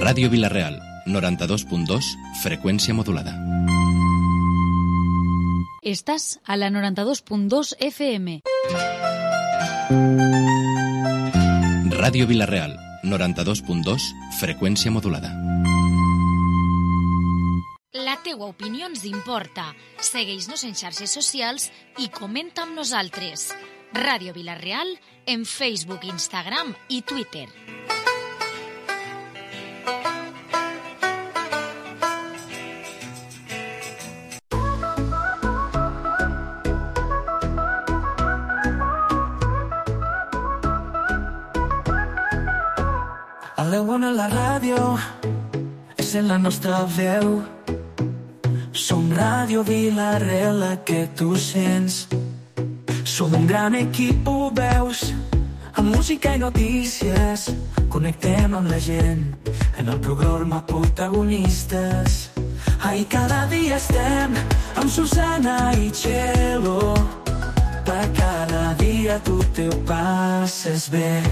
Ràdio Vila-real, 92.2, freqüència modulada. Estàs a la 92.2 FM. Ràdio Vila-real, 92.2, freqüència modulada. La teua opinió ens importa. Segueix-nos en xarxes socials i comenta amb nosaltres. Ràdio Vila-real en Facebook, Instagram i Twitter. A la bona la ràdio és en la nostra veu. Som Ràdio Vila-real, la que tu sents. Som un gran equip, ho veus, amb música i notícies. Connectem amb la gent en el programa Protagonistes. Ai, cada dia estem amb Susana i Txelo. Per cada dia tu te ho passes bé.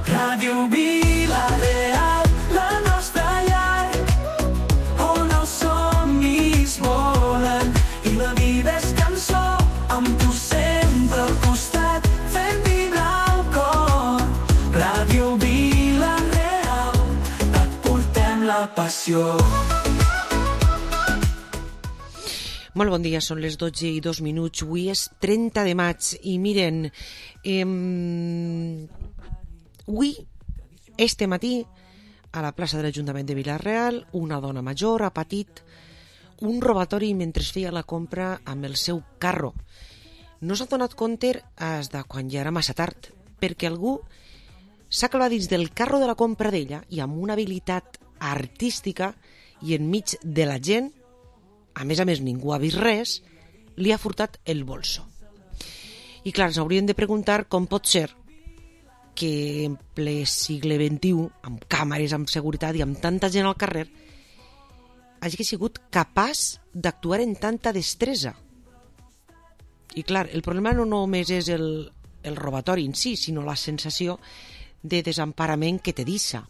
Ràdio Vila-real, la nostra llar, on els somnis volen i la vida és cançó, amb tu sempre al costat, fent vibrar el cor. Ràdio Vila-real, et portem la passió. Molt bon dia, són les 12:02. Avui és 30 de maig i miren, avui, este matí, a la plaça de l'Ajuntament de Vila-real, una dona major ha patit un robatori mentre feia la compra amb el seu carro. No s'ha donat compte fins de quan ja era massa tard, perquè algú s'ha clavat dins del carro de la compra d'ella i amb una habilitat artística i enmig de la gent, a més ningú ha vist res, li ha furtat el bolso. I clar, ens hauríem de preguntar com pot ser que en ple segle XXI, amb càmeres, amb seguretat i amb tanta gent al carrer, hagi sigut capaç d'actuar en tanta destresa. I clar, el problema no només és el robatori en si, sinó la sensació de desemparament que te deixa.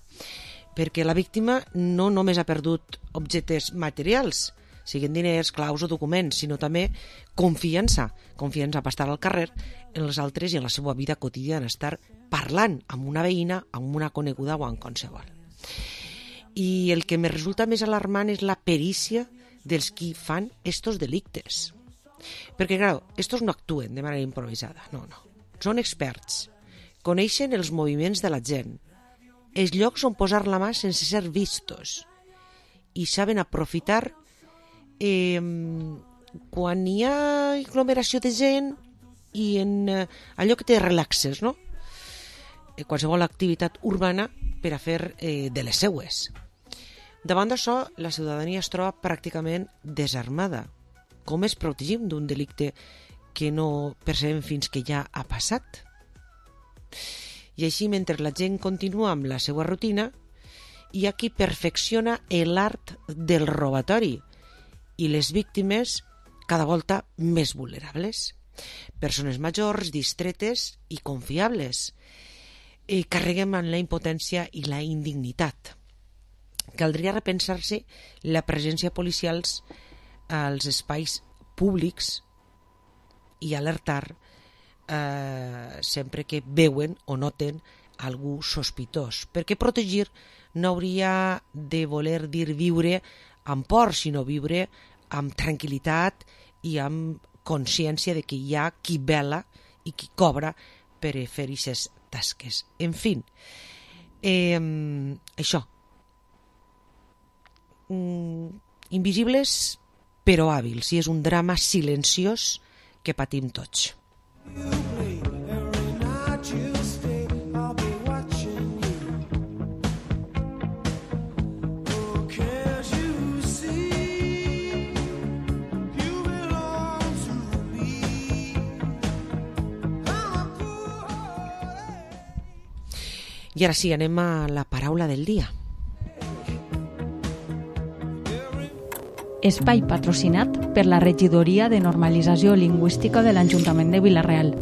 Perquè la víctima no només ha perdut objectes materials, siguin diners, claus o documents, sinó també confiança per estar al carrer en els altres i en la seva vida quotidiana, estar parlant amb una veïna, amb una coneguda o amb qualsevol. I el que me resulta més alarmant és la perícia dels qui fan estos delictes. Perquè, clar, estos no actuen de manera improvisada, no. Són experts, coneixen els moviments de la gent, els llocs on posar la mà sense ser vistos i saben aprofitar quan hi ha aglomeració de gent i en allò que te relaxes, no? Qualsevol activitat urbana per a fer de les seues. Davant d'això, la ciutadania es troba pràcticament desarmada. Com es protegim d'un delicte que no percebem fins que ja ha passat? I així, mentre la gent continua amb la seva rutina, hi ha qui perfecciona l'art del robatori i les víctimes cada volta més vulnerables. Persones majors, distretes i confiables. Carreguem en la impotència i la indignitat. Caldria repensar-se la presència policial als espais públics i alertar sempre que veuen o noten algú sospitós. Perquè protegir no hauria de voler dir viure amb por, sinó viure amb tranquil·litat i amb consciència de que hi ha qui vela i qui cobra per fer aquestes tasques. En fi, això. Invisibles però hàbils, i és un drama silenciós que patim tots. I ara sí, anem a la paraula del dia. Espai patrocinat per la Regidoria de Normalització Lingüística de l'Ajuntament de Vila-real.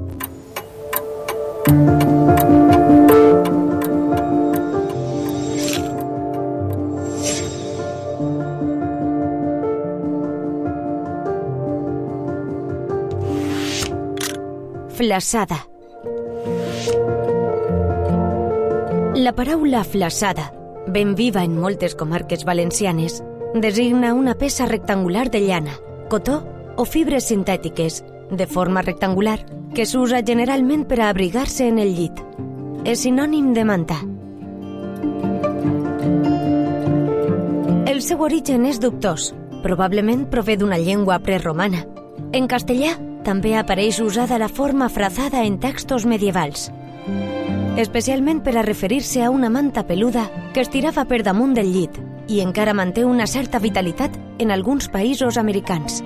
Flassada. La paraula flassada, ben viva en moltes comarques valencianes, designa una peça rectangular de llana, cotó o fibres sintètiques, de forma rectangular, que s'usa generalment per a abrigar-se en el llit. És sinònim de manta. El seu origen és dubtós. Probablement prové d'una llengua preromana. En castellà també apareix usada la forma frazada en textos medievals, especialment per a referir-se a una manta peluda que estirava per damunt del llit i encara manté una certa vitalitat en alguns països americans.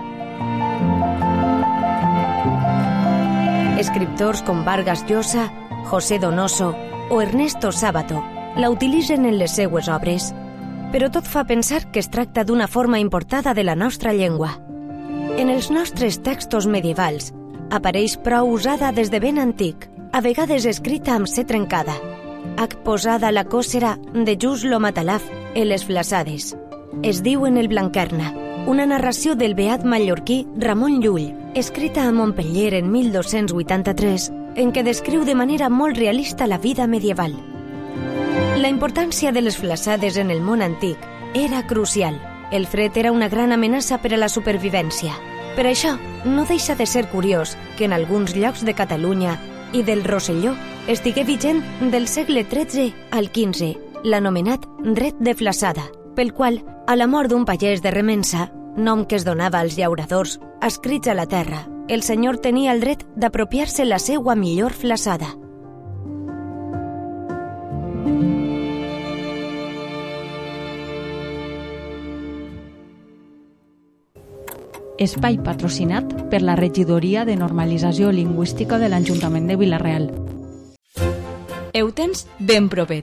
Escriptors com Vargas Llosa, José Donoso o Ernesto Sábato la utilitzen en les seues obres, però tot fa pensar que es tracta d'una forma importada de la nostra llengua. En els nostres textos medievals apareix prou usada des de ben antic, a vegades escrita amb C trencada. H posada a la còsera de Just lo Matalaf en les flassades. Es diu en el Blanquerna, una narració del beat mallorquí Ramon Llull, escrita a Montpeller en 1283, en què descriu de manera molt realista la vida medieval. La importància de les flassades en el món antic era crucial. El fred era una gran amenaça per a la supervivència. Per això, no deixa de ser curiós que en alguns llocs de Catalunya i del Rosselló estigué vigent del segle XIII al XV, l'anomenat dret de flassada, pel qual, a la mort d'un pagès de Remença, nom que es donava als llauradors adscrits a la terra, el senyor tenia el dret d'apropiar-se la seua millor flassada. Espai patrocinat per la Regidoria de Normalització Lingüística de l'Ajuntament de Vila-real. Ho tens ben propet.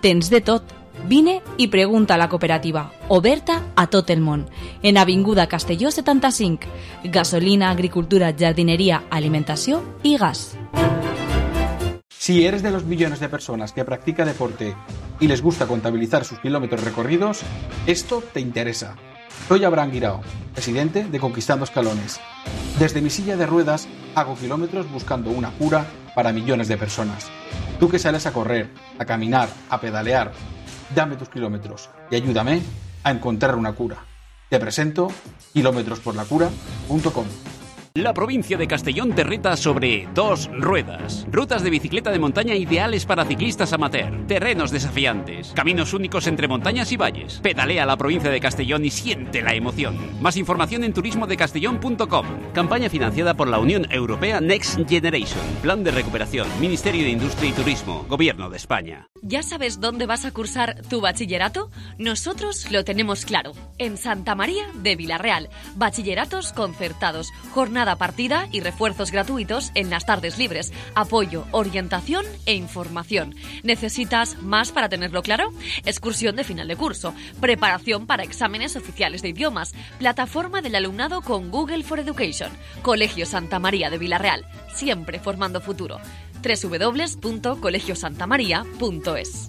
Tens de tot. Vine i pregunta a la cooperativa, oberta a tot el món, en Avinguda Castelló 75. Gasolina, agricultura, jardinería, alimentació i gas. Si eres de los millones de personas que practica deporte y les gusta contabilizar sus kilómetros recorridos, esto te interesa. Soy Abraham Guirao, presidente de Conquistando Escalones. Desde mi silla de ruedas hago kilómetros buscando una cura para millones de personas. Tú que sales a correr, a caminar, a pedalear, dame tus kilómetros y ayúdame a encontrar una cura. Te presento kilometrosporlacura.com. La provincia de Castellón te reta sobre 2 ruedas. Rutas de bicicleta de montaña ideales para ciclistas amateur. Terrenos desafiantes. Caminos únicos entre montañas y valles. Pedalea la provincia de Castellón y siente la emoción. Más información en turismodecastellón.com. Campaña financiada por la Unión Europea Next Generation. Plan de recuperación. Ministerio de Industria y Turismo. Gobierno de España. ¿Ya sabes dónde vas a cursar tu bachillerato? Nosotros lo tenemos claro. En Santa María de Vila-real. Bachilleratos concertados. Jornada partida y refuerzos gratuitos en las tardes libres, apoyo, orientación e información. ¿Necesitas más para tenerlo claro? Excursión de final de curso, preparación para exámenes oficiales de idiomas, plataforma del alumnado con Google for Education, Colegio Santa María de Vila-real, siempre formando futuro. www.colegiosantamaria.es.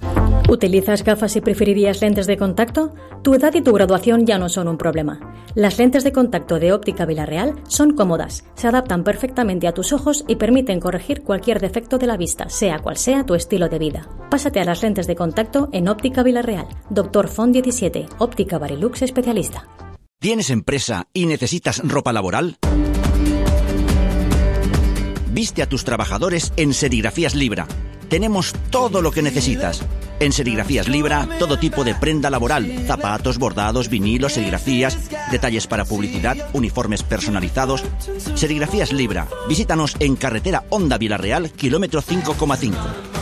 ¿Utilizas gafas y preferirías lentes de contacto? Tu edad y tu graduación ya no son un problema. Las lentes de contacto de Óptica Vila-real son cómodas, se adaptan perfectamente a tus ojos y permiten corregir cualquier defecto de la vista, sea cual sea tu estilo de vida. Pásate a las lentes de contacto en Óptica Vila-real. Dr. Font 17, Óptica Barilux especialista. ¿Tienes empresa y necesitas ropa laboral? Viste a tus trabajadores en Serigrafías Libra. Tenemos todo lo que necesitas. En Serigrafías Libra, todo tipo de prenda laboral, zapatos, bordados, vinilos, serigrafías, detalles para publicidad, uniformes personalizados. Serigrafías Libra. Visítanos en carretera Honda Vila-real, kilómetro 5,5.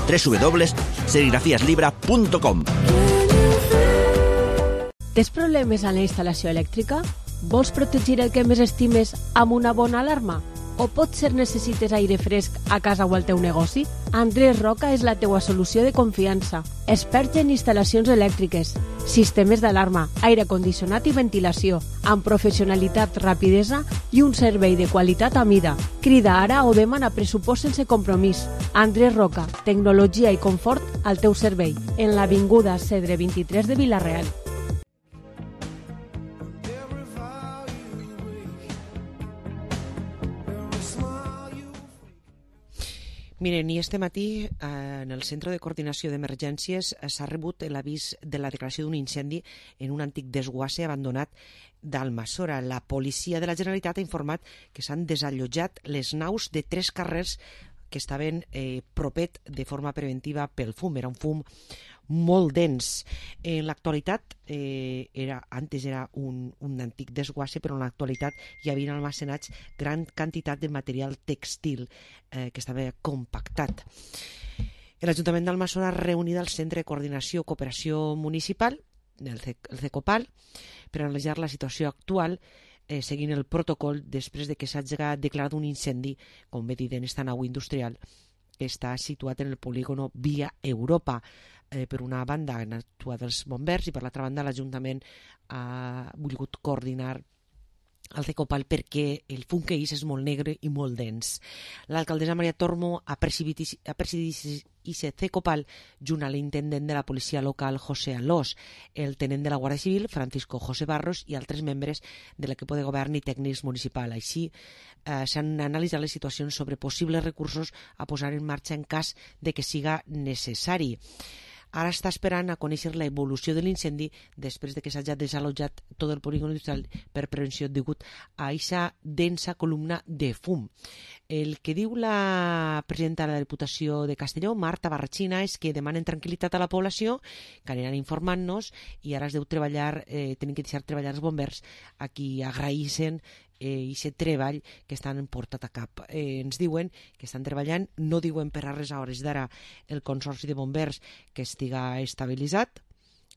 www.serigrafiaslibra.com. Tens problemes en la instal·lació elèctrica? Vols protegir el que més estimes amb una bona alarma? O potser necessites aire fresc a casa o al teu negoci? Andrés Roca és la teua solució de confiança. Expert en instal·lacions elèctriques, sistemes d'alarma, aire condicionat i ventilació, amb professionalitat, rapidesa i un servei de qualitat a mida. Crida ara o demana pressupost sense compromís. Andrés Roca, tecnologia i confort al teu servei, en l'avinguda Cedre 23 de Vila-real. Miren, i este matí en el Centre de Coordinació d'Emergències s'ha rebut l'avís de la declaració d'un incendi en un antic desguasse abandonat d'Almassora. La policia de la Generalitat ha informat que s'han desallotjat les naus de 3 carrers que estaven propet de forma preventiva pel fum. Era un fum molt dens. En l'actualitat, antes era un antic desguasse, però en l'actualitat hi havia almacenats gran quantitat de material textil que estava compactat. L'Ajuntament d'Almassora ha reunit al Centre de Coordinació i Cooperació Municipal, el CECOPAL, per analitzar la situació actual seguint el protocol després de que s'hagi declarat un incendi, com bé dit, en esta nau industrial que està situat en el polígono Via Europa. Per una banda han actuat els bombers i per l'altra banda l'Ajuntament ha volgut coordinar el CECOPAL perquè el fum que és molt negre i molt dens. L'alcaldessa Maria Tormo ha presidit aquest CECOPAL junt a l'intendent de la policia local José Alós, el tenent de la Guàrdia Civil Francisco José Barros i altres membres de l'equip de govern i tècnics municipal. Així s'han analitzat les situacions sobre possibles recursos a posar en marxa en cas de que siga necessari. Ara està esperant a conèixer l'evolució de l'incendi després de que s'hagi desallotjat tot el polígon industrial per prevenció degut a aquesta densa columna de fum. El que diu la presidenta de la Diputació de Castelló, Marta Barrachina, és que demanen tranquil·litat a la població, que aniran informant-nos i ara es deu treballar, tenen que deixar treballar els bombers a qui agraïssen aquest treball que estan portat a cap. Ens diuen que estan treballant, no diuen per a res a hores d'ara el Consorci de Bombers que estiga estabilitzat.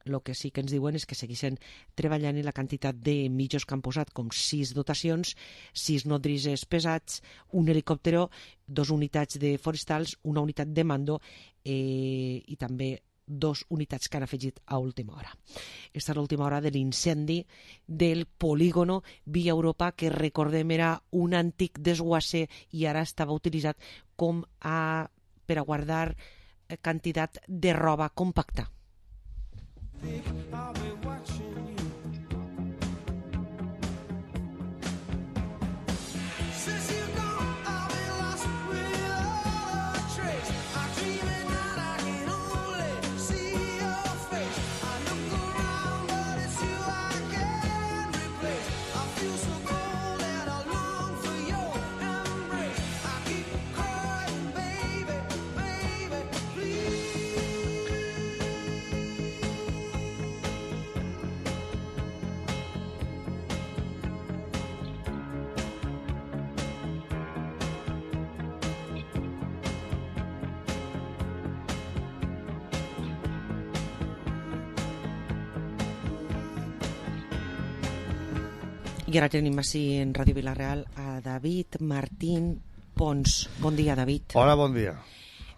El que sí que ens diuen és que segueixen treballant en la quantitat de mitjos que han posat, com 6 dotacions, 6 nodrises pesats, un helicòptero, 2 unitats de forestals, una unitat de mando i també 2 unitats que han afegit a última hora. Aquesta és l'última hora de l'incendi del polígono Via Europa, que recordem era un antic desguasse i ara estava utilitzat per a guardar quantitat de roba compacta. I ara tenim així en Ràdio Vilareal a David Martín Pons. Bon dia, David. Hola, bon dia.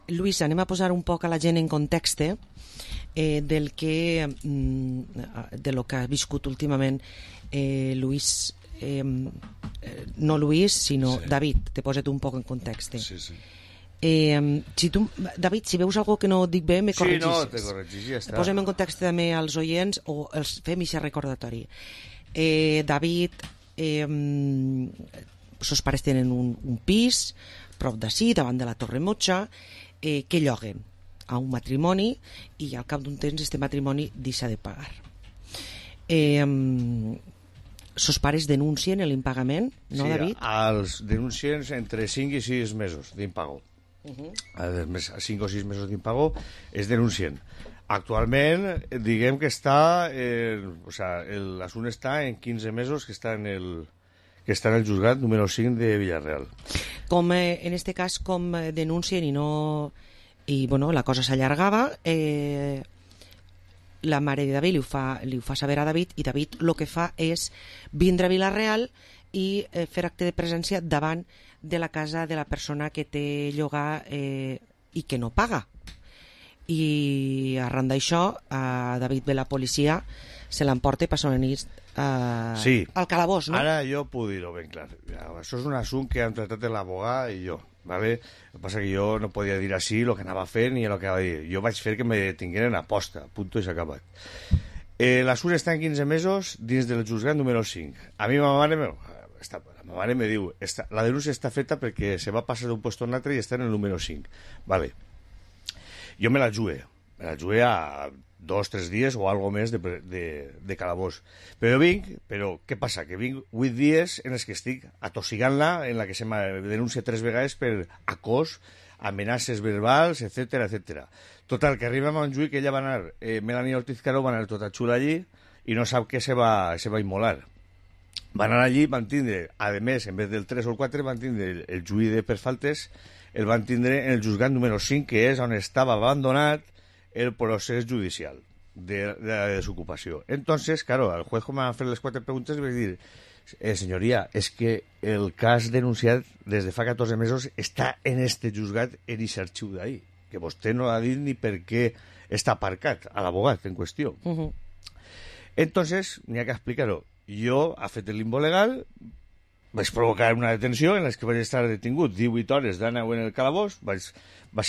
Lluís, anem a posar un poc a la gent en context de lo que ha viscut últimament Lluís, no Lluís, sinó sí. David, te posa't un poc en context. Sí, sí. David, si veus alguna que no dic bé, me corregis. Sí, no, te corregis, ja està. Posem en context també als oients o els fem aquest recordatori. David, sos pares tenen un pis prop d'ací, davant de la Torre Motxa, que lloguen a un matrimoni i al cap d'un temps este matrimoni deixa de pagar. Sos pares denuncien l'impagament, no, sí, David? Sí, els denuncien entre 5 i 6 mesos d'impago. A 5 o 6 mesos d'impago es denuncien. Actualment, diguem que està, l'assumpte està en 15 mesos que està en el juzgat número 5 de Villarreal. Com en este cas, com denuncien i la cosa s'allargava, la mare de David li ho fa saber a David i David el que fa és vindre a Vilareal i fer acte de presència davant de la casa de la persona que té llogar i que no paga. I arran d'això David ve la policia, se l'emporta i passa una nit al calabós, no? Ara jo puc dir-ho ben clar. Això és un assumpte que han tractat l'abogat i jo, ¿vale? El que passa que jo no podia dir així el que anava fent ni el que anava a dir. Jo vaig fer que me detingueren a posta, punto i s'ha acabat. L'assumpte està en 15 mesos dins del juzgat número 5. A mi ma mare Ma mare me diu, la denúncia està feta perquè se va passar d'un puesto a un altre i està en el número 5. Vale. Jo me la jugué a 2-3 dies o algo més de calabós. Però què passa? Que vinc 8 dies en els que estic atossigant-la, en la que se me denuncia 3 vegades per acòs, amenaces verbals, etc. Total, que arriba a Montjuïc, que ella va anar, Melanie Ortiz Caro va anar tota xula allí i no sap què se va immolar. Van anar allí, van tindre, a més, en vez del 3 o el 4, van tindre el juí per faltes, el van tindre en el juzgat número 5, que és on estava abandonat el procés judicial de la desocupació. Entonces, claro, al juez, com van fer les 4 preguntes, li vaig dir, senyoria, és que el cas denunciat des de fa 14 mesos està en este juzgat en aquest arxiu d'ahí, que vostè no ha dit ni per què està aparcat a l'abogat en qüestió. Entonces, n'hi ha que explicar-ho. Jo, ha fet el limbo legal, vaig provocar una detenció en la que vaig estar detingut 18 hores d'anau en el calabós, vaig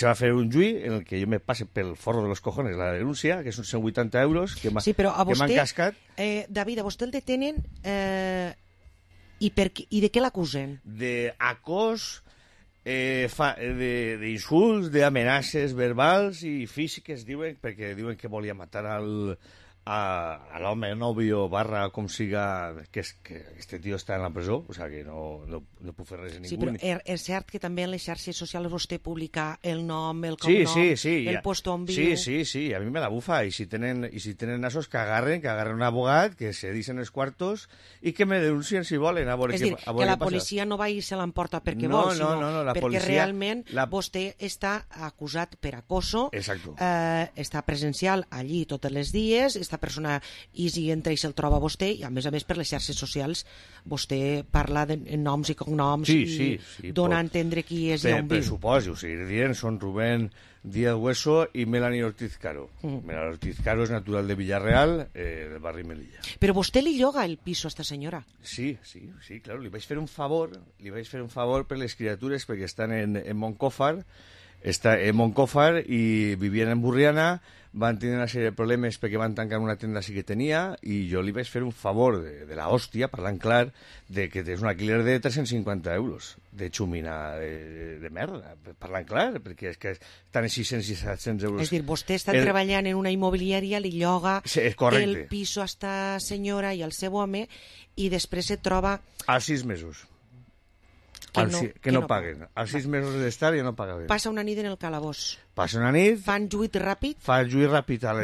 a fer un juí en el que jo me passe pel forro de los cojones la denúncia, que són 180 euros que m'han cascat. David, a vostè el detenen i de què l'acusen? D'acòs, d'insults, d'amenaces verbals i físiques, diuen, perquè diuen que volia matar a l'home, novio, barra, com siga, que este tio està en la presó, o sigui que no puc fer res a ningú. Sí, però és cert que també en les xarxes socials vostè publica el nom, el cognom, el puesto on viu... Sí, a mi me la bufa, i si tenen nasos, que agarren un abogat, que se dicen els quartos, i que me denuncien si volen, a veure què passa. És dir, que la policia no va i se l'emporta perquè vol, sinó perquè realment vostè està acusat per acoso, està presencial allí tots els dies, aquesta persona entra i se'l troba a vostè, i a més per les xarxes socials vostè parla de noms i cognoms i dona a entendre qui és i on viu. Pressuposo, o sigui, dient són Rubén Díaz Hueso i Melanie Ortiz Caro. Melanie Ortiz Caro és natural de Villarreal, del barri Melilla. Però vostè li lloga el piso a esta senyora? Sí, claro, li vaig fer un favor per les criatures perquè estan en Moncófar, i vivien en Burriana, van tenir una sèrie de problemes perquè van tancar una tenda sí que tenia, i jo li vaig fer un favor de la hòstia, parlant clar, de que és un alquiler de 350 euros de xumina de merda, parlant clar, perquè és que estan en 600 i 700 euros. És dir, vostè està treballant en una immobiliària, li lloga el piso a esta senyora i al seu home, i després se troba... A 6 mesos. Que no paguen. Als 6 mesos d'estar ja no pagaven. Passa una nit en el calabós. Passa una nit. Fan juit ràpid.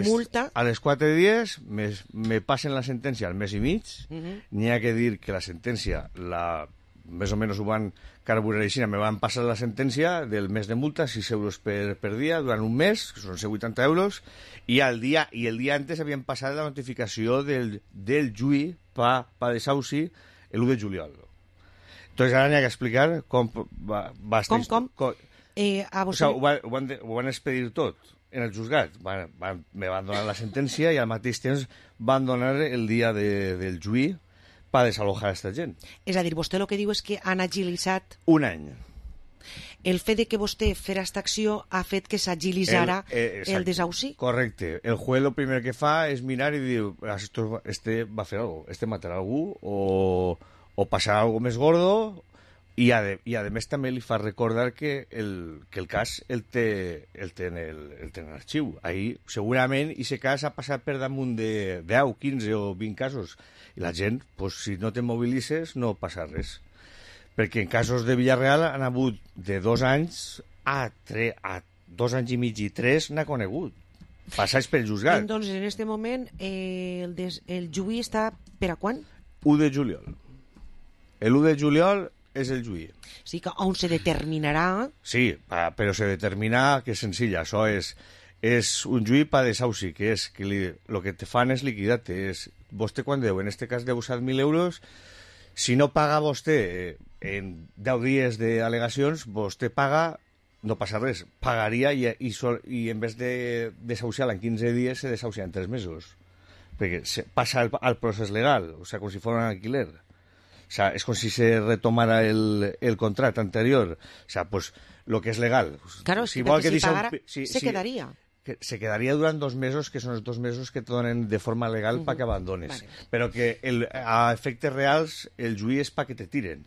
Multa. A les 4 dies me passen la sentència al mes i mig. N'hi ha que dir que la sentència, més o menys ho van carburar així, me van passar la sentència del mes de multa, 6 euros per dia, durant un mes, que són 180 euros, i el dia antes havien passat la notificació del juí pa desahuci l'1 de juliol. Entonces ara n'hi ha que explicar com va estar... Com? Ho van expedir tot en el juzgat. Me van donar la sentència i al mateix temps van donar el dia del juí per desalojar aquesta gent. És a dir, vostè el que diu és que han agilitzat... Un any. El fet de que vostè fera aquesta acció ha fet que s'agilitzara el desahuci? Correcte. El juez lo primer que fa és mirar i dir, este va fer algo, este matarà algú o passarà algo més gordo, i a més també li fa recordar que el cas el té en arxiu. Ahí segurament aquest cas ha passat per damunt de 10, 15 o 20 casos, i la gent, pues, si no te mobilitzes, no passa res. Perquè en casos de Villarreal han hagut de 2 anys a 2 anys i mig i 3 n'ha conegut. Passats pel juzgat. Entonces, en este moment, el juí està per a quan? 1 de juliol. El 1 de juliol és el juí. Sí, que on se determinarà... Sí, però se determina que és senzill. Això és un juí per desahuci, que és que el que te fan és liquidar-te. Vostè quan deu, en este cas deu 7.000 euros, si no paga vostè en 10 dies d'al·legacions, vostè paga, no passa res, pagaria i en vez de desahuciar en 15 dies se desahucia en 3 mesos. Perquè passa al procés legal, o sigui, com si fos un alquiler. O sea, es como si se retomara el contrato anterior. O sea, pues lo que es legal. Claro, si pagara, se quedaría. Se quedaría durante 2 mesos, que son los 2 mesos que te donen de forma legal para que abandones. Vale. Pero que a efectes reals el juí és para que te tiren.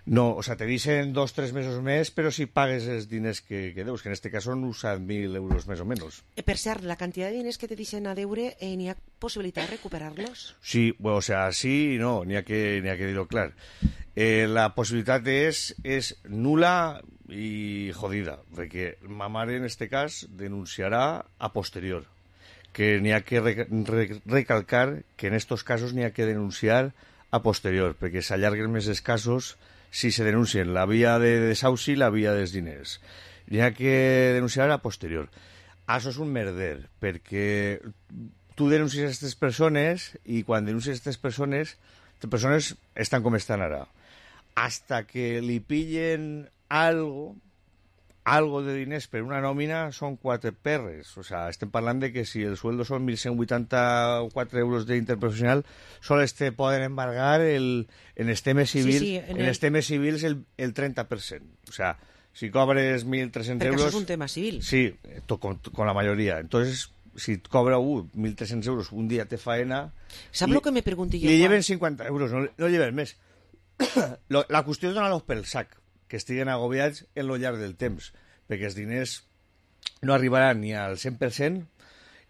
No, o sea, te dicen 2-3 mesos més, però si pagues els diners que deus, que en este cas són uns 1.000 euros més o menys. Per cert, la quantitat de diners que te deixen a deure, n'hi ha possibilitat de recuperar-los? Sí, bueno, o sea, sí y no, n'hi ha que dir-ho clar. La possibilitat és nula i jodida, perquè ma mare en este cas denunciarà a posterior, que n'hi ha que recalcar que en estos casos n'hi ha que denunciar a posterior, perquè s'allarguen més els casos si se denuncien la via de desahuci i la via dels diners. N'hi ha que denunciar a posterior. Això és un merder, perquè tu denuncies aquestes persones i quan denuncies aquestes persones estan com estan ara. Hasta que li pillen algo de diners per una nòmina són 4 perres. O sea, estem parlant de que si el sueldo són 1.184 euros d'interprofessional, sols te poden embargar en els temes civils, en els temes civils el 30%. O sea, si cobres 1.300 euros... Perquè això és un tema civil. Sí, con la mayoría. Entonces, si cobra 1.300 euros un dia te faena... Sap el que me pregunti jo? Li lleven 50 euros, no lleven més. La qüestió és donar-los pel sac, que estiguen agobiats en lo llarg del temps, perquè els diners no arribaran ni al 100%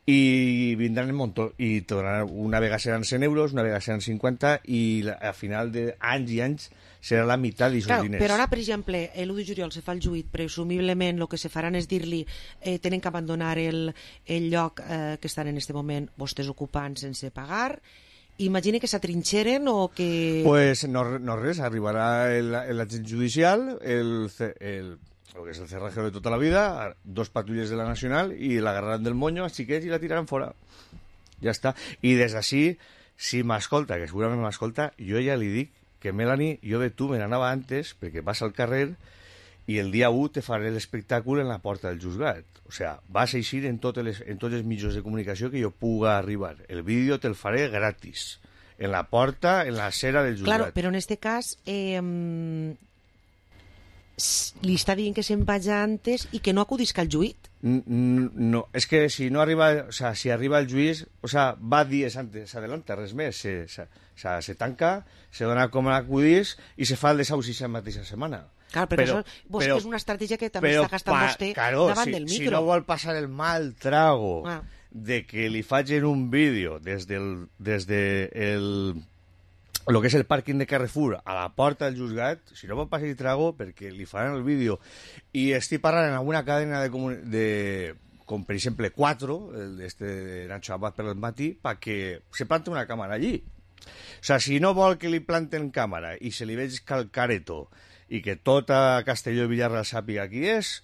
i vindran en muntó, i una vegada seran 100 euros, una vegada seran 50, i a final d'anys i anys serà la meitat d'aquests diners. Però ara, per exemple, l'1 de juliol se fa el juït, presumiblement el que se faran és dir-li tenen que abandonar el lloc que estan en aquest moment vostès ocupant sense pagar. Imagina que s'atrinxeren o que... Pues no res, arribarà l'agent judicial, el que és el cerrajero de tota la vida, 2 patrulles de la Nacional, i l'agarraran del moño als xiquets i la tiraran fora. Ja està. I des d'ací, si m'escolta, que segurament m'escolta, jo ja li dic que Melanie, jo de tu me n'anava antes, perquè vas al carrer i el dia 1 te faré l'espectacle en la porta del juzgat. O sea, vas a eixir en tots els mitjans de comunicació que jo puga arribar. El vídeo te'l faré gratis. En la porta, en la cera del juzgat. Claro, però en este cas li està dient que se'n vagi antes i que no acudisca al juït. No, és que si no arriba, o sea, si arriba el juís, o sea, va dies antes, adelanta, res més. Se tanca, se dona com a acudís i se fa el desahuci la mateixa setmana. Clar, però això és una estratègia que també està gastant vostè davant del micro. Si no vol passar el mal trago de que li facin un vídeo des lo que és el pàrquing de Carrefour a la porta del juzgat, si no vol passar el trago perquè li faran el vídeo, i estic parlant en alguna cadena com per exemple 4, de Nacho Abad per el matí, perquè se plante una càmera allí. O sea, si no vol que li planten càmera i se li veig calcareto i que tota Castelló i Villarreal sàpiga qui és,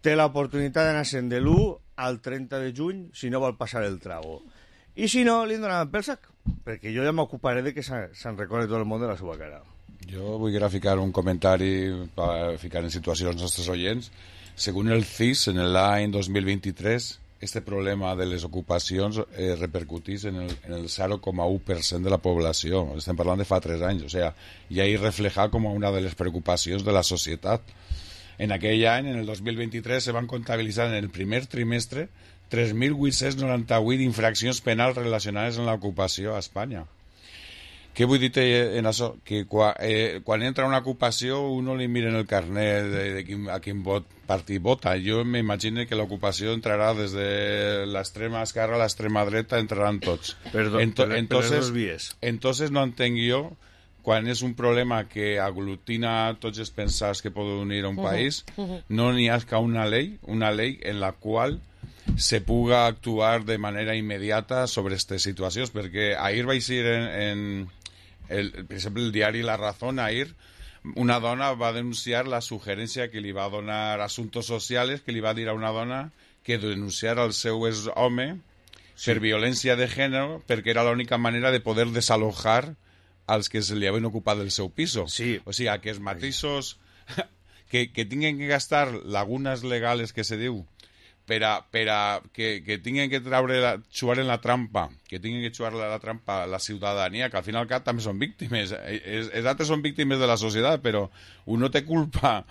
té l'oportunitat d'anar-se'n de l'1 al 30 de juny si no vol passar el trago. I si no, li donaran pel sac, perquè jo ja m'ocuparé de que se'n recorre tot el món de la seva cara. Jo vull ficar un comentari per ficar en situació els nostres oients. Según el CIS, en l'any 2023, este problema de les ocupacions repercutís en el 0,1% de la població. Estem parlant de fa 3 anys, o sea, ja hi refleja com una de les preocupacions de la societat. En aquell any, en el 2023, se van comptabilitzar en el primer trimestre 3.898 infraccions penals relacionades amb l'ocupació a Espanya. Què vull dir en això? Que quan entra una ocupació uno li mira en el carnet a quin partit vota. Jo m'imagino que l'ocupació entrarà des de l'extrema esquerra a l'extrema dreta, entraran tots. Entonces no entenc jo, quan és un problema que aglutina tots els pensats que poden unir a un país, no n'hi ha una ley en la qual se puga actuar de manera immediata sobre aquestes situacions, perquè ahir va ser per exemple, el diari La Razón, ahir una dona va denunciar la sugerència que li va donar Asuntos Sociales, que li va dir a una dona que denunciara el seu home per violència de gènere, perquè era l'única manera de poder desalojar als que se li havien ocupat del seu piso. Sí. O sigui, que els matisos que tinguin que gastar lagunes legales, que se diu, per a que tinguin que xuar en la trampa, que tinguin que xuar la trampa la ciutadania, que al final cap també són víctimes. Els altres són víctimes de la societat, però un no té culpa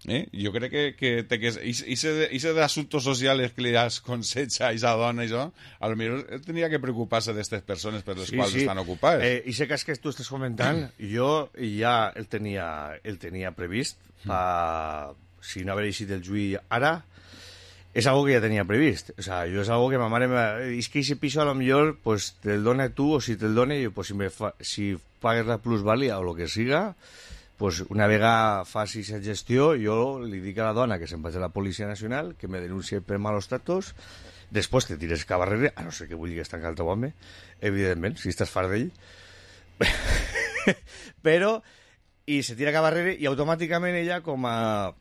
Jo crec que ese d'assumptos socials que li aconseja a esa dona, això, a lo millor tenia que preocupar-se d'aquestes persones per les quals estan ocupades. I ese cas que tu estàs comentant, jo ja el tenia previst, si no haver eixit el juí ara, és algo que ja tenia previst. O sea, jo és algo que ma mare... És que ese piso a lo millor pues, te'l dona tu, o si te'l dona, pues, si pagues la plusvàlia o lo que siga, pues una vegada faci aquesta gestió, jo li dic a la dona que se'n vaig a la Policia Nacional, que me denuncie per malos tratos, després te tires cap darrere, a no ser que vulguis tancar el teu home, evidentment, si estàs fart d'ell. Però, i se tira cap darrere, i automàticament ella, com a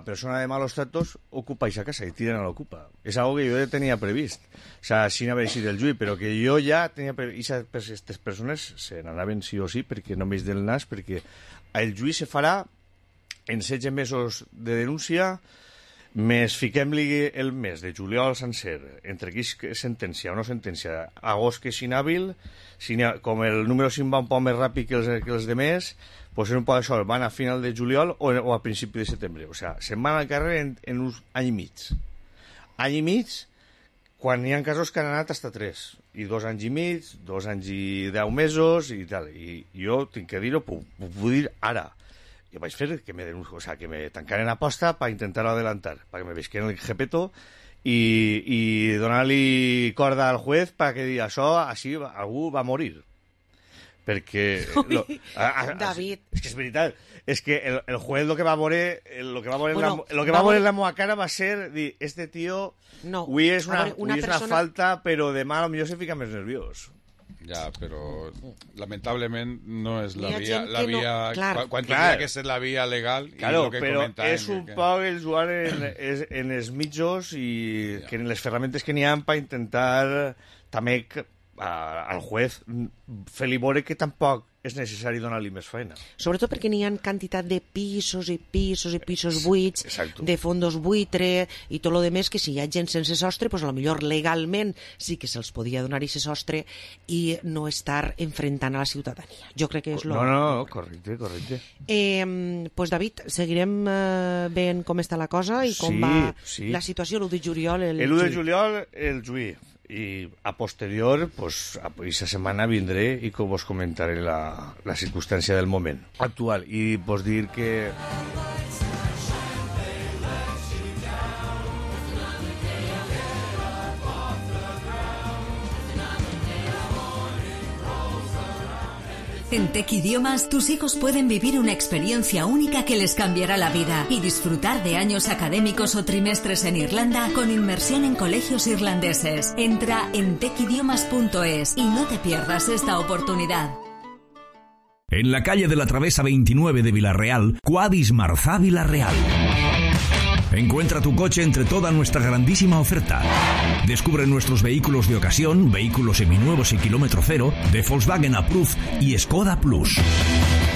persona de malos tratos, ocupa aquesta casa i tira no l'ocupa. És algo que jo ja tenia previst. O sea, sin haver eixit el juí, però que jo ja tenia previst. I aquestes persones se n'anaven sí o sí, perquè només del nas, perquè el juí se farà en 16 mesos de denúncia, més fiquem-li el mes de juliol sencer, entre aquí sentència o no sentència, agost que és inhàbil, com el número 5 va un poc més ràpid que els demés, pues en un poc això, van a final de juliol o a principi de setembre. O sea, se'n van al carrer en un any i mig. Any i mig, quan hi ha casos que han anat hasta 3, i 2 anys i mig, 2 anys i 10 mesos, i tal. I jo tinc que dir-ho, ho puc dir ara. Jo vaig fer que me tancaren a posta per intentar-ho adelantar, perquè me vesqueren el jepeto i donar-li corda al juez perquè digui això, així algú va morir. Perquè... David. És que és veritat. És que el juez lo que va veure en la meva cara va ser dir, este tío avui és una falta, però demà potser se fica més nerviós. Ja, però lamentablement no és la via... Quan tindria que ser la via legal... Claro, però és un poc el jugar en els mitjos i que en les ferramentes que n'hi ha per intentar també al juez fer-li veure que tampoc és necessari donar-li més feina. Sobretot perquè n'hi ha quantitat de pisos i pisos i pisos buits, exacto, de fondos buitre i tot lo demés, que si hi ha gent sense sostre, pues a lo millor legalment sí que se'ls podia donar aquest sostre i no estar enfrentant a la ciutadania. Jo crec que és lo... No, correcte. Pues David, seguirem veient com està la cosa i com va la situació l'1 de juliol. El 1 de juliol el juí. I a posterior, pues, aquesta setmana vindré i que vos comentaré la circumstància del moment actual. I vos dir que... En Tech Idiomas, tus hijos pueden vivir una experiencia única que les cambiará la vida y disfrutar de años académicos o trimestres en Irlanda con inmersión en colegios irlandeses. Entra en techidiomas.es y no te pierdas esta oportunidad. En la calle de la Travesa 29 de Villarreal, Quadis Marzá Villarreal. Encuentra tu coche entre toda nuestra grandísima oferta. Descubre nuestros vehículos de ocasión, vehículos seminuevos y kilómetro cero, de Volkswagen Approved y Skoda Plus.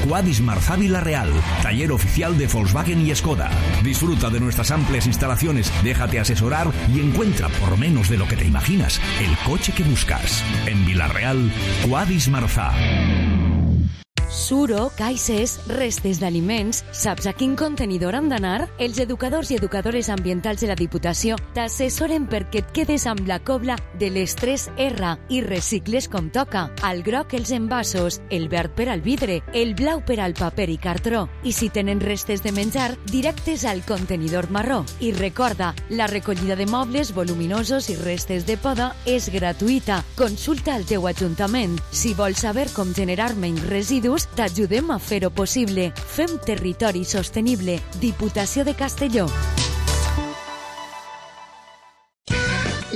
Quadis Marzá Villarreal, taller oficial de Volkswagen y Skoda. Disfruta de nuestras amplias instalaciones, déjate asesorar y encuentra, por menos de lo que te imaginas, el coche que buscas. En Villarreal, Quadis Marzá. Suro, caixes, restes d'aliments, saps a quin contenidor han d'anar? Els educadors i educadores ambientals de la Diputació t'assessoren perquè et quedes amb la cobla de les 3R i recicles com toca. Al groc els envasos, el verd per al vidre, el blau per al paper i cartró. I si tenen restes de menjar, directes al contenidor marró. I recorda, la recollida de mobles voluminosos i restes de poda és gratuïta. Consulta al teu ajuntament. Si vols saber com generar menys residus, t'ajudem a fer-ho possible. Fem territori sostenible. Diputació de Castelló.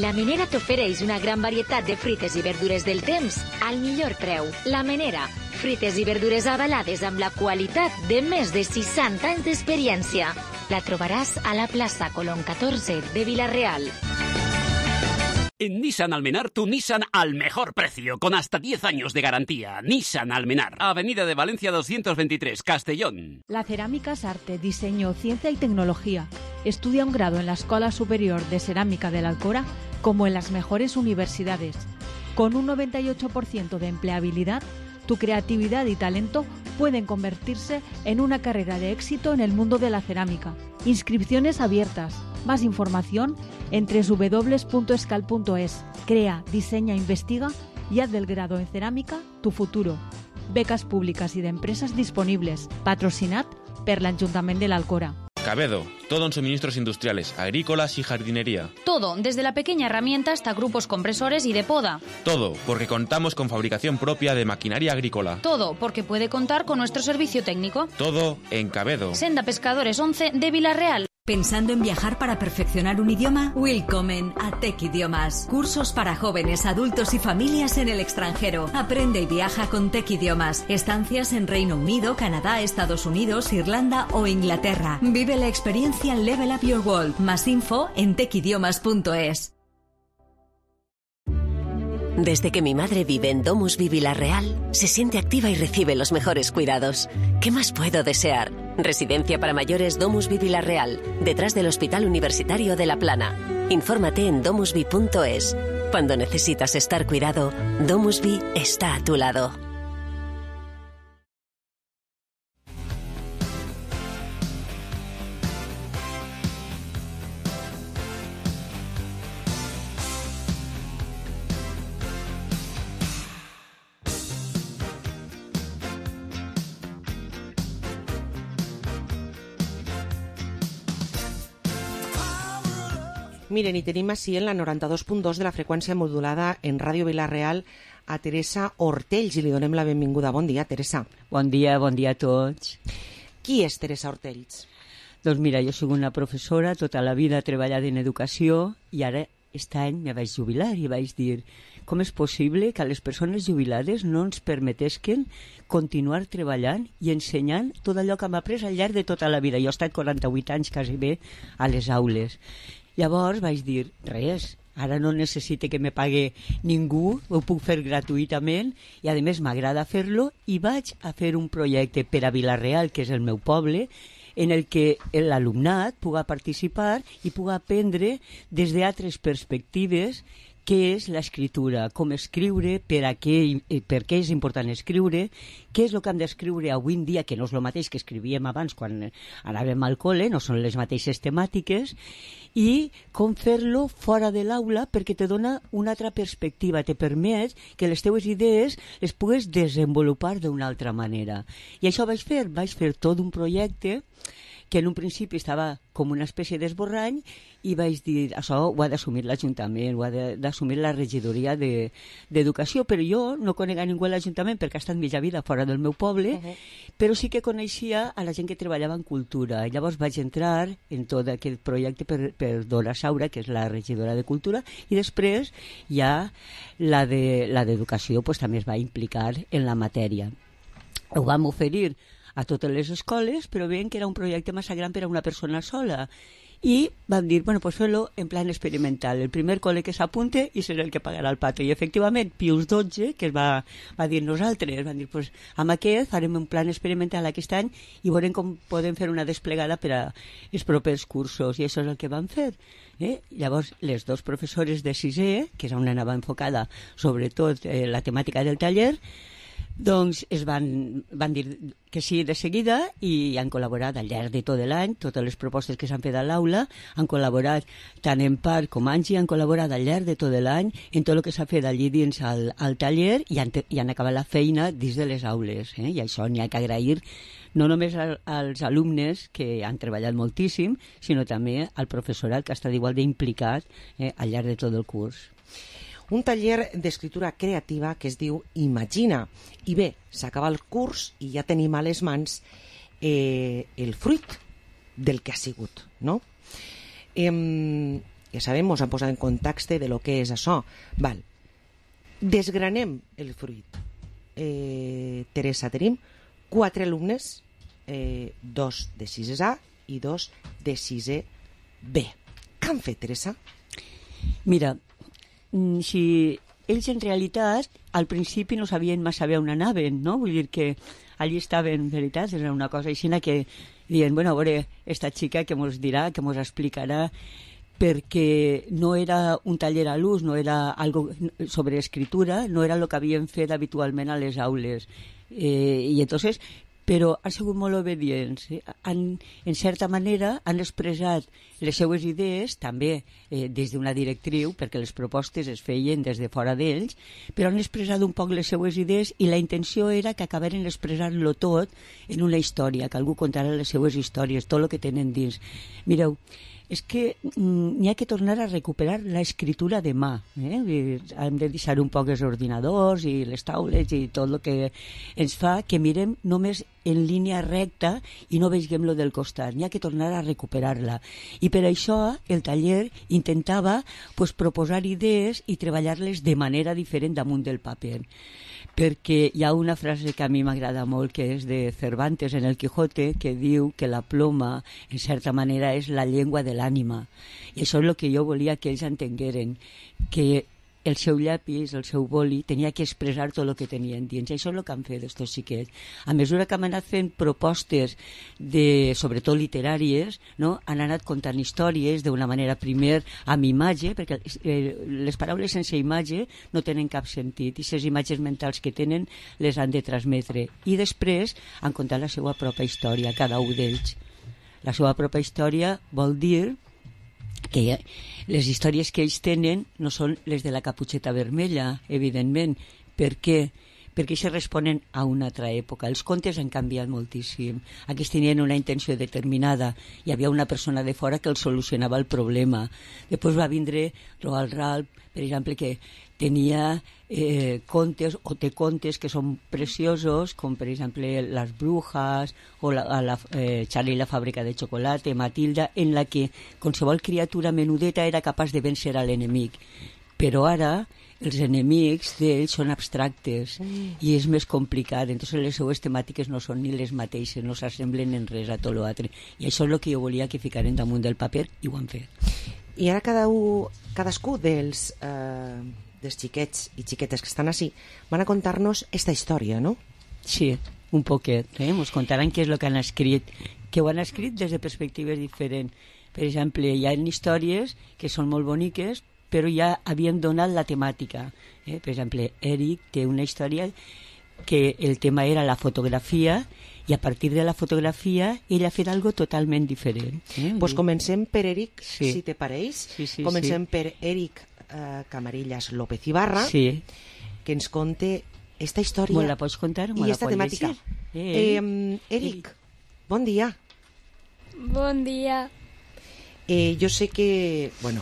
La Menera t'ofereix una gran varietat de fruites i verdures del temps al millor preu. La Menera, fruites i verdures avalades amb la qualitat de més de 60 anys d'experiència. La trobaràs a la plaça Colón 14 de Villarreal. En Nissan Almenar, tu Nissan al mejor precio, con hasta 10 años de garantía. Nissan Almenar, Avenida de Valencia 223, Castellón. La cerámica es arte, diseño, ciencia y tecnología. Estudia un grado en la Escuela Superior de Cerámica de la Alcora como en las mejores universidades. Con un 98% de empleabilidad, tu creatividad y talento pueden convertirse en una carrera de éxito en el mundo de la cerámica. Inscripciones abiertas. Más información en www.escal.es. Crea, diseña, investiga y haz del grado en cerámica tu futuro. Becas públicas y de empresas disponibles. Patrocinat per l'Ajuntament de l'Alcora. Cabedo, todo en suministros industriales, agrícolas y jardinería. Todo, desde la pequeña herramienta hasta grupos compresores y de poda. Todo, porque contamos con fabricación propia de maquinaria agrícola. Todo, porque puede contar con nuestro servicio técnico. Todo en Cabedo. Senda Pescadores 11 de Vilarreal. ¿Pensando en viajar para perfeccionar un idioma? Willkommen a Tech Idiomas. Cursos para jóvenes, adultos y familias en el extranjero. Aprende y viaja con Tech Idiomas. Estancias en Reino Unido, Canadá, Estados Unidos, Irlanda o Inglaterra. Vive la experiencia Level Up Your World. Más info en techidiomas.es. Desde que mi madre vive en Domusvi Vilarreal, se siente activa y recibe los mejores cuidados. ¿Qué más puedo desear? Residencia para mayores Domusvi Vilarreal, detrás del Hospital Universitario de La Plana. Infórmate en domusvi.es. Cuando necesitas estar cuidado, Domusvi está a tu lado. Miren, i tenim així en la 92.2 de la freqüència modulada en Ràdio Vilarreal a Teresa Ortells i li donem la benvinguda. Bon dia, Teresa. Bon dia a tots. Qui és Teresa Ortells? Doncs mira, jo soc una professora, tota la vida he treballat en educació i ara aquest any me vaig jubilar i vaig dir com és possible que a les persones jubilades no ens permetesquen continuar treballant i ensenyant tot allò que hem après al llarg de tota la vida. Jo he estat 48 anys quasi bé a les aules. Llavors vaig dir, res, ara no necessite que me pague ningú, ho puc fer gratuïtament i a més m'agrada fer-lo i vaig a fer un projecte per a Vilarreal, que és el meu poble, en el que l'alumnat puga participar i puga aprendre des d'altres perspectives què és l'escriptura, com escriure, per què és important escriure, què és el que hem d'escriure avui en dia, que no és el mateix que escrivíem abans quan anàvem al col·le, no són les mateixes temàtiques, i com fer-lo fora de l'aula perquè te dona una altra perspectiva, te permet que les teues idees les pugues desenvolupar d'una altra manera. I això vaig fer tot un projecte que en un principi estava com una espècie d'esborrany i vaig dir, això ho ha d'assumir l'Ajuntament, ho ha d'assumir la regidoria d'Educació, però jo no conec a ningú a l'Ajuntament perquè ha estat mitja vida fora del meu poble, però sí que coneixia a la gent que treballava en cultura. I llavors vaig entrar en tot aquest projecte per Dora Saura, que és la regidora de Cultura, i després ja la d'Educació pues, també es va implicar en la matèria. Ho vam oferir a totes les escoles, però veiem que era un projecte massa gran per a una persona sola. I vam dir, bueno, pues fer-lo en plan experimental. El primer col·le que s'apunte i serà el que pagarà el pato. I efectivament, Pius XII, que va dir nosaltres, van dir, pues amb aquest farem un plan experimental aquest any i veurem com podem fer una desplegada per a els propers cursos. I això és el que vam fer. Llavors, les dos professores de sisè, que és on anava enfocada sobretot la temàtica del taller, doncs van dir que sí de seguida i han col·laborat al llarg de tot l'any, totes les propostes que s'han fet a l'aula, han col·laborat tant en part com Angie, han col·laborat al llarg de tot l'any en tot el que s'ha fet allí dins al taller i han acabat la feina dins de les aules. I això n'hi ha que agrair no només als alumnes que han treballat moltíssim, sinó també al professorat que ha estat igual d'implicat al llarg de tot el curs. Un taller d'escriptura creativa que es diu Imagina. I bé, s'acaba el curs i ja tenim a les mans el fruit del que ha sigut, no? Ja sabem, ens han posat en context de lo que és això. Val. Desgranem el fruit. Teresa, tenim 4 alumnes, 2 de 6è A i 2 de 6è B. Què han fet, Teresa? Mira, si ells en realitat al principi no sabien massa bé on anaven, no? Vull dir que allí estaven, en veritat, era una cosa així que diuen, bueno, a veure, esta xica que mos dirà, que mos explicarà, perquè no era un taller a l'ús, no era algo sobre escritura, no era el que havien fet habitualment a les aules. I entonces però han sigut molt obedients. En certa manera han expressat les seues idees, també des d'una directriu, perquè les propostes es feien des de fora d'ells, però han expressat un poc les seues idees i la intenció era que acabaren expressant-lo tot en una història, que algú contara les seues històries, tot el que tenen dins. Mireu, és que n'hi ha que tornar a recuperar l'escriptura de mà. Hem de deixar un poc els ordinadors i les taules i tot el que ens fa que mirem només en línia recta i no veiem lo del costat. N'hi ha que tornar a recuperar-la. I per això el taller intentava proposar idees i treballar-les de manera diferent damunt del paper. Perquè hi ha una frase que a mi m'agrada molt, que és de Cervantes en el Quijote, que diu que la ploma, en certa manera, és la llengua de l'ànima. I això és el que jo volia que ells entengueren, que el seu llapis, el seu boli, tenia que expressar tot el que tenien dins. I això és el que han fet estos xiquets. A mesura que han anat fent propostes, sobretot literàries, no? Han anat contant històries d'una manera primer amb imatge, perquè les paraules sense imatge no tenen cap sentit, i les imatges mentals que tenen les han de transmetre. I després han contat la seva pròpia història, cada un d'ells. La seva pròpia història vol dir que les històries que ells tenen no són les de la Caputxeta Vermella, evidentment. Per què? Perquè se responen a una altra època. Els contes han canviat moltíssim. Aquests tenien una intenció determinada. Hi havia una persona de fora que els solucionava el problema. Després va vindre Roald Dahl, per exemple, que tenia contes o té contes que són preciosos, com per exemple Las Brujas o Charlie i la fàbrica de xocolate, Matilda, en la que qualsevol criatura menudeta era capaç de vèncer a l'enemic. Però ara els enemics d'ells són abstractes i és més complicat, entonces les seues temàtiques no són ni les mateixes, no s'assemblen en res a tot l'altre. I això és el que jo volia que ficaren damunt del paper i ho han fet. I ara cadascú dels xiquets i xiquetes que estan així van a contar-nos esta història, no? Sí, un poquet. Ens contaran què és el que han escrit, que ho han escrit des de perspectives diferents. Per exemple, hi ha històries que són molt boniques, però ja havien donat la temàtica. Per exemple, Eric té una història que el tema era la fotografia i a partir de la fotografia ell ha fet algo totalment diferent. Pues comencem per Eric, sí. Si te pareix. Sí, comencem per Eric Camarillas López Ibarra, sí. Que ens conte esta història. ¿Me la pots contar? I esta temàtica. Eric, bon dia. Bon dia. Jo sé que, bueno,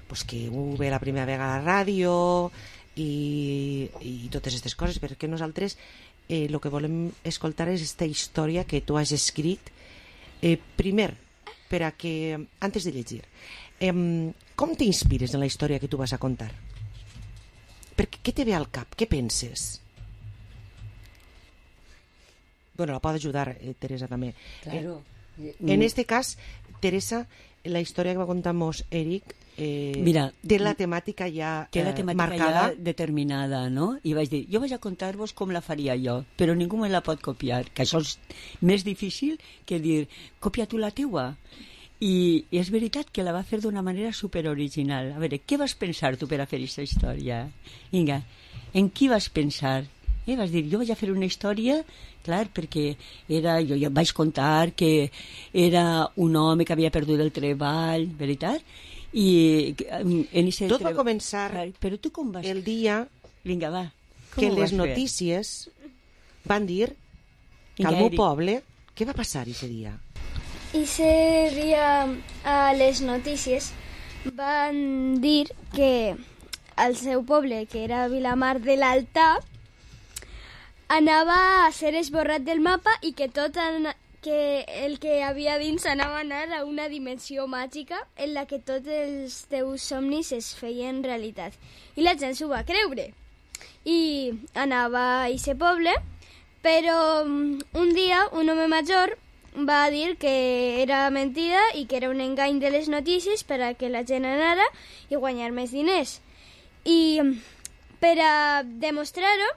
pues que ho ve la primera vegada a la ràdio i totes aquestes coses, perquè nosaltres el que volem escoltar és aquesta història que tu has escrit. Primer, per a que, antes de llegir, com t'inspires en la història que tu vas a contar? Què te ve al cap? Què penses? Bueno, la pot ajudar Teresa també. Claro. En este cas, Teresa, la història que va contar-nos Eric, mira, té la temàtica ja té la temàtica marcada, ja determinada, no? I vaig dir, jo vaig a contar-vos com la faria jo, però ningú me la pot copiar, que això és més difícil que dir, copia tu la teua. I és veritat que la va fer d'una manera superoriginal. A veure, què vas pensar tu per a fer aquesta història? Vinga, en qui vas pensar? Vas dir, jo vaig a fer una història, clar, perquè jo vaig contar que era un home que havia perdut el treball, veritat? I tot va començar però tu com vas... el dia Vinga, va. que les notícies van dir que al meu poble... Què va passar aquest dia? Ese dia a les notícies van dir que al seu poble, que era Vilamar de l'Alta, anava a ser esborrat del mapa i que que el que havia dins anava a anar a una dimensió màgica en la que tots els teus somnis es feien realitat. I la gent s'ho va creure. I anava a aquest poble, però un dia un home major va dir que era mentida i que era un engany de les notícies per a que la gent anara i guanyar més diners. I per a demostrar-ho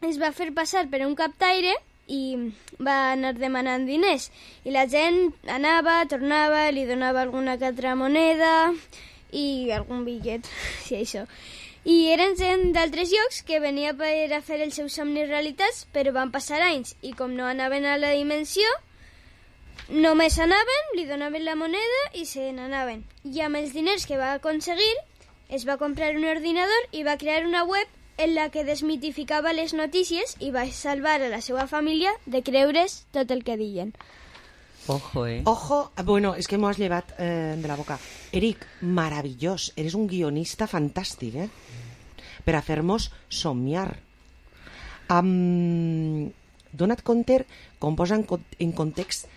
es va fer passar per un captaire i va anar demanant diners. I la gent anava, tornava, li donava alguna que altra moneda i algun bitllet, si això. I eren gent d'altres llocs que venia per a fer els seus somnis realitats, però van passar anys i com no anaven a la dimensió, només anaven, li donaven la moneda i se n'anaven. I amb els diners que va aconseguir, es va comprar un ordinador i va crear una web en la que desmitificava les notícies i va salvar a la seva família de creure's tot el que diuen. Ojo, Ojo, bueno, és que m'ho has llevat de la boca. Eric, meravellós, eres un guionista fantàstic, per a fer-nos somiar. Dona't compte com posa en context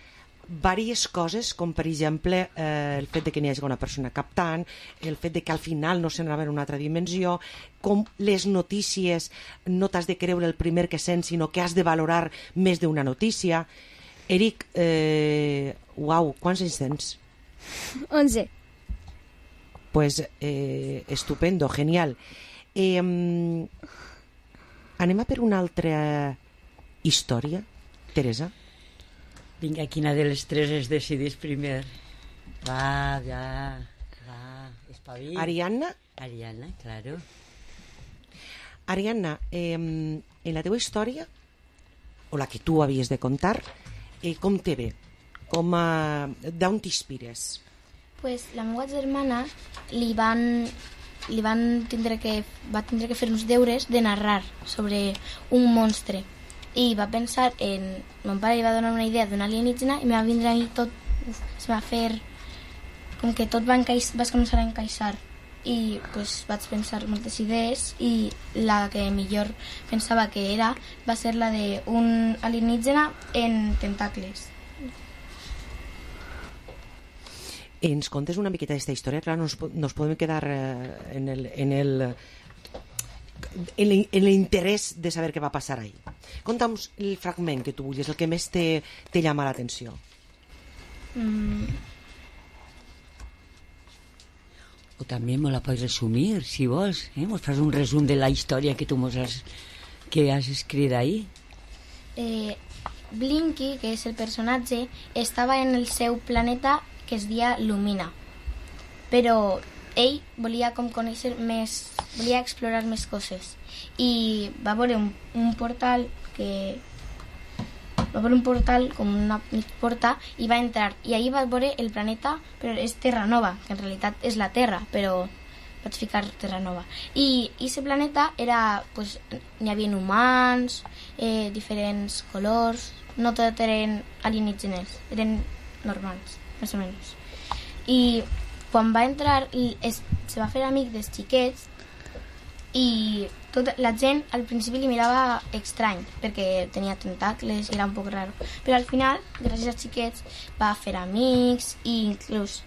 diverses coses, com per exemple el fet de que n'hi hagi una persona captant, el fet de que al final no se n'anava en una altra dimensió, com les notícies no t'has de creure el primer que sents, sinó que has de valorar més d'una notícia. Eric, uau, quants anys tens? 11. Pues estupendo, genial. Anem a per una altra història, Teresa? Vinga, quina de les tres es decidís primer? Va, espavil. Ariadna? Ariadna, claro. Ariadna, en la teva història, o la que tu havies de contar, com te ve? D'on t'inspires? Pues la meva germana va tindre que fer uns deures de narrar sobre un monstre i va pensar en... Mon pare li va donar una idea d'un alienígena i me va vindre a mi tot... Es va fer... Com que tot vas començar a encaixar i pues, vaig pensar moltes idees i la que millor pensava que era va ser la d'un alienígena en tentacles. Ens contes una miqueta d'aquesta història? Clar, nos podem quedar en l'interès de saber què va passar ahí. Conta'm el fragment que tu vulguis, el que més te llama l'atenció. O també me la pots resumir, si vols. Mos fas un resum de la història que tu que has escrit ahí. Blinky, que és el personatge, estava en el seu planeta que es deia Lumina. Però ell volia com conèixer més, volia explorar més coses. I va veure un portal que... Va veure un portal com una porta i va entrar. I ahir va veure el planeta, però és Terra Nova, que en realitat és la Terra, però vaig ficar Terra Nova. I aquest planeta era... Pues, n'hi havia humans, diferents colors, no tot eren alienígenes, eren normals, més o menys. I quan va entrar, se va fer amic dels xiquets i tota la gent al principi li mirava estrany perquè tenia tentacles i era un poc raro, però al final, gràcies als xiquets, va fer amics i inclús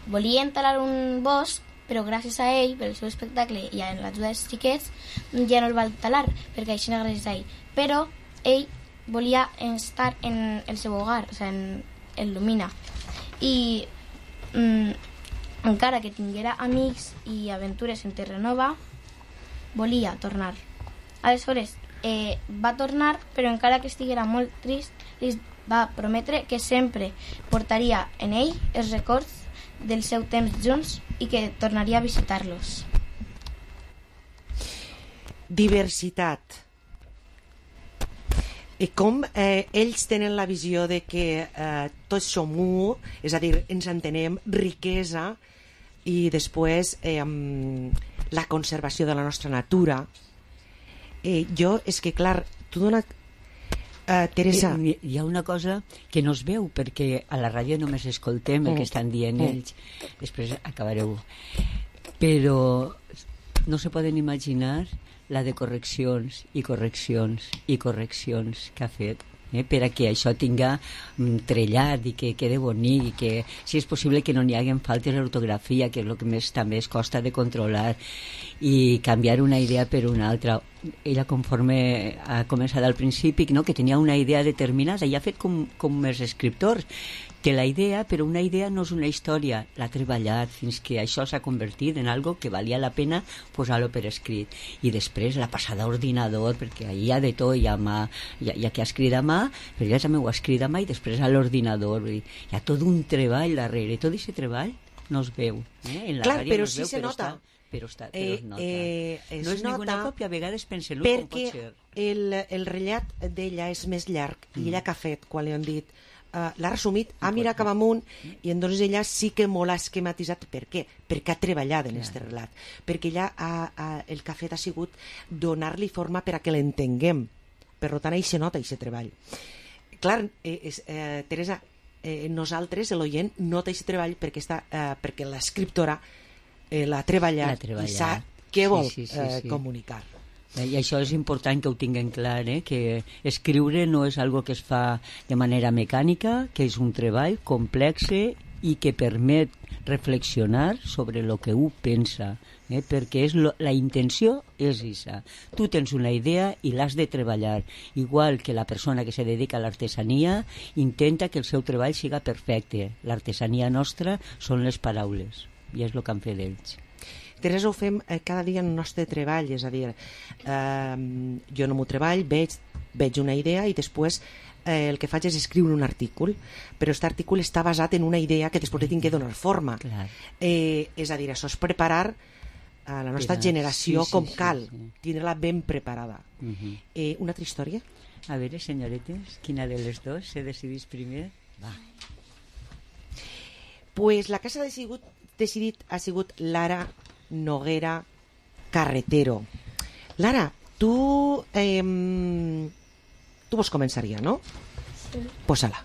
volia entrar un bosc, però gràcies a ell, per el seu espectacle i en l'ajuda dels xiquets, ja no el va talar perquè això no gràcies a ell, però ell volia estar en el seu hogar, o sigui, en Lumina, i encara que tinguera amics i aventures en Terra Nova, volia tornar. Aleshores, va tornar, però encara que estiguera molt trist, li va prometre que sempre portaria en ell els records del seu temps junts i que tornaria a visitar-los. Diversitat. I com ells tenen la visió de que tots som u, és a dir, ens entenem, riquesa, i després la conservació de la nostra natura. Jo, és que clar, tu dona... Teresa... Hi ha una cosa que no es veu, perquè a la ràdio només escoltem el que estan dient ells. Després acabareu. Però no se poden imaginar la de correccions i correccions i correccions que ha fet per a que això tinga trellat i que quede bonic i que, si és possible, que no n'hi hagi faltes d'ortografia, que és el que més també es costa de controlar, i canviar una idea per una altra. Ella, conforme ha començat al principi, no, que tenia una idea determinada i ha fet com els escriptors, té la idea, però una idea no és una història, l'ha treballat fins que això s'ha convertit en algo que valia la pena posar-lo per escrit, i després la passada a ordinador, perquè ahir hi ha de tot, hi ha que ha escrit a mà, però ella també ho ha escrit a mà i després a l'ordinador, hi ha tot un treball darrere, tot aquest treball no es veu. En la Clar, ràdio però no es sí veu, se nota. Però es nota. Es No és ninguna nota còpia, a vegades pensen, com pot perquè ser? el rellat d'ella és més llarg i ella que ha fet quan li han dit l'ha resumit, ha mirat cap amunt i entonces ella sí que molt ha esquematitzat. Per què? Perquè ha treballat en aquest relat, perquè ella el que ha fet ha sigut donar-li forma per a que l'entenguem, per tant ahí se nota i se treball. Clar, Teresa, nosaltres l'oient nota aquest treball perquè l'escriptora l'ha treballat i sap què vol comunicar. I això és important que ho tinguem clar, que escriure no és algo que es fa de manera mecànica, que és un treball complex i que permet reflexionar sobre el que un pensa, perquè la intenció és aquesta. Tu tens una idea i l'has de treballar, igual que la persona que se dedica a l'artesania intenta que el seu treball siga perfecte. L'artesania nostra són les paraules i és el que han fet ells. Teresa, ho fem cada dia en el nostre treball, és a dir, jo en el meu treball veig una idea i després el que faig és escriure un artícul, però aquest artícul està basat en una idea que després li tinc que donar forma. És a dir, això és preparar a la nostra generació com cal, tindre-la ben preparada. Una altra història? A veure, senyoretes, quina de les dues se decidís primer? Va. Pues la que s'ha decidit ha sigut Lara Noguera Carretero. Lara, tu vols començar ja, no? Sí. Posa-la.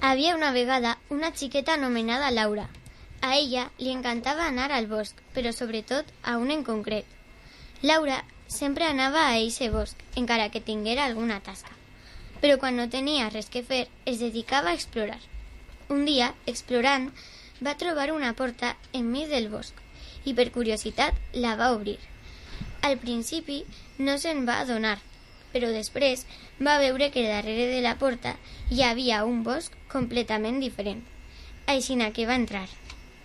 Había una vegada una xiqueta anomenada Laura. A ella li encantava anar al bosc, però sobretot a un en concret. Laura sempre anava a eixe bosc, encara que tinguera alguna tasca. Però quan no tenia res que fer, es dedicava a explorar. Un dia, explorant, va trobar una porta enmig del bosc i per curiositat la va obrir. Al principi no se'n va adonar, però després va veure que darrere de la porta hi havia un bosc completament diferent. Aixina que va entrar.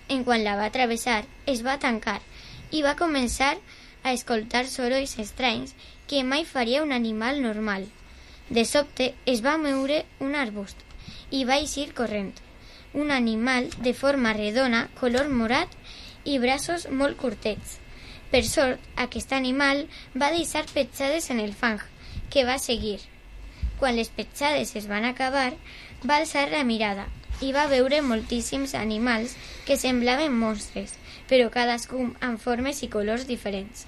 En quan la va travessar, es va tancar i va començar a escoltar sorolls estranys que mai faria un animal normal. De sobte es va moure un arbust i va eixir corrent. Un animal de forma redona, color morat i braços molt curtets. Per sort, aquest animal va deixar petjades en el fang, que va seguir. Quan les petjades es van acabar, va alçar la mirada i va veure moltíssims animals que semblaven monstres, però cadascun amb formes i colors diferents.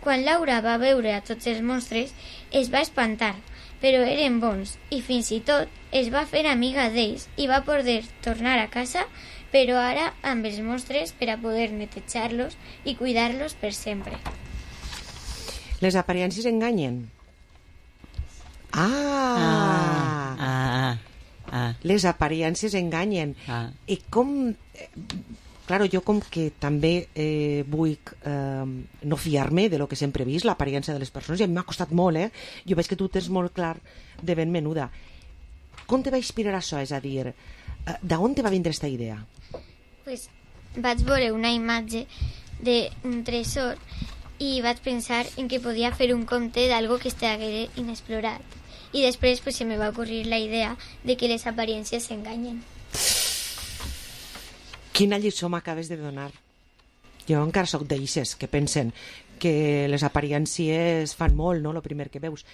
Quan Laura va veure a tots els monstres, es va espantar, però eren bons i fins i tot es va fer amiga d'ells i va poder tornar a casa, però ara amb els monstres per a poder netejar-los i cuidar-los per sempre. Les aparences enganyen. Les aparences enganyen. I com... Claro, jo com que també vull no fiar-me de lo que sempre he vist, l'aparença de les persones, i a mi m'ha costat molt, Jo veig que tu tens molt clar de ben menuda. Com te va inspirar això? És a dir, d'on te va vindre aquesta idea? Pues vaig veure una imatge d'un tresor i vaig pensar en que podia fer un conte d'algo que estigués inexplorat. I després pues, se me va ocurrir la idea de que les aparences s'enganyen. Quina lliçó m'acabes de donar. Jo encara soc d'eixes que pensen que les aparencies fan molt, no?, el primer que veus.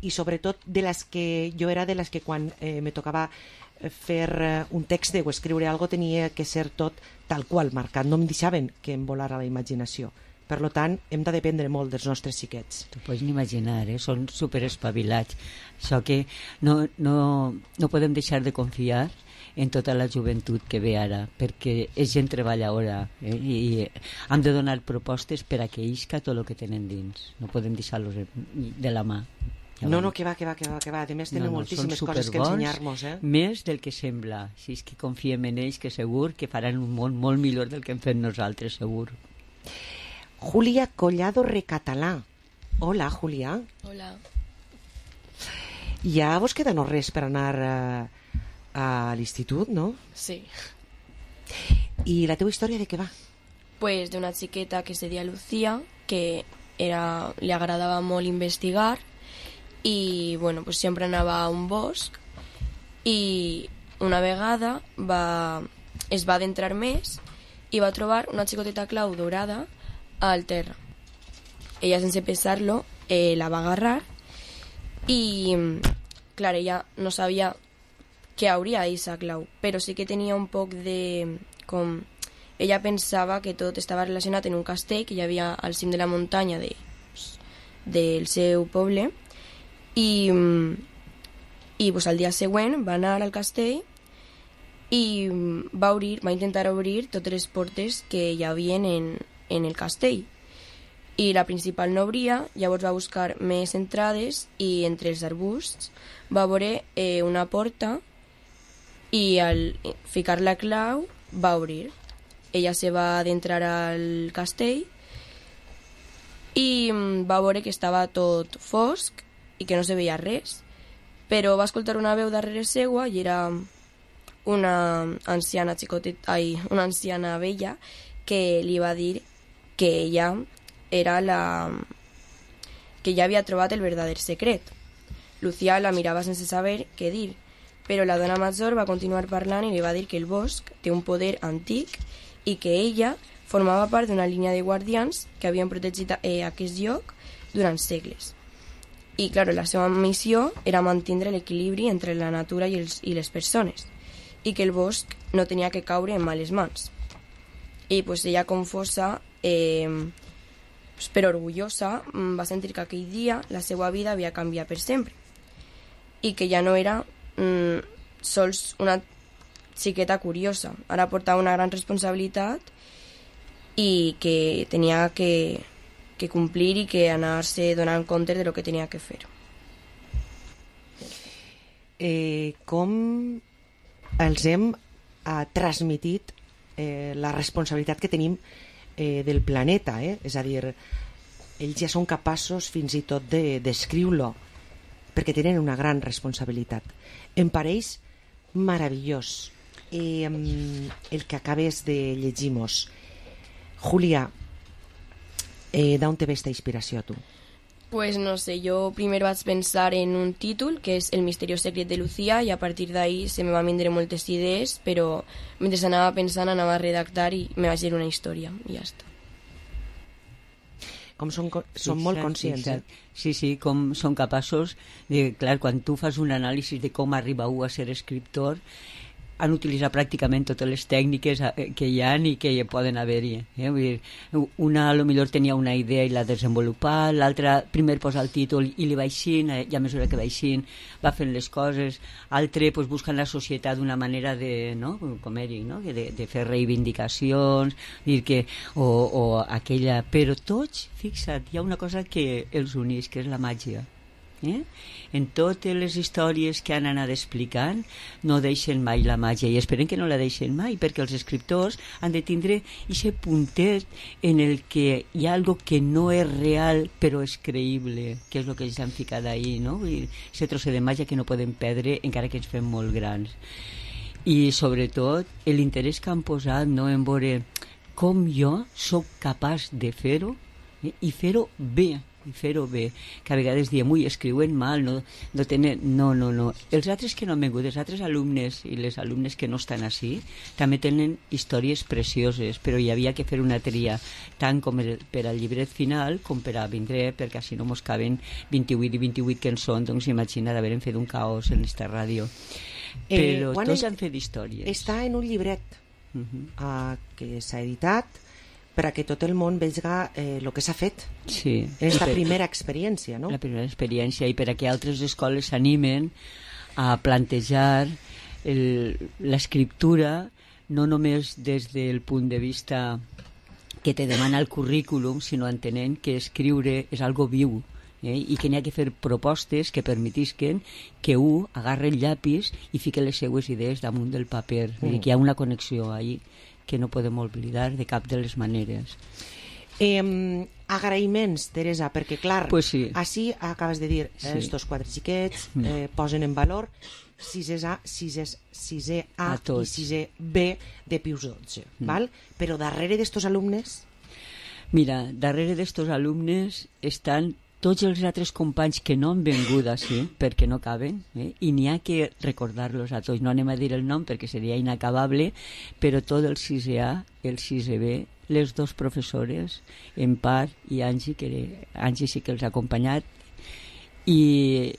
I sobretot de les que jo era de les que quan me tocava fer un text o escriure alguna cosa tenia que ser tot tal qual marcat. No em deixaven que em volara la imaginació. Per tant, hem de dependre molt dels nostres xiquets. T'ho pots imaginar, són superespavilats. Això que no podem deixar de confiar en tota la joventut que ve ara, perquè és gent treballadora i hem de donar propostes per a que isca tot el que tenen dins. No podem deixar-los de la mà. No, que va. A més, tenen moltíssimes coses que ensenyar-nos. Més del que sembla. Si és que confiem en ells, que segur que faran un món molt millor del que hem fet nosaltres, segur. Julia Collado Recatalà. Hola, Julia. Hola. Ja vos queda no res per anar a l'institut, no? Sí. I la teva història de què va? Pues d'una xiqueta que se deia Lucía, que li agradava molt investigar i bueno, pues sempre anava a un bosc i una vegada es va adentrar més i va trobar una xicoteta clau dorada al terra. Ella, sense pensar-lo, la va agarrar i, clar, ella no sabia què hauria d'eixa clau, però sí que tenia un poc de... Ella pensava que tot estava relacionat en un castell que hi havia al cim de la muntanya del seu poble i pues, al dia següent va anar al castell i va intentar obrir totes les portes que hi havia en el castell i la principal no obria. Llavors va buscar més entrades i entre els arbusts va veure una porta i al ficar la clau va obrir. Ella se va adentrar al castell i va veure que estava tot fosc i que no se veia res, però va escoltar una veu darrere seua i era una anciana una anciana vella que li va dir que ella era que ja havia trobat el verdader secret. Lucía la mirava sense saber què dir, però la dona major va continuar parlant i li va dir que el bosc té un poder antic i que ella formava part d'una línia de guardians que havien protegit aquest lloc durant segles. I, clar, la seva missió era mantenir l'equilibri entre la natura i les persones i que el bosc no tenia que caure en males mans. I pues, ella, confosa, però orgullosa, va sentir que aquell dia la seva vida havia canviat per sempre i que ja no era sols una xiqueta curiosa, ara portava una gran responsabilitat i que tenia que complir i que anar-se donant compte de lo que tenia que fer. Com els hem transmitit la responsabilitat que tenim del planeta, és a dir, ells ja són capaços fins i tot d'escriure-lo perquè tenen una gran responsabilitat. Em pareix meravellós el que acabes de llegir-nos. Julia, d'on te ve esta inspiració a tu? Pues no sé, jo primer vaig pensar en un títol que és El misteriós secret de Lucía i a partir d'ahí se me van vindre moltes idees, però mentre anava pensant anava a redactar i me vaig dir una història i ja està. Com són molt conscients. Sí, com són capaços de... Clar, quan tu fas un anàlisi de com arriba a ser escriptor, han utilitzat pràcticament totes les tècniques que hi ha i que hi poden haver-hi. Vull dir, una potser tenia una idea i l'ha desenvolupat, l'altra primer posa el títol i li va eixint, i a mesura que va eixint va fent les coses, l'altre buscant la societat d'una manera de, no? Com eri, no? de fer reivindicacions, dir que, o aquella... Però tots, fixa't, hi ha una cosa que els uneix, que és la màgia. En totes les històries que han anat explicant no deixen mai la màgia i esperen que no la deixen mai perquè els escriptors han de tindre aquest puntet en el que hi ha algo que no és real però és creïble, que és el que ells han ficat ahí, no? Aquest trosset de màgia que no podem perdre encara que ens fem molt grans. I sobretot l'interès que han posat, no, en veure com jo sóc capaç de fer-ho i fer-ho bé, que a vegades diem, ui, escriuen mal, no tenen... No. Els altres que no han vengut, els altres alumnes i les alumnes que no estan així, també tenen històries precioses, però hi havia que fer una tria, tant com per al llibret final com per a vindre, perquè així no mos caben 28 i 28 que en són, doncs imagina d'haver fet un caos en esta ràdio. Però tots han fet històries. Està en un llibret que s'ha editat per a que tot el món vega el que s'ha fet. Sí. Esta primera experiència, no? La primera experiència, i per a que altres escoles s'animen a plantejar l'escriptura no només des del punt de vista que te demana el currículum, sinó entenent que escriure és algo viu, i que n'hi ha que fer propostes que permetisquen que un agarre el llapis i fique les seues idees damunt del paper. Que hi ha una connexió ahí que no podem oblidar de cap de les maneres. Agraïments, Teresa, perquè clar, pues sí. Així acabes de dir, estos quatre xiquets posen en valor 6è A i 6è B de Pius XII, val? Però darrere d'estos alumnes... Mira, darrere d'estos alumnes estan tots els altres companys que no han vengut així, perquè no caben, i n'hi ha que recordar-los a tots. No anem a dir el nom perquè seria inacabable, però tot el 6è A, el 6è B, les dos professores, en part, i Angie, que Angie sí que els ha acompanyat, i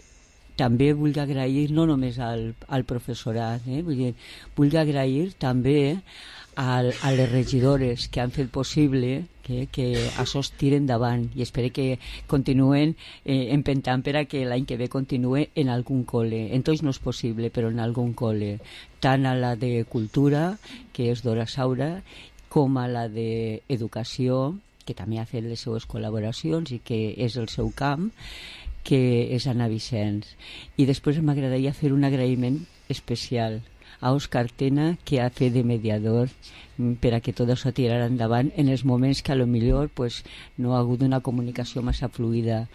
també vull agrair no només al professorat, vull agrair també a les regidores que han fet possible que això es tiri endavant, i espero que continuen empentant per a que l'any que ve continue en algun col·le. En tots no és possible, però en algun col·le, tant a la de Cultura, que és Dora Saura, com a la d'Educació, que també ha fet les seues col·laboracions i que és el seu camp, que és Anna Vicenç. I després m'agradaria fer un agraïment especial a Òscar Tena, que ha fet de mediador per a que tot això tirarà endavant en els moments que a lo millor pues, no ha hagut una comunicació massa fluida.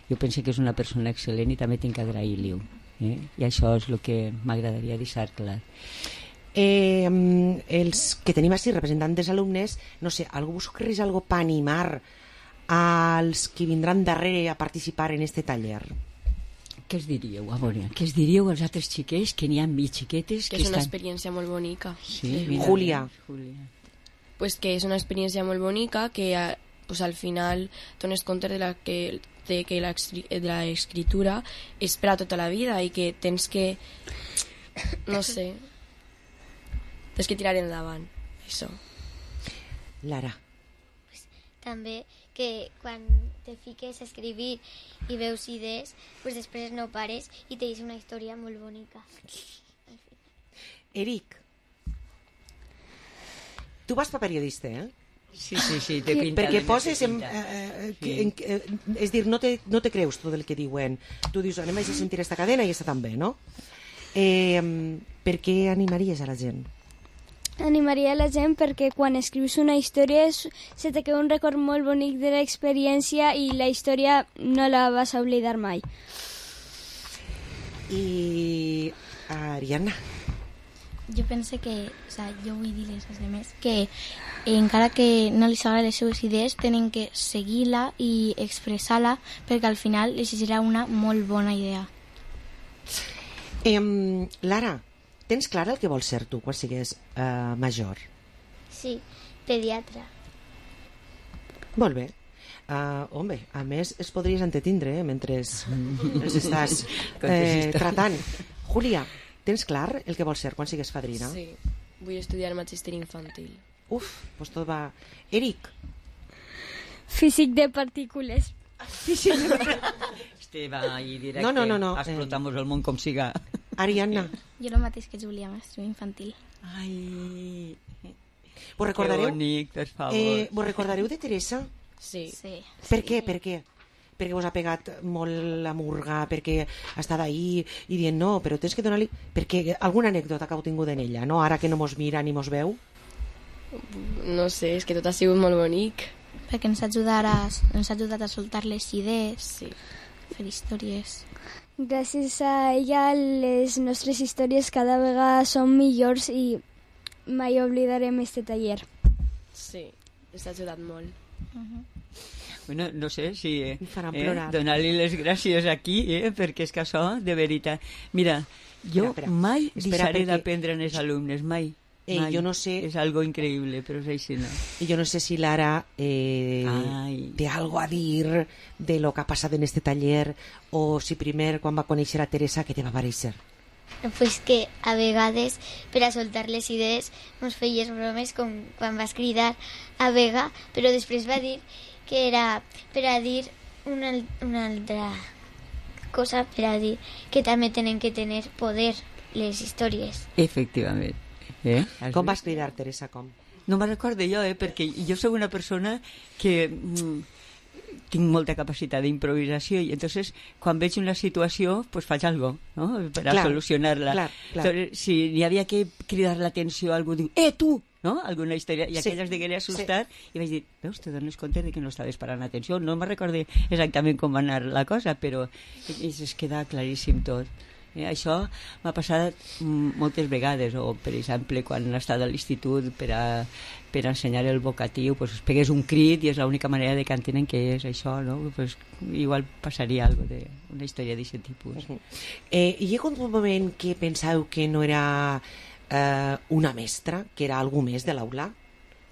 Jo penso que és una persona excel·lent i també tinc que agrair-li-ho. I això és el que m'agradaria deixar clar. Els que tenim així representant dels alumnes, no sé, algú vos ocorreix algo per animar als que vindran darrere a participar en este taller? Què es diríeu? A veure, què es diríeu als altres xiquets que n'hi ha mi xiquetes que és una experiència molt bonica. Sí, Júlia. Pues que és una experiència molt bonica que pues, al final dones compte de que l'escriptura és per a tota la vida i que tens que no sé tens que tirar endavant això. Lara. També que quan te fiques a escribir i veus idees, pues després no pares i te dius una història molt bonica. Eric, tu vas per periodista, Sí, té pinta. Perquè poses és dir, no te creus tot el que diuen. Tu dius, anem a sentir esta cadena i està també, no? Per què animaries a la gent? Animaria la gent perquè quan escrius una història se te queda un record molt bonic de l'experiència i la història no la vas a oblidar mai. I Ariadna? Jo penso que, jo vull dir-les als altres que encara que no els agraden les seues idees tenen que seguir-la i expressar-la perquè al final els serà una molt bona idea. Lara, tens clar el que vols ser tu quan sigues major? Sí, pediatra. Molt bé. Home, a més es podries entretindre mentre els estàs tratant. Júlia, tens clar el que vols ser quan sigues fadrina? Sí, vull estudiar magíster infantil. Uf, doncs tot va... Eric? Físic de partícules. Este va ahí directe. No. Explotamos el món com siga. Ariadna? Jo el mateix que Júlia, mestre infantil. Ai... Vos recordareu? Que bonic, per favor. Vos recordareu de Teresa? Sí. Per què? Perquè vos ha pegat molt la murga, perquè ha estat ahí i dient no, però tens que donar-li... Perquè alguna anècdota que heu tingut en ella, no? Ara que no mos mira ni mos veu? No sé, és que tot ha sigut molt bonic. Perquè ens ha ajudat a soltar les idees, fer històries. Gràcies a ella les nostres històries cada vegada són millors i mai oblidarem este taller. Sí, ens ha ajudat molt. Bueno, no sé si donar-li les gràcies aquí, perquè és que això, de veritat... Mira, jo mai deixaré d'aprendre als alumnes, mai. Jo no sé... És algo increïble, però és així, no? Jo no sé si Lara té algo a dir de lo que ha passat en este taller o si primer, quan va conèixer a Teresa, què te va parèixer? Pues que a vegades, per a soltar les idees, ens feies bromes com quan vas cridar a Vega, però després va dir que era per a dir una altra cosa, per a dir que també tenen que tenir poder les històries. Efectivament. Com vas cridar, Teresa, com? No me'n recordo jo, perquè jo soc una persona que tinc molta capacitat d'improvisació i entonces quan veig una situació pues faig algo, no? Per a solucionar-la. Entonces, si hi havia que cridar l'atenció a algú, diu, tu! No? Alguna història, i aquella es diguera assustar i vaig dir, veus, te dones compte de que no estaves parant atenció, no me'n recordo exactament com va anar la cosa, però es queda claríssim tot. Això m'ha passat moltes vegades, o per exemple quan he estat a l'institut per ensenyar el vocatiu, pues, es pegués un crit i és l'única manera de que entenen què és això, no? Pues, igual passaria una història d'aquest tipus. Hi ha hagut un moment que penseu que no era una mestra, que era algú més de l'aula?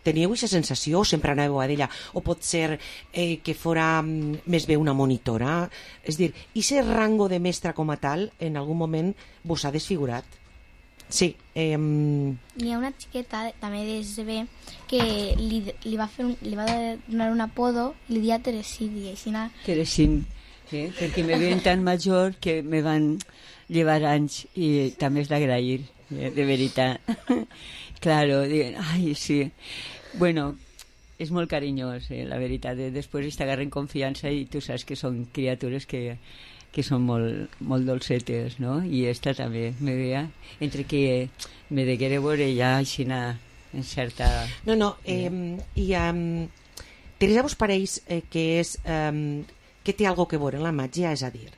Teníeu aquesta sensació o sempre anàveu a d'ella? O pot ser que fora més bé una monitora? És dir, i ser rango de mestra com a tal en algun moment vos ha desfigurat? Sí. Hi ha una xiqueta també d'ESB que li va donar un apodo i li dia Teresini. Teresín, perquè me veien tan major que me van llevar anys i també és d'agrair, de veritat. Claro, diuen, ai, sí. Bueno, és molt carinyós, la veritat. Després t'agarren confiança i tu saps que són criatures que són molt dolcetes, no? I esta també me veia, entre que me deguera veure ja així en certa... No, i Teresa vos pareix que és que té algo que veure en la màgia, és a dir,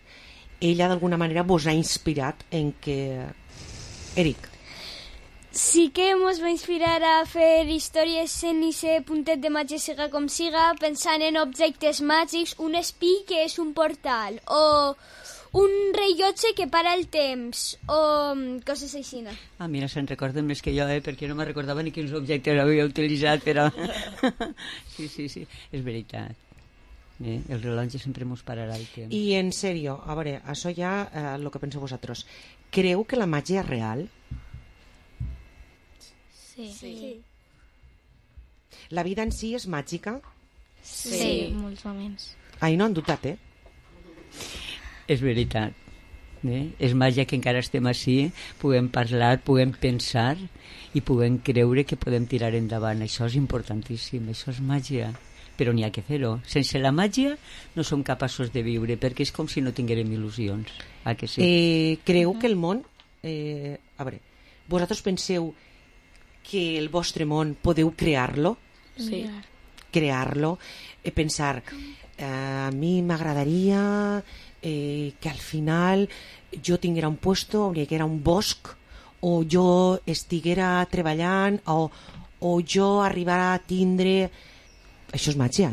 ella d'alguna manera vos ha inspirat en que... Eric. Sí que ens va inspirar a fer històries en aquest puntet de màgia siga com siga, pensant en objectes màgics, un espí que és un portal, o un rellotge que para el temps, o coses així. Mira, se'n recorden més que jo, perquè no me recordava ni quins objectes havia utilitzat, però... Sí, és veritat. El rellotge sempre mos pararà el temps. I en sèrio, a veure, això ja el que penseu vosaltres. Creu que la màgia és real? Sí. La vida en si és màgica? Sí, molts moments. Ai, no han dubtat, És veritat. És màgia que encara estem així, puguem parlar, puguem pensar i puguem creure que podem tirar endavant. Això és importantíssim, això és màgia. Però n'hi ha que fer-ho. Sense la màgia no som capaços de viure, perquè és com si no tinguérem il·lusions. Que sí? Creu que el món... a veure, vosaltres penseu que el vostre món podeu crear-lo? Sí. Crear-lo, pensar, a mi m'agradaria que al final jo tinguera un puesto on hi haguera un bosc, o jo estiguera treballant, o jo arribara a tindre... Això és màgia,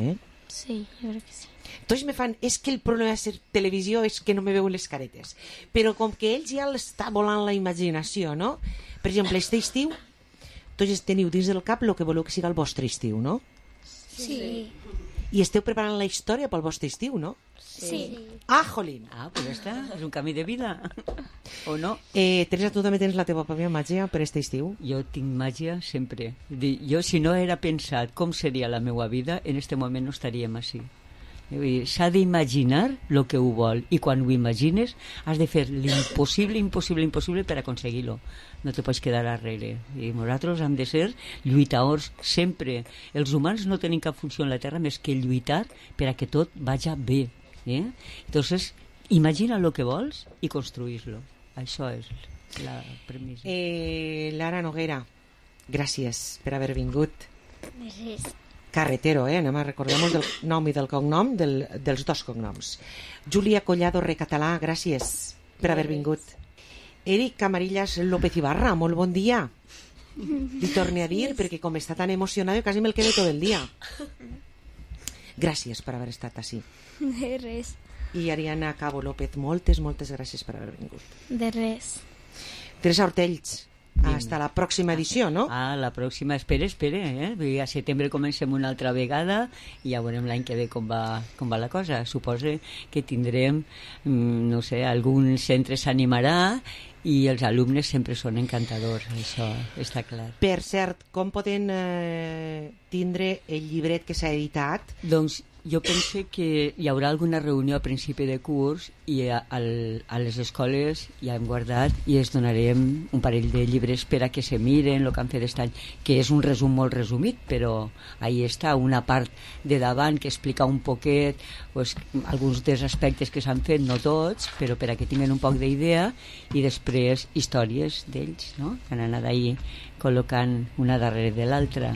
Sí, jo crec que sí. Tots me fan, és que el problema de ser televisió és que no me veuen les caretes. Però com que ells ja l'està volant la imaginació, no? Per exemple, este estiu, tots teniu dins del cap el que voleu que siga el vostre estiu, no? Sí. I esteu preparant la història pel vostre estiu, no? Sí. Jolín. Pues ja està, és un camí de vida. O no? Teresa, tu també tens la teva pròpia màgia per este estiu? Jo tinc màgia sempre. Jo, si no era pensat com seria la meva vida, en este moment no estaríem així. S'ha d'imaginar el que ho vol, i quan ho imagines has de fer l'impossible per aconseguir-lo. No te pots quedar darrere. I nosaltres hem de ser lluitadors sempre. Els humans no tenim cap funció en la Terra més que lluitar per a que tot vagi bé. Entonces, imagina el que vols i construís-lo. Això és la premissa. Lara Noguera, gràcies per haver vingut. Gràcies. Carretero, recordem del nom i del cognom, dels dos cognoms. Júlia Collado Recatalà, gràcies per haver vingut. Eric Camarillas López Ibarra, molt bon dia. Li torne a dir, perquè com està tan emocionat, quasi me'l quedo tot el dia. Gràcies per haver estat així. De res. I Ariana Cabo López, moltes gràcies per haver vingut. De res. Teresa Ortells, hasta la pròxima edició, no? La pròxima, espera, a setembre comencem una altra vegada i ja veurem l'any que ve com va la cosa. Suposo que tindrem, no sé, algun centre s'animarà i els alumnes sempre són encantadors, això està clar. Per cert, com poden tindre el llibret que s'ha editat? Doncs jo penso que hi haurà alguna reunió a principi de curs i a les escoles ja hem guardat i es donarem un parell de llibres per a que se miren el que han fet aquest any, que és un resum molt resumit, però ahí està una part de davant que explica un poquet pues, alguns dels aspectes que s'han fet, no tots, però per a que tinguin un poc d'idea, i després històries d'ells, no? Que han anat ahí col·locant una darrere de l'altra.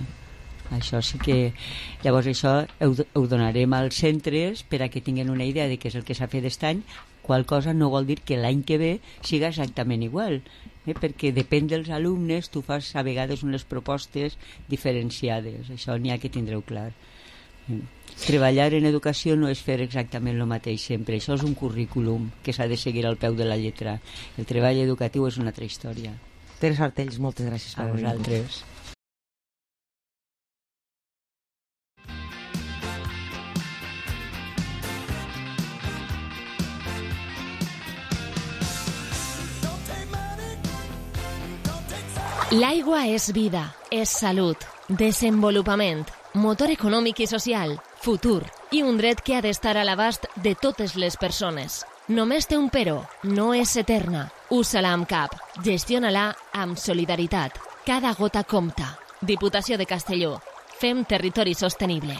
Això sí que... Llavors això ho donarem als centres per a que tinguin una idea de què és el que s'ha fet aquest any, qual cosa no vol dir que l'any que ve siga exactament igual, perquè depèn dels alumnes, tu fas a vegades unes propostes diferenciades, això n'hi ha que tindreu clar. Treballar en educació no és fer exactament el mateix sempre, això és un currículum que s'ha de seguir al peu de la lletra. El treball educatiu és una altra història. Teresa Artells, moltes gràcies per venir. A vosaltres. L'aigua és vida, és salut, desenvolupament, motor econòmic i social, futur i un dret que ha d'estar a l'abast de totes les persones. Només té un però, no és eterna. Usa-la amb cap, gestiona-la amb solidaritat. Cada gota compta. Diputació de Castelló. Fem territori sostenible.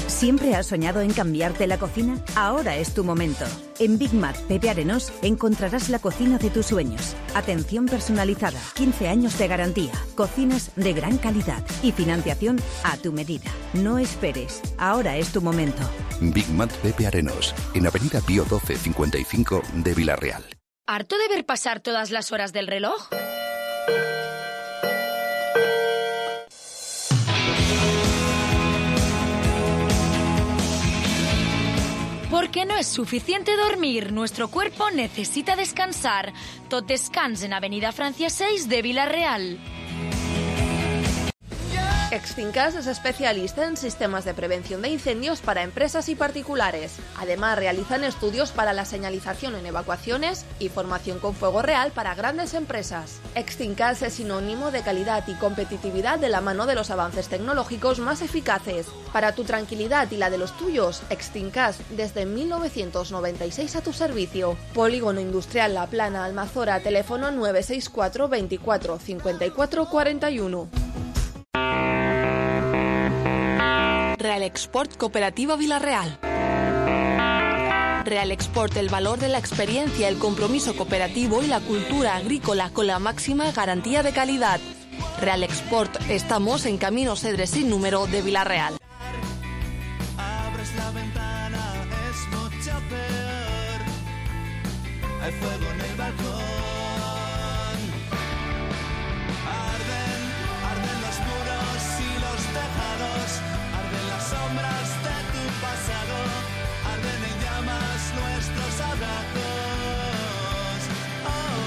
¿Siempre has soñado en cambiarte la cocina? Ahora es tu momento. En Big Mac Pepe Arenós encontrarás la cocina de tus sueños. Atención personalizada, 15 años de garantía, cocinas de gran calidad y financiación a tu medida. No esperes, ahora es tu momento. Big Mac Pepe Arenós, en Avenida Pío 12 55 de Villarreal. ¿Harto de ver pasar todas las horas del reloj? Porque no es suficiente dormir, nuestro cuerpo necesita descansar. Tot descans en Avenida Francia 6 de Villarreal. Extincas es especialista en sistemas de prevención de incendios para empresas y particulares. Además, realizan estudios para la señalización en evacuaciones y formación con fuego real para grandes empresas. Extincas es sinónimo de calidad y competitividad de la mano de los avances tecnológicos más eficaces. Para tu tranquilidad y la de los tuyos, Extincas desde 1996 a tu servicio. Polígono Industrial La Plana, Almazora, teléfono 964 24 54 41. Real Export Cooperativa Villarreal. Real Export, el valor de la experiencia, el compromiso cooperativo y la cultura agrícola con la máxima garantía de calidad. Real Export, estamos en Camino Cedres sin número de Villarreal. Abres la ventana, es mucho peor. Hay fuego en el balcón. Arden los muros y los tejados. Arden las sombras de tu pasado, arden en llamas nuestros abrazos. Oh,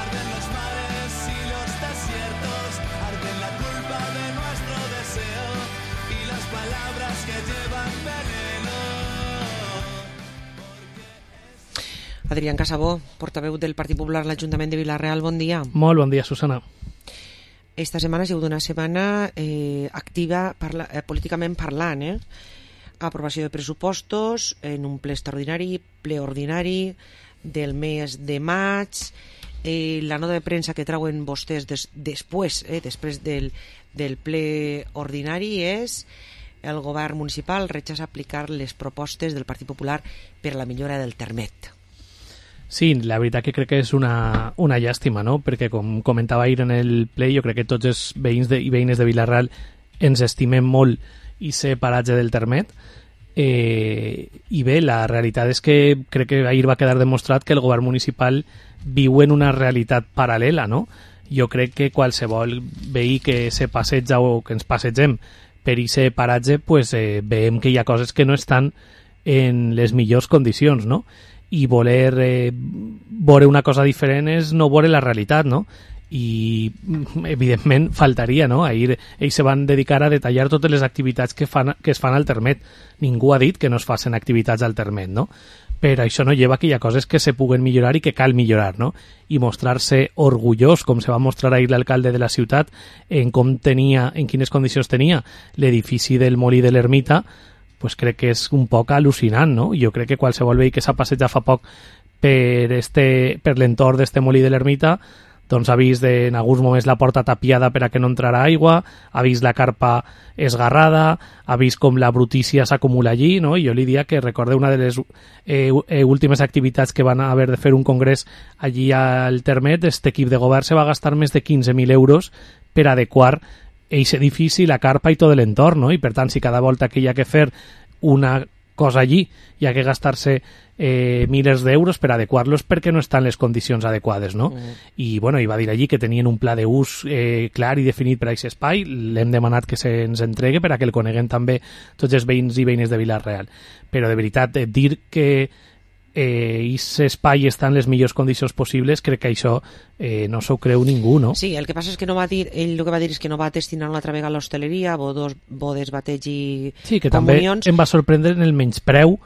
arden los mares y los desiertos, arden la culpa de nuestro deseo y las palabras que llevan veneno. Adrián Casabó, portaveu del Partit Popular a l'Ajuntament de Villarreal, bon dia. Molt bon dia, Susana. Esta setmana ha sigut una setmana activa políticament parlant, aprovació de pressupostos en un ple extraordinari, ple ordinari del mes de maig, la nota de premsa que trauen vostès després del ple ordinari és el govern municipal rechaça aplicar les propostes del Partit Popular per a la millora del termet. Sí, la veritat que crec que és una llàstima, no? Perquè com comentava ahir en el ple, jo crec que tots els veïns i veïnes de Villarreal ens estimem molt i ser paratge del termet. I bé, la realitat és que crec que ahir va quedar demostrat que el govern municipal viu en una realitat paral·lela, no? Jo crec que qualsevol veí que se passeja o que ens passegem per aquest paratge, pues, veiem que hi ha coses que no estan en les millors condicions, no? I voler veure una cosa diferent és no veure la realitat, no? I evidentment faltaria, no? Ahir ells se van dedicar a detallar totes les activitats que es fan al termet. Ningú ha dit que no es facin activitats al termet, no? Però això no lleva que hi ha coses que se puguen millorar i que cal millorar, no? I mostrar-se orgullós, com se va mostrar ahir l'alcalde de la ciutat, en com tenia, en quines condicions tenia l'edifici del Molí de l'Ermita, pues crec que és un poc al·lucinant, no? Jo crec que qualsevol veí que s'ha passejat fa poc per l'entorn d'este Molí de l'Ermita doncs ha vist en alguns moments la porta tapiada per a que no entrarà aigua, ha vist la carpa esgarrada, ha vist com la brutícia s'acumula allí, no? I jo li diria que recorde una de les últimes activitats que van haver de fer un congrés allí al termet, este equip de govern se va gastar més de 15.000 euros per adequar aquest edifici, la carpa i tot l'entorn, no? I per tant, si cada volta que hi ha que fer una cosa allí, hi ha que gastar-se milers d'euros per adequar-los perquè no estan en les condicions adequades, no? I, bueno, i va dir allí que tenien un pla d'ús clar i definit per a aquest espai, l'hem demanat que se'ns entregue per a que el coneguen també tots els veïns i veïnes de Vila-real. Però, de veritat, dir que aquest espai està en les millors condicions possibles, crec que això no s'ho creu ningú, no? Sí, el que passa és que no va dir, ell el que va dir és que no va destinar una altra vegada a l'hostaleria, bodes, bateig i sí, que comunions. També em va sorprendre en el menyspreu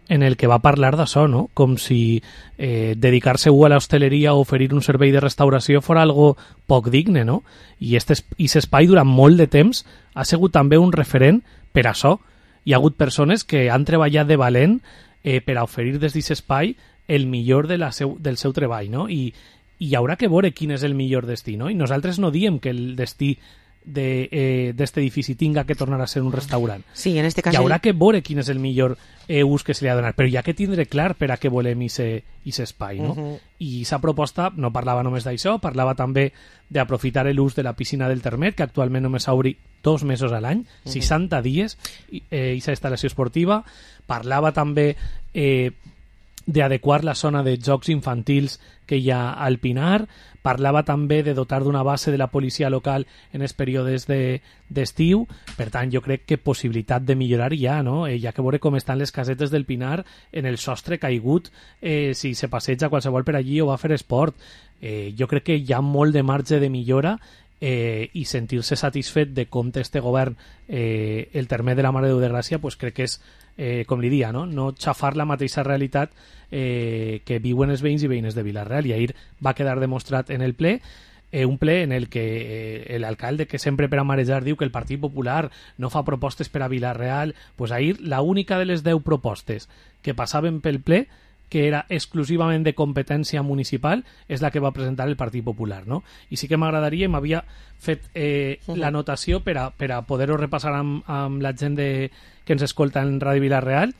en el que va parlar d'això, no? Com si dedicar-se a l'hostaleria o oferir un servei de restauració fos algo poc digne, no? I aquest espai durant molt de temps ha sigut també un referent per a això. Hi ha hagut persones que han treballat de valent per a oferir des d'aquest espai el millor del seu treball, no? I hi haurà que veure quin és el millor destí, no? I nosaltres no diem que el destí d'este edifici tinga que tornar a ser un restaurant. Sí, en este cas hi haurà que veure quin és el millor ús que se li ha donat, però hi ha que tindre clar per a què volem aquest espai, no? I aquesta proposta no parlava només d'això, parlava també d'aprofitar l'ús de la piscina del Termet, que actualment només s'obri 2 mesos a l'any, 60 dies, aquesta instal·lació esportiva. Parlava també d'adequar la zona de jocs infantils que hi ha al Pinar, parlava també de dotar d'una base de la policia local en els períodes d'estiu. Per tant, jo crec que possibilitat de millorar hi ha, no? Hi ha que veure com estan les casetes del Pinar en el sostre caigut, si se passeja qualsevol per allí o va a fer esport. Jo crec que hi ha molt de marge de millora i sentir-se satisfet de com té este govern el Termet de la Mare de Déu de Gràcia, pues crec que és, com li dia, no xafar la mateixa realitat que viuen els veïns i veïnes de Vila-real. I ahir va quedar demostrat en el ple, un ple en el que l'alcalde, que sempre per a marejar diu que el Partit Popular no fa propostes per a Vila-real, pues ahir l'única de les 10 propostes que passaven pel ple, que era exclusivament de competència municipal, és la que va presentar el Partit Popular, no? I sí que m'agradaria, m'havia fet l'anotació per a poder-ho repassar amb la gent que ens escolta en Ràdio Vila-real,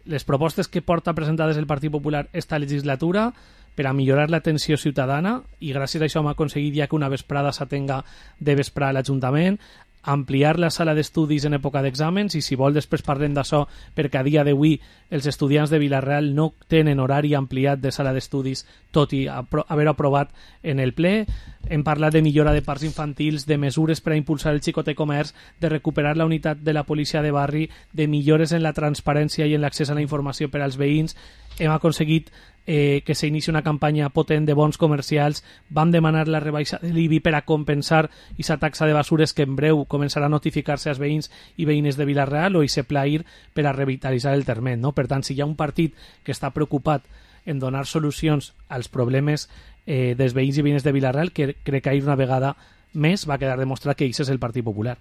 les propostes que porta presentades el Partit Popular esta legislatura per a millorar l'atenció ciutadana, i gràcies a això hem aconseguit ja que una vesprada s'atenga de vesprà a l'Ajuntament, ampliar la sala d'estudis en època d'exàmens, i si vol després parlem d'això, perquè a dia d'avui els estudiants de Vila-real no tenen horari ampliat de sala d'estudis, tot i haver aprovat en el ple. Hem parlat de millora de parcs infantils, de mesures per a impulsar el xicoter comerç, de recuperar la unitat de la policia de barri, de millores en la transparència i en l'accés a la informació per als veïns. Hem aconseguit que s'inici una campanya potent de bons comercials. Vam demanar la rebaixa de l'IBI per a compensar aquesta taxa de basures que en breu començarà a notificar-se als veïns i veïnes de Vila-real, o ese pla IR per a revitalitzar el Termet, no? Per tant, si hi ha un partit que està preocupat en donar solucions als problemes dels veïns i veïnes de Vila-real, que crec que ahir una vegada més va quedar demostrat que això és el Partit Popular.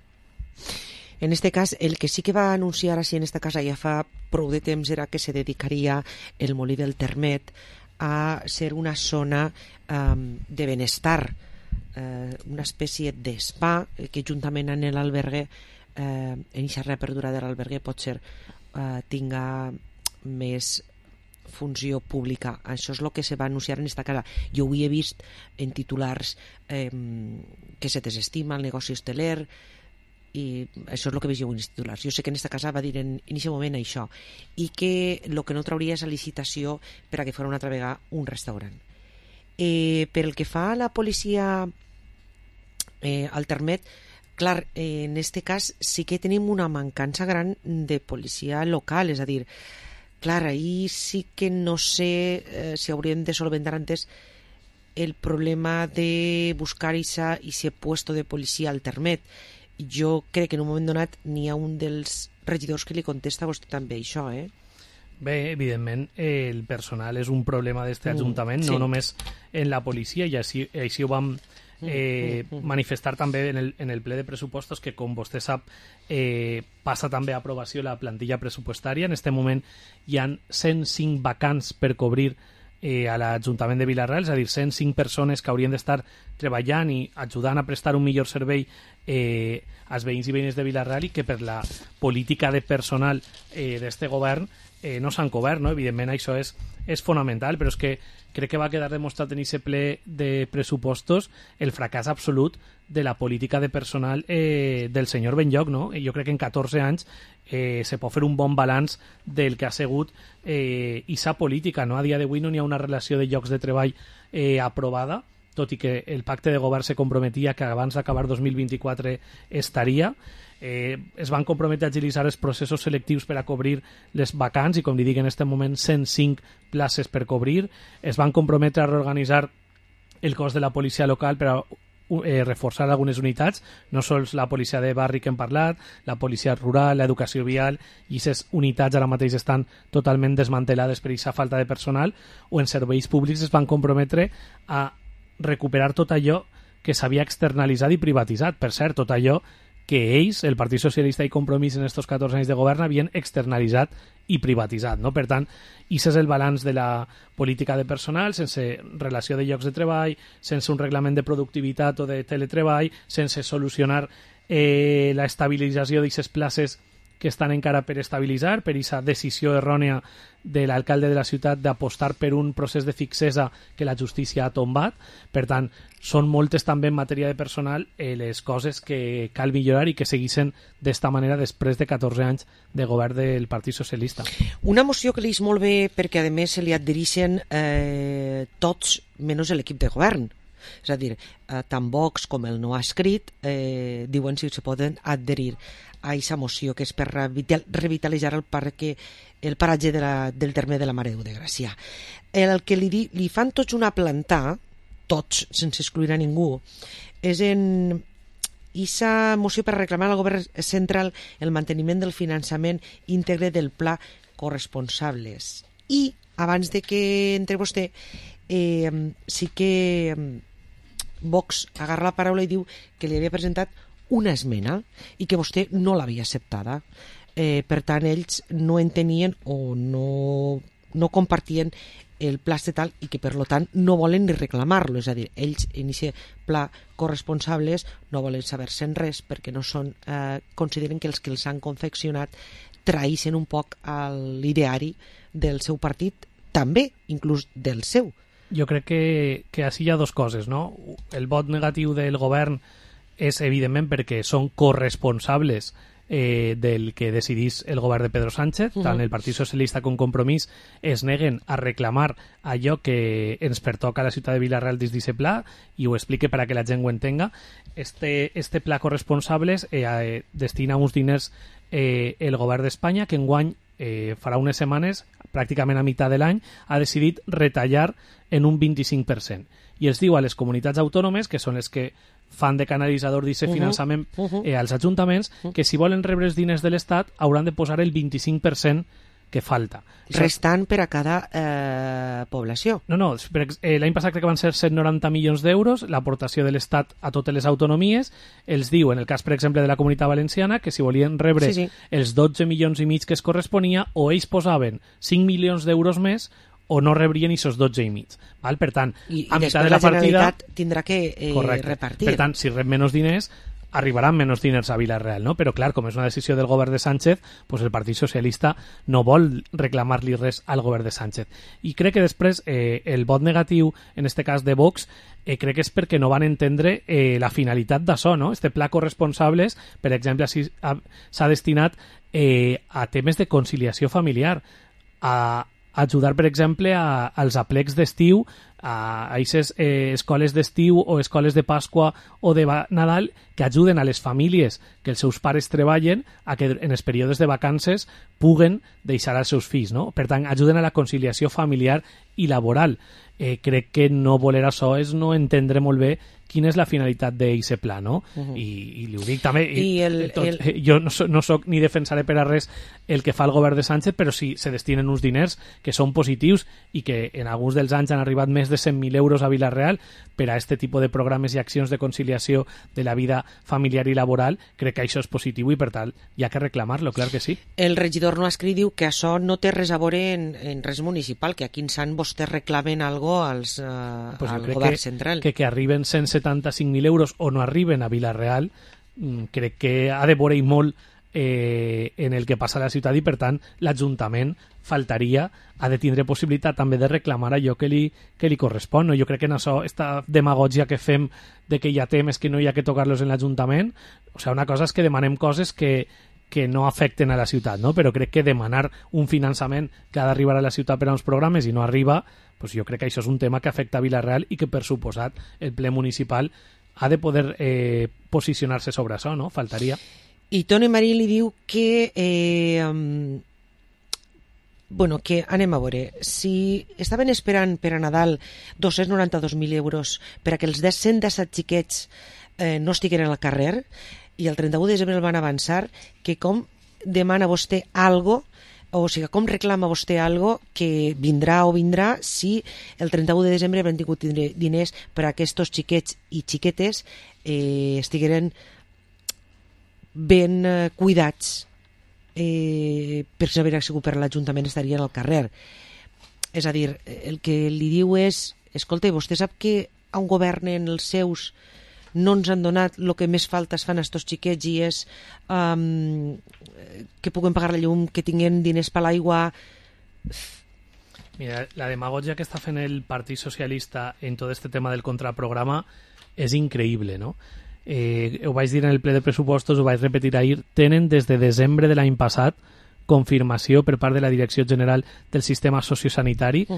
En este cas, el que sí que va anunciar així en esta casa ja fa prou de temps era que se dedicaria el Molí del Termet a ser una zona de benestar, una espècie d'espa que juntament amb l'albergue, en aquesta reapertura de l'albergue potser tinga més funció pública. Això és el que se va anunciar en esta casa. Jo ho he vist en titulars que se desestima el negoci hosteler, i això és el que veig jo en els titulars. Jo sé que en aquesta casa va dir en aquest moment això, i que el que no trauria és la licitació per a que fos una altra vegada un restaurant. Per el que fa a la policia al Termet, clar, en aquest cas sí que tenim una mancança gran de policia local, és a dir, clar, ahir sí que no sé si hauríem de solventar antes el problema de buscar ese puesto de policia al Termet. Jo crec que en un moment donat n'hi ha un dels regidors que li contesta a vostè també això, Bé, evidentment, el personal és un problema d'aquest Ajuntament, no només en la policia, i així ho vam manifestar també en el ple de pressupostos, que com vostè sap passa també a aprovació la plantilla pressupostària. En aquest moment hi ha 105 vacants per cobrir a l'Ajuntament de Vila-real, és a dir, 105 persones que haurien d'estar treballant i ajudant a prestar un millor servei als veïns i veïnes de Vila-real, i que per la política de personal d'este govern no s'han cobert, no? Evidentment això és fonamental, però és que crec que va quedar demostrat en aquest ple de pressupostos el fracàs absolut de la política de personal del senyor Benlloch, no? Jo crec que en 14 anys se pot fer un bon balanç del que ha sigut esa política, no? A dia d'avui no hi ha una relació de llocs de treball aprovada, tot i que el pacte de govern se comprometia que abans d'acabar 2024 estaria. Es van comprometre a agilitzar els processos selectius per a cobrir les vacants i, com li dic, en aquest moment 105 places per cobrir. Es van comprometre a reorganitzar el cos de la policia local per a reforçar algunes unitats, no sols la policia de barri que hem parlat, la policia rural, l'educació vial, i aquestes unitats ara mateix estan totalment desmantelades per aquesta falta de personal, o en serveis públics es van comprometre a recuperar tot allò que s'havia externalitzat i privatitzat. Per cert, tot allò que ells, el Partit Socialista i Compromís en estos 14 anys de govern, havien externalitzat i privatitzat, no? Per tant, aquest és el balanç de la política de personal, sense relació de llocs de treball, sense un reglament de productivitat o de teletreball, sense solucionar la estabilització d'aquestes places que estan encara per estabilitzar, per aquesta decisió errònia de l'alcalde de la ciutat d'apostar per un procés de fixesa que la justícia ha tombat. Per tant, són moltes també en matèria de personal les coses que cal millorar i que seguissin d'esta manera després de 14 anys de govern del Partit Socialista. Una moció que li és molt bé perquè a més se li adhereixen tots menys l'equip de govern. És a dir, tant Vox com el no ha escrit diuen si se poden adherir a aquesta moció que és per revitalitzar el paratge del terme de la Mare de Gràcia. El que li fan tots una plantà, tots, sense excloure a ningú, és en aquesta moció per reclamar al govern central el manteniment del finançament íntegre del pla corresponsables. I, abans de que entre vostè, sí que Vox agarra la paraula i diu que li havia presentat una esmena i que vostè no l'havia acceptada. Per tant, ells no entenien o no compartien el pla estatal i que, per tant, no volen ni reclamar-lo. És a dir, ells en aquest pla corresponsables no volen saber-se'n res perquè no són, consideren que els que els han confeccionat traïssin un poc l'ideari del seu partit, també, inclús del seu. Jo crec que així hi ha dues coses, no? El vot negatiu del govern és, evidentment, perquè són corresponsables del que decidís el govern de Pedro Sánchez. Tant el Partit Socialista com Compromís es neguen a reclamar allò que ens pertoca a la ciutat de Vila-real dins d'aquest pla, i ho explique per a que la gent ho entenga. Este pla corresponsables destina uns diners el govern d'Espanya, que enguany farà unes setmanes, pràcticament a meitat de l'any, ha decidit retallar en un 25%. I els diu a les comunitats autònomes, que són les que fan de canalitzador d'aquest finançament als ajuntaments, que si volen rebre els diners de l'Estat hauran de posar el 25% que falta. Restant per a cada població. No, l'any passat crec que van ser 190 milions d'euros, l'aportació de l'Estat a totes les autonomies. Els diu, en el cas, per exemple, de la Comunitat Valenciana, que si volien rebre els 12 milions i mig que es corresponia, o ells posaven 5 milions d'euros més o no rebrien aquests 12 i mig. Val? Per tant, a meitat de la Generalitat tindrà que repartir. Per tant, si rep menys diners, arribaran menys diners a Vila-real, no? Però clar, com és una decisió del govern de Sánchez, pues el Partit Socialista no vol reclamar-li res al govern de Sánchez. I crec que després el vot negatiu, en este cas de Vox, crec que és perquè no van entendre la finalitat d'això, no? Este pla corresponsables, per exemple, s'ha destinat a temes de conciliació familiar, a ajudar, per exemple, als aplecs d'estiu, a aquestes escoles d'estiu o escoles de Pasqua o de Nadal, que ajuden a les famílies que els seus pares treballen a que en els períodes de vacances puguen deixar als seus fills, no? Per tant, ajuden a la conciliació familiar i laboral. Crec que no voler això és no entendre molt bé quina és la finalitat d'aquest pla, no? I li ho dic també, jo no soc ni defensaré per a res el que fa el govern de Sánchez, però sí se destinen uns diners que són positius i que en alguns dels anys han arribat més de 100.000 euros a Vila-real per a aquest tipus de programes i accions de conciliació de la vida familiar i laboral. Crec que això és positiu i, per tant, hi ha que reclamar-lo, clar que sí. El regidor no escrit diu que això no té res a veure en res municipal, que aquí en Sant vostès reclamen algo al govern central. Que arriben 175.000 euros o no arriben a Vila-real, crec que ha de veure molt en el que passa a la ciutat, i per tant l'Ajuntament faltaria, ha de tindre possibilitat també de reclamar allò que li correspon, no? Jo crec que en això, esta demagògia que fem de que hi ha temes que no hi ha que tocar-los en l'Ajuntament, o sigui, una cosa és que demanem coses que no afecten a la ciutat, no? Però crec que demanar un finançament que ha d'arribar a la ciutat per a uns programes i no arriba, pues jo crec que això és un tema que afecta a Vila-real i que, per suposat, el ple municipal ha de poder posicionar-se sobre això, no? Faltaria. I Toni Marí li diu que que anem a veure, si estaven esperant per a Nadal 292.000 euros per a que els 117 xiquets no estiguin al carrer, i el 31 de desembre el van avançar, que com demana vostè algo, o sigui, com reclama vostè algo que vindrà si el 31 de desembre haurem tingut diners per a aquests xiquets i xiquetes estigueren ben cuidats, per si no hagués sigut per l'Ajuntament estarien al carrer. És a dir, el que li diu és, escolta, vostè sap que on governen els seus no ens han donat el que més faltes fan a estos xiquets, i és que puguen pagar la llum, que tinguin diners per l'aigua. Mira, la demagògia que està fent el Partit Socialista en tot este tema del contraprograma és increïble, no? Ho vaig dir en el ple de pressupostos, ho vaig repetir ahir, tenen des de desembre de l'any passat confirmació per part de la Direcció General del Sistema Sociosanitari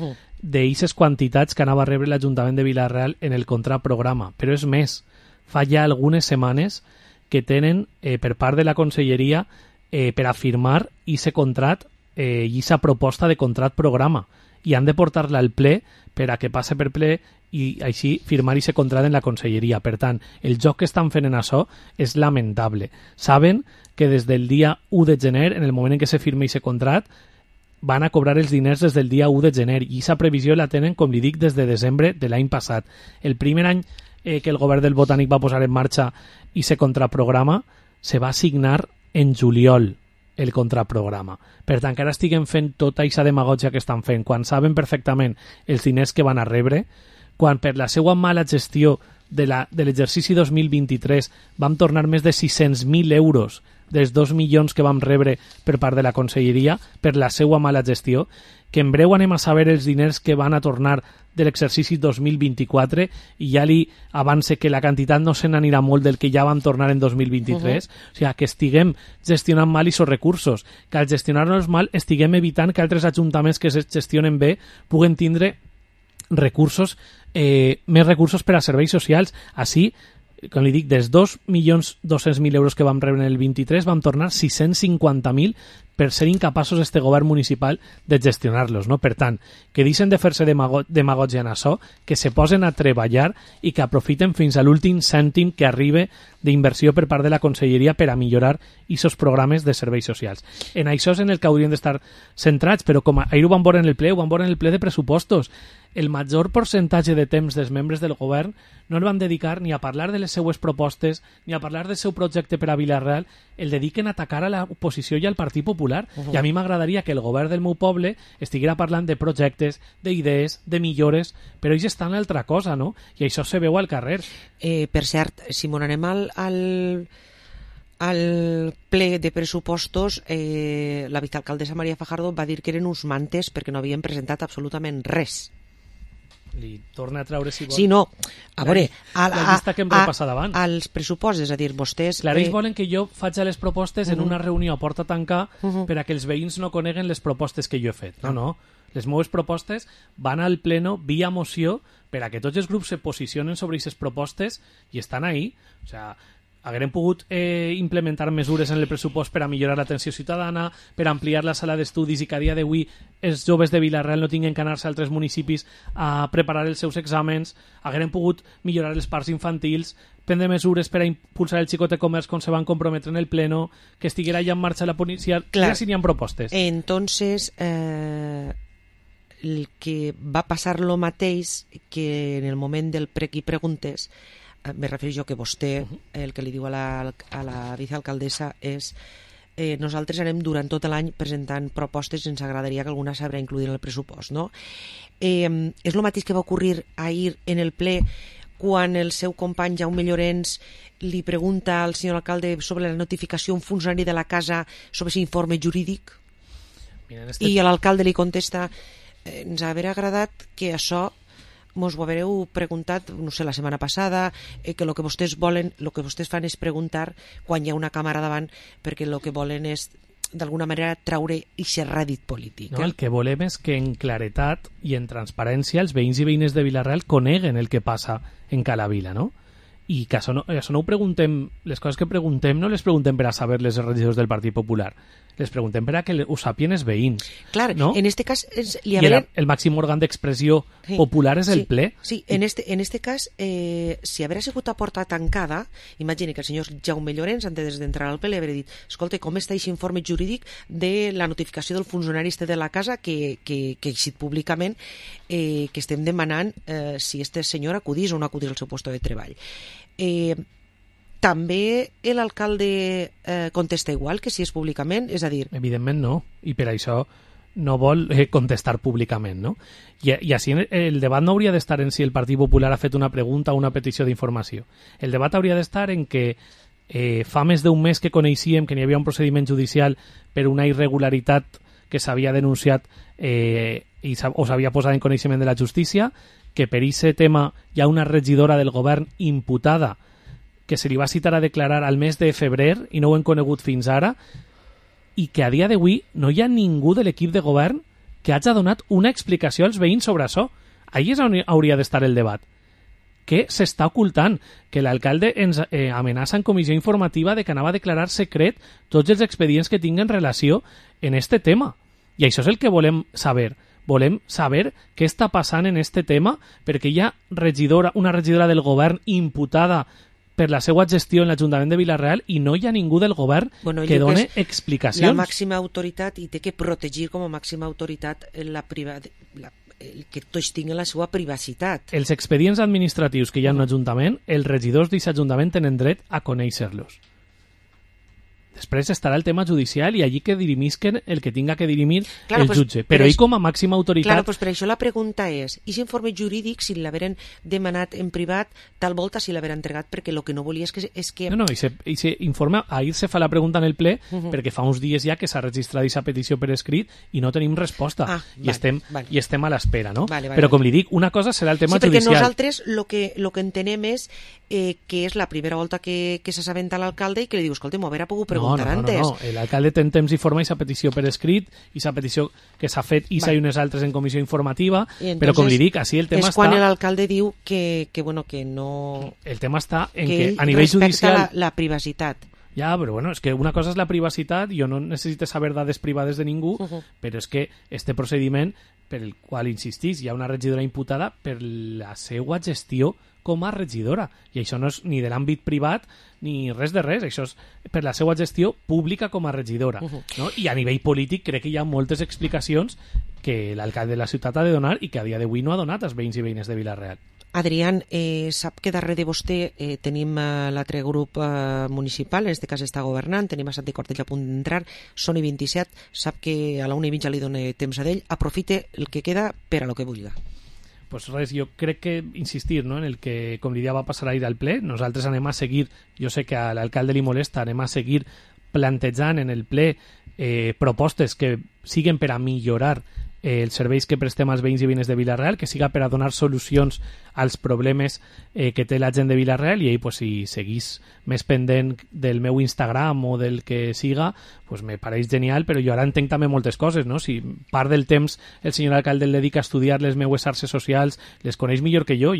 d'eixes quantitats que anava a rebre l'Ajuntament de Vila-real en el contraprograma. Però és més, fa ja algunes setmanes que tenen per part de la Conselleria per a firmar aquest contrat i aquesta proposta de contrat programa, i han de portar-la al ple per a que passe per ple i així firmar aquest contrat en la Conselleria. Per tant, el joc que estan fent en això és lamentable. Saben que des del dia 1 de gener, en el moment en què se firma aquest contrat, van a cobrar els diners des del dia 1 de gener, i aquesta previsió la tenen, com li dic, des de desembre de l'any passat. El primer any que el govern del Botànic va posar en marxa aquest contraprograma, se va signar en juliol el contraprograma. Per tant, que ara estiguen fent tota aquesta demagògia que estan fent, quan saben perfectament els diners que van a rebre, quan per la seva mala gestió de l'exercici 2023 vam tornar més de 600.000 euros dels 2 milions que vam rebre per part de la Conselleria per la seva mala gestió, que en breu anem a saber els diners que van a tornar de l'exercici 2024, i ja li avance que la quantitat no se n'anirà molt del que ja van tornar en 2023. O sigui, que estiguem gestionant mal aquests recursos, que al gestionar-los mal estiguem evitant que altres ajuntaments que es gestionen bé puguen tindre recursos, més recursos per a serveis socials. Així, com li dic, dels 2.200.000 euros que vam rebre en el 23 vam tornar 650.000 per ser incapaços este govern municipal de gestionar-los, no? Per tant, que deixen de fer-se demagògia en això, que se posen a treballar i que aprofiten fins a l'últim cèntim que arribe d'inversió per part de la Conselleria per a millorar aquests programes de serveis socials. En això és en el que haurien d'estar centrats, però com ahir ho vam veure en el ple, ho vam veure en el ple de pressupostos. El major percentatge de temps dels membres del govern no el van dedicar ni a parlar de les seues propostes ni a parlar del seu projecte per a Vila-real, el dediquen a atacar a l'oposició i al Partit Popular. I a mi m'agradaria que el govern del meu poble estiguera parlant de projectes, d'idees, de millores, però ells estan a l'altra cosa, no? I això se veu al carrer. Per cert, Simón, anem al ple de pressupostos. La vicealcaldessa Maria Fajardo va dir que eren uns mantes perquè no havien presentat absolutament res. Li torna a treure, si vol. Sí, no. A veure, la llista que hem repassat abans. Als pressupostos, és a dir, vostès... Clar, ells volen que jo faig les propostes en una reunió a porta tancada per a que els veïns no coneguen les propostes que jo he fet. No. Les meves propostes van al pleno via moció per a que tots els grups se posicionen sobre aquestes propostes i estan ahí. O sigui, haguem pogut implementar mesures en el pressupost per a millorar l'atenció ciutadana, per ampliar la sala d'estudis i que a dia d'avui els joves de Vila-real no tinguin que anar-se a altres municipis a preparar els seus exàmens. Haguem pogut millorar els parcs infantils, prendre mesures per a impulsar el xicot de comerç com se van comprometre en el pleno, que estiguera ja en marxa la policia. Clar, si n'hi ha propostes. Entonces, el que va passar lo mateix que en el moment del prec i preguntes, me refereixo jo que vostè, el que li diu a la vicealcaldessa és nosaltres anem durant tot l'any presentant propostes i ens agradaria que alguna s'haurà incluït en el pressupost, no? És el mateix que va ocorrir ahir en el ple quan el seu company Jaume Llorens li pregunta al senyor alcalde sobre la notificació a un funcionari de la casa sobre aquest informe jurídic? I l'alcalde li contesta: ens hauria agradat que això mos ho haureu preguntat, no sé, la setmana passada, que el que vostès volen, el que vostès fan és preguntar quan hi ha una càmera davant, perquè el que volen és d'alguna manera traure aquest rèdit polític. No, el que volem és que en claretat i en transparència els veïns i veïnes de Vila-real coneguen el que passa en cada vila, no? I que això no ho preguntem, les coses que preguntem no les preguntem per a saber-les els regidors del Partit Popular, les preguntem per a que ho sàpien els veïns. Clar, no? En este cas... el màxim òrgan d'expressió popular és el ple. Sí, en este cas, si haguera sigut a porta tancada, imagina que el senyor Jaume Llorens, antes d'entrar al ple, li hauria dit: escolta, com està aquest informe jurídic de la notificació del funcionari de la casa que ha eixit públicament, que estem demanant si este senyor acudís o no acudís al seu lloc de treball. També l'alcalde contesta igual que si és públicament, és a dir... Evidentment no, i per això no vol contestar públicament, no? I així el debat no hauria d'estar en si el Partit Popular ha fet una pregunta o una petició d'informació. El debat hauria d'estar en que fa més d'un mes que coneixíem que n'hi havia un procediment judicial per una irregularitat que s'havia denunciat o s'havia posat en coneixement de la justícia, que per aquest tema hi ha una regidora del govern imputada que se li va citar a declarar al mes de febrer i no ho hem conegut fins ara, i que a dia d'avui no hi ha ningú de l'equip de govern que hagi donat una explicació als veïns sobre això. Ahí és on hauria d'estar el debat. Què s'està ocultant? Que l'alcalde ens amenaça en comissió informativa de que anava a declarar secret tots els expedients que tinguen relació en este tema. I això és el que volem saber. Volem saber què està passant en este tema, perquè hi ha una regidora del govern imputada per la seva gestió en l'Ajuntament de Vila-real i no hi ha ningú del govern que doni explicacions. La màxima autoritat, i té que protegir com a màxima autoritat que tots tinguin la seva privacitat. Els expedients administratius que hi ha en un ajuntament, els regidors d'aquest ajuntament tenen dret a conèixer-los. Després estarà el tema judicial i allí que dirimisquen el que tinga que dirimir el jutge. Però ell com a màxima autoritat... Claro, pues per això la pregunta és, i informe jurídic, si l'haveren demanat en privat, tal volta si l'haveren entregat, perquè el que no volia és que... No, i se informa, ahir se fa la pregunta en el ple, perquè fa uns dies ja que s'ha registrat aquesta petició per escrit i no tenim resposta. I estem a l'espera, no? Però com li dic, una cosa serà el tema judicial. Sí, perquè nosaltres el que entenem és que és la primera volta que s'assabenta l'alcalde i que li diu, escolta, m'ho haurà pogut preguntar antes. No. L'alcalde té temps i forma aquesta petició per escrit, i aquesta petició que s'ha fet i s'ha unes altres en comissió informativa, però com li dic, així el tema està... És quan l'alcalde diu que no... El tema està en que a nivell judicial... respecta la privacitat. Ja, però bueno, és que una cosa és la privacitat, jo no necessito saber dades privades de ningú, però és que este procediment, per el qual insistís, hi ha una regidora imputada per la seva gestió com a regidora, i això no és ni de l'àmbit privat ni res de res, això és per la seva gestió pública com a regidora, no? I a nivell polític crec que hi ha moltes explicacions que l'alcalde de la ciutat ha de donar i que a dia d'avui no ha donat als veïns i veïnes de Vila-real. Adrián, sap que darrere de vostè tenim l'altre grup municipal, en aquest cas està governant, tenim a Santi Cortell a punt d'entrar, són i 27, sap que a la 1:20 li dona temps a d'ell, aprofite el que queda per a lo que vulga. Pues res, jo crec que insistir, no?, en el que, com li va passar ahir al ple, nosaltres anem a seguir, jo sé que a l'alcalde li molesta, anem a seguir plantejant en el ple propostes que siguen per a millorar els serveis que prestem als veïns i veïnes de Vila-real, que siga per a donar solucions als problemes que té la gent de Vila-real, i ell, pues, si seguís més pendent del meu Instagram o del que siga, pues me pareix genial, però jo ara entenc també moltes coses, no? Si part del temps el senyor alcalde el dedica a estudiar les meues xarxes socials, les coneix millor que jo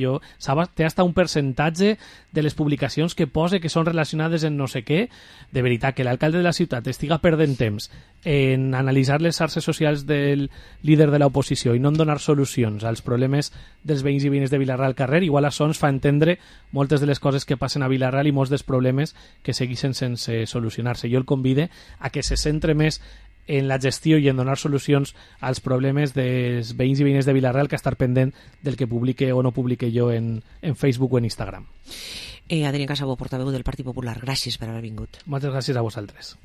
té hasta un percentatge de les publicacions que pose que són relacionades en no sé què. De veritat, que l'alcalde de la ciutat estiga perdent temps en analitzar les xarxes socials del líder de l'oposició i no en donar solucions als problemes dels veïns i veïnes de Vila-real al carrer, igual això ens fa entendre moltes de les coses que passen a Vila-real i molts dels problemes que segueixen sense solucionar-se. Jo el convide a que se centre més en la gestió i en donar solucions als problemes dels veïns i veïnes de Vila-real que estar pendent del que publique o no publique jo en Facebook o en Instagram. Adrián Casabó, portaveu del Partit Popular, gràcies per haver vingut. Moltes gràcies a vosaltres.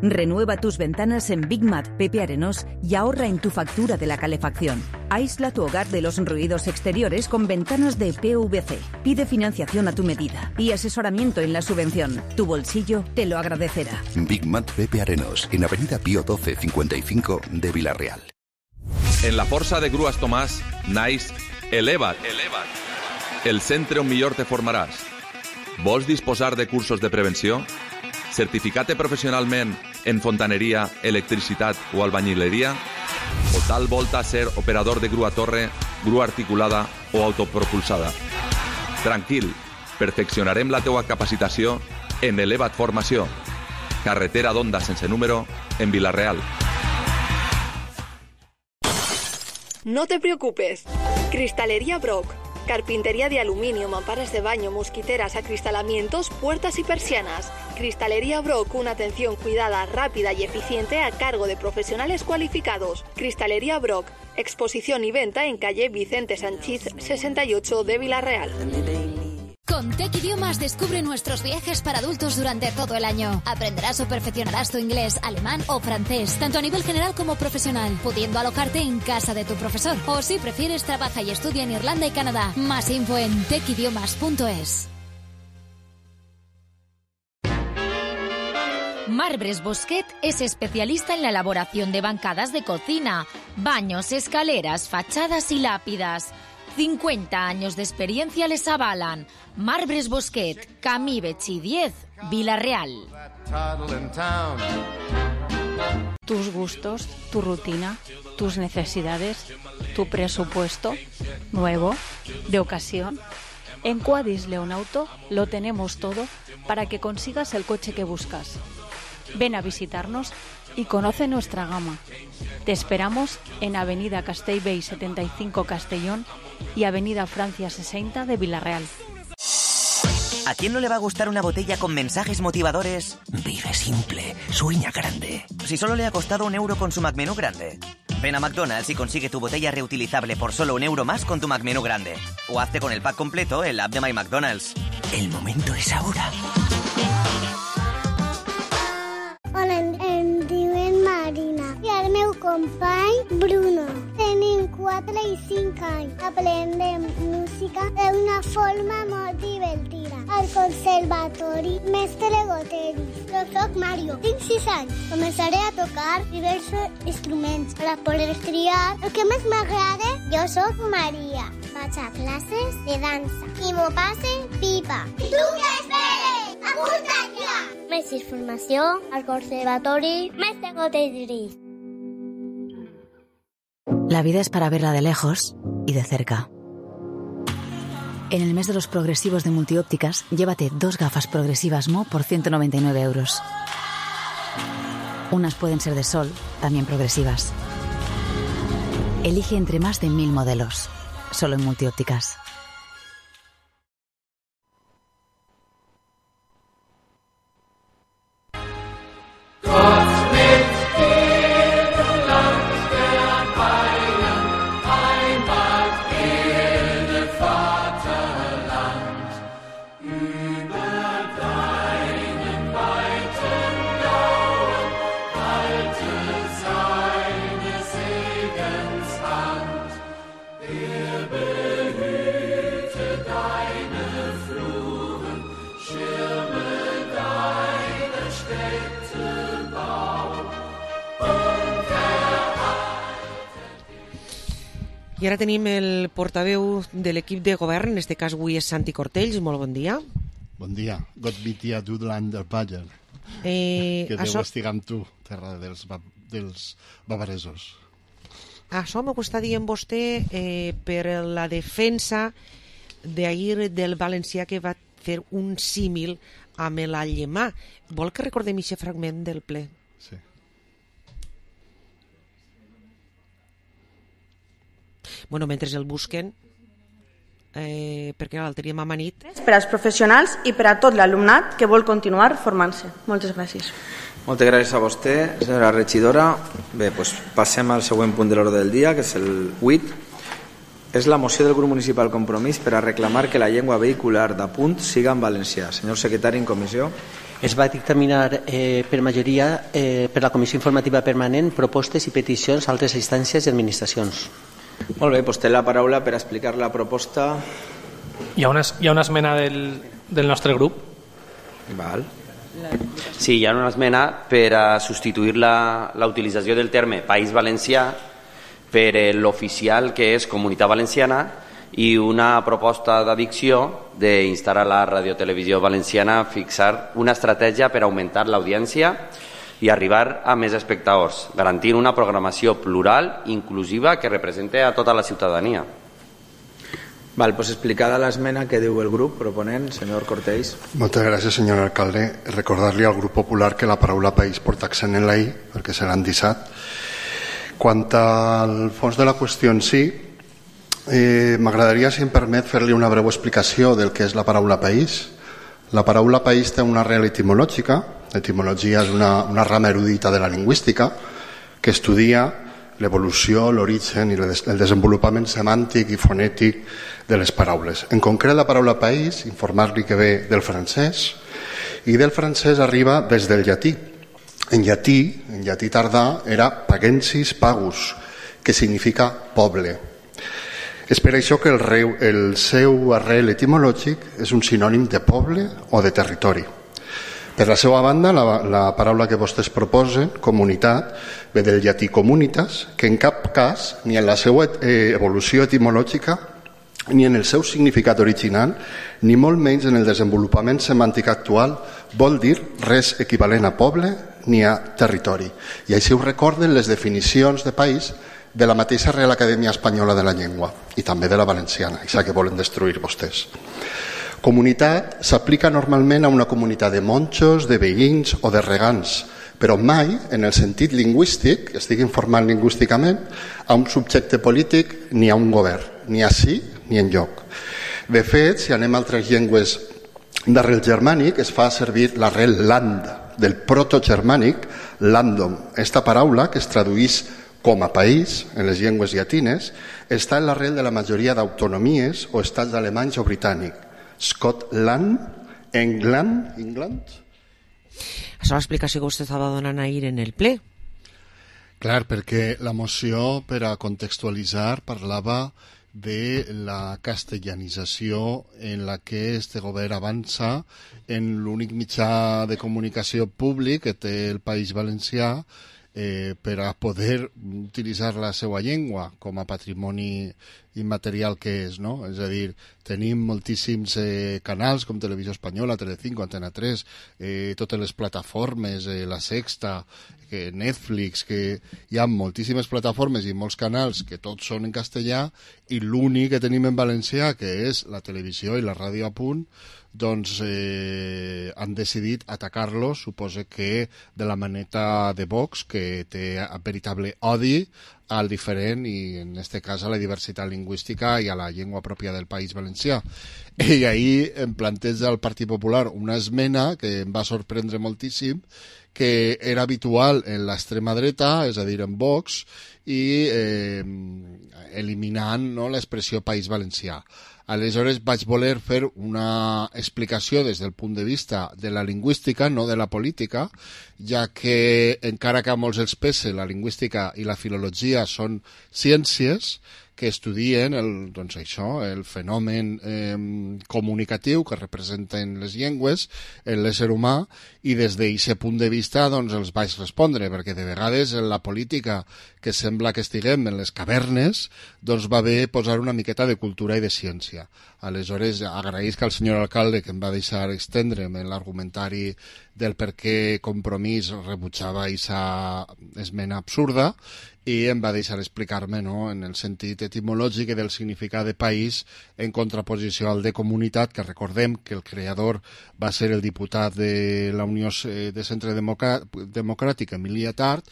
Renueva tus ventanas en Big Mat Pepe Arenós y ahorra en tu factura de la calefacción. Aísla tu hogar de los ruidos exteriores con ventanas de PVC. Pide financiación a tu medida y asesoramiento en la subvención. Tu bolsillo te lo agradecerá. Big Mat Pepe Arenós, en Avenida Pío 12 55 de Vila-real. En la Força de Grues Tomàs naix Eleva't. El centre on millor te formaràs. Vols disposar de cursos de prevenció? Certificar-te professionalment en fontaneria, electricitat o albañileria? O tal volta ser operador de grua torre, grua articulada o autopropulsada? Tranquil, perfeccionarem la teua capacitació en Eleva't Formació. Carretera d'Onda sense número en Vila-real. No te preocupes. Cristalería Brock. Carpintería de aluminio, mamparas de baño, mosquiteras, acristalamientos, puertas y persianas. Cristalería Brock, una atención cuidada, rápida y eficiente a cargo de profesionales cualificados. Cristalería Brock, exposición y venta en calle Vicente Sanchís 68 de Vila-real. Con Tech Idiomas descubre nuestros viajes para adultos durante todo el año. Aprenderás o perfeccionarás tu inglés, alemán o francés, tanto a nivel general como profesional, pudiendo alojarte en casa de tu profesor. O si prefieres, trabaja y estudia en Irlanda y Canadá. Más info en techidiomas.es. Marbres Bosquet es especialista en la elaboración de bancadas de cocina, baños, escaleras, fachadas y lápidas. 50 años de experiencia les avalan. Marbres Bosquet, Camí Betxí 10, Vila-real. Tus gustos, tu rutina, tus necesidades, tu presupuesto, nuevo, de ocasión. En Quadis Leonauto lo tenemos todo para que consigas el coche que buscas. Ven a visitarnos y conoce nuestra gama. Te esperamos en Avenida Castellbell 75 Castellón y Avenida Francia 60 de Vila-real. ¿A quién no le va a gustar una botella con mensajes motivadores? Vive simple, sueña grande. Si solo le ha costado €1 con su McMenú grande. Ven a McDonald's y consigue tu botella reutilizable por solo €1 más con tu McMenú grande. O hazte con el pack completo en la app de My McDonald's. El momento es ahora. Hola, em diuen Marina i el meu company Bruno. Tenim 4 i 5 anys. Aprendem música d'una forma molt divertida. Al Conservatori Mestre Goteris. Jo soc Mario, tinc 6 anys. Començaré a tocar diversos instruments per poder triar el que més m'agrada. Jo soc Maria. Vaig a classes de dansa i m'ho passe pipa. I tu què esperes? Apunta't ja! Més informació al Conservatori Mestre Goteris. La vida es para verla de lejos y de cerca. En el mes de los progresivos de Multiópticas, llévate 2 gafas progresivas Mo por €199. Unas pueden ser de sol, también progresivas. Elige entre más de 1000 modelos, solo en Multiópticas. I ara tenim el portaveu de l'equip de govern, en aquest cas avui és Santi Cortells. Molt bon dia. Bon dia. Gott bitte Dudland der Bayer. Que deu estigar amb tu, terra dels bavaresos. Això m'ho està dient vostè per la defensa d'ahir del valencià que va fer un símil amb l'allemà. Vol que recordem aquest fragment del ple? Sí. Bueno, mentre el busquen, perquè l'altre dia m'ha amanit. Per als professionals i per a tot l'alumnat que vol continuar formant-se. Moltes gràcies. Moltes gràcies a vostè, senyora regidora. Bé, doncs passem al següent punt de l'ordre del dia, que és el 8. És la moció del grup municipal Compromís per a reclamar que la llengua vehicular d'apunt siga en valencià. Senyor secretari en comissió. Es va dictaminar per majoria per la Comissió Informativa Permanent propostes i peticions a altres instàncies i administracions. Molt bé, doncs té la paraula per explicar la proposta. Hi ha una esmena del nostre grup. Val. Sí, hi ha una esmena per a substituir la utilització del terme País Valencià per l'oficial que és Comunitat Valenciana i una proposta d'addició d'instar a la Radiotelevisió Valenciana a fixar una estratègia per augmentar l'audiència i arribar a més espectadors, garantint una programació plural, inclusiva, que represente a tota la ciutadania. Val, pues explicada l'esmena, que diu el grup proponent, senyor Cortés. Moltes gràcies, senyor alcalde. Recordar-li al grup popular que la paraula país porta accent en la I, perquè serà endissat. Quant al fons de la qüestió en si, m'agradaria, si em permet, fer-li una breu explicació del que és la paraula país. La paraula país té una arrel etimològica. L'etimologia és una rama erudita de la lingüística que estudia l'evolució, l'origen i el desenvolupament semàntic i fonètic de les paraules. En concret, la paraula país, informar-li que ve del francès, i del francès arriba des del llatí. En llatí tardà, era pagensis pagus, que significa poble. És per això que el seu arrel etimològic és un sinònim de poble o de territori. Per la seva banda, la paraula que vostès proposen, comunitat, ve del llatí comunitas, que en cap cas, ni en la seva evolució etimològica, ni en el seu significat original, ni molt menys en el desenvolupament semàntic actual, vol dir res equivalent a poble ni a territori. I així ho recorden les definicions de país de la mateixa Real Acadèmia Espanyola de la Llengua i també de la valenciana, això que volen destruir vostès. Comunitat s'aplica normalment a una comunitat de monjos, de veïns o de regants, però mai, en el sentit lingüístic, estic informant lingüísticament, a un subjecte polític ni a un govern, ni ací ni enlloc. De fet, si anem a altres llengües d'arrel germànic, es fa servir l'arrel land, del protogermànic landum. Esta paraula, que es traduís com a país en les llengües llatines, està en l'arrel de la majoria d'autonomies o estats alemanys o britànics. Scotland, England. Això és l'explicació que vostè estava donant ahir en el ple. Clar, perquè la moció, per a contextualitzar, parlava de la castellanització en la que este govern avança en l'únic mitjà de comunicació públic que té el País Valencià per a poder utilitzar la seva llengua com a patrimoni immaterial que és, no? És a dir, tenim moltíssims canals com Televisió Espanyola, Telecinco, Antena 3, totes les plataformes, La Sexta, Netflix, que hi ha moltíssimes plataformes i molts canals que tots són en castellà, i l'únic que tenim en valencià, que és la televisió i la ràdio a punt, doncs han decidit atacar-los, suposo que de la maneta de Vox, que té veritable odi al diferent i en aquest cas a la diversitat lingüística i a la llengua pròpia del País Valencià. I ahir em planteja el Partit Popular una esmena que em va sorprendre moltíssim, que era habitual en l'extrema dreta, és a dir, en Vox, i eliminant, no, l'expressió País Valencià. Aleshores vaig voler fer una explicació des del punt de vista de la lingüística, no de la política, ja que encara que a molts els pese la lingüística i la filologia són ciències que estudien doncs això, el fenomen comunicatiu que representen les llengües en l'ésser humà, i des d'aquest punt de vista doncs, els vaig respondre, perquè de vegades en la política, que sembla que estiguem en les cavernes, doncs va bé posar una miqueta de cultura i de ciència. Aleshores, agraïsc al senyor alcalde que em va deixar estendre'm en l'argumentari del per què Compromís rebutjava aquesta esmena absurda, i em va deixar explicar-me, no, en el sentit etimològic i del significat de país en contraposició al de comunitat, que recordem que el creador va ser el diputat de la Unió de Centre Democràtic, Emili Attard,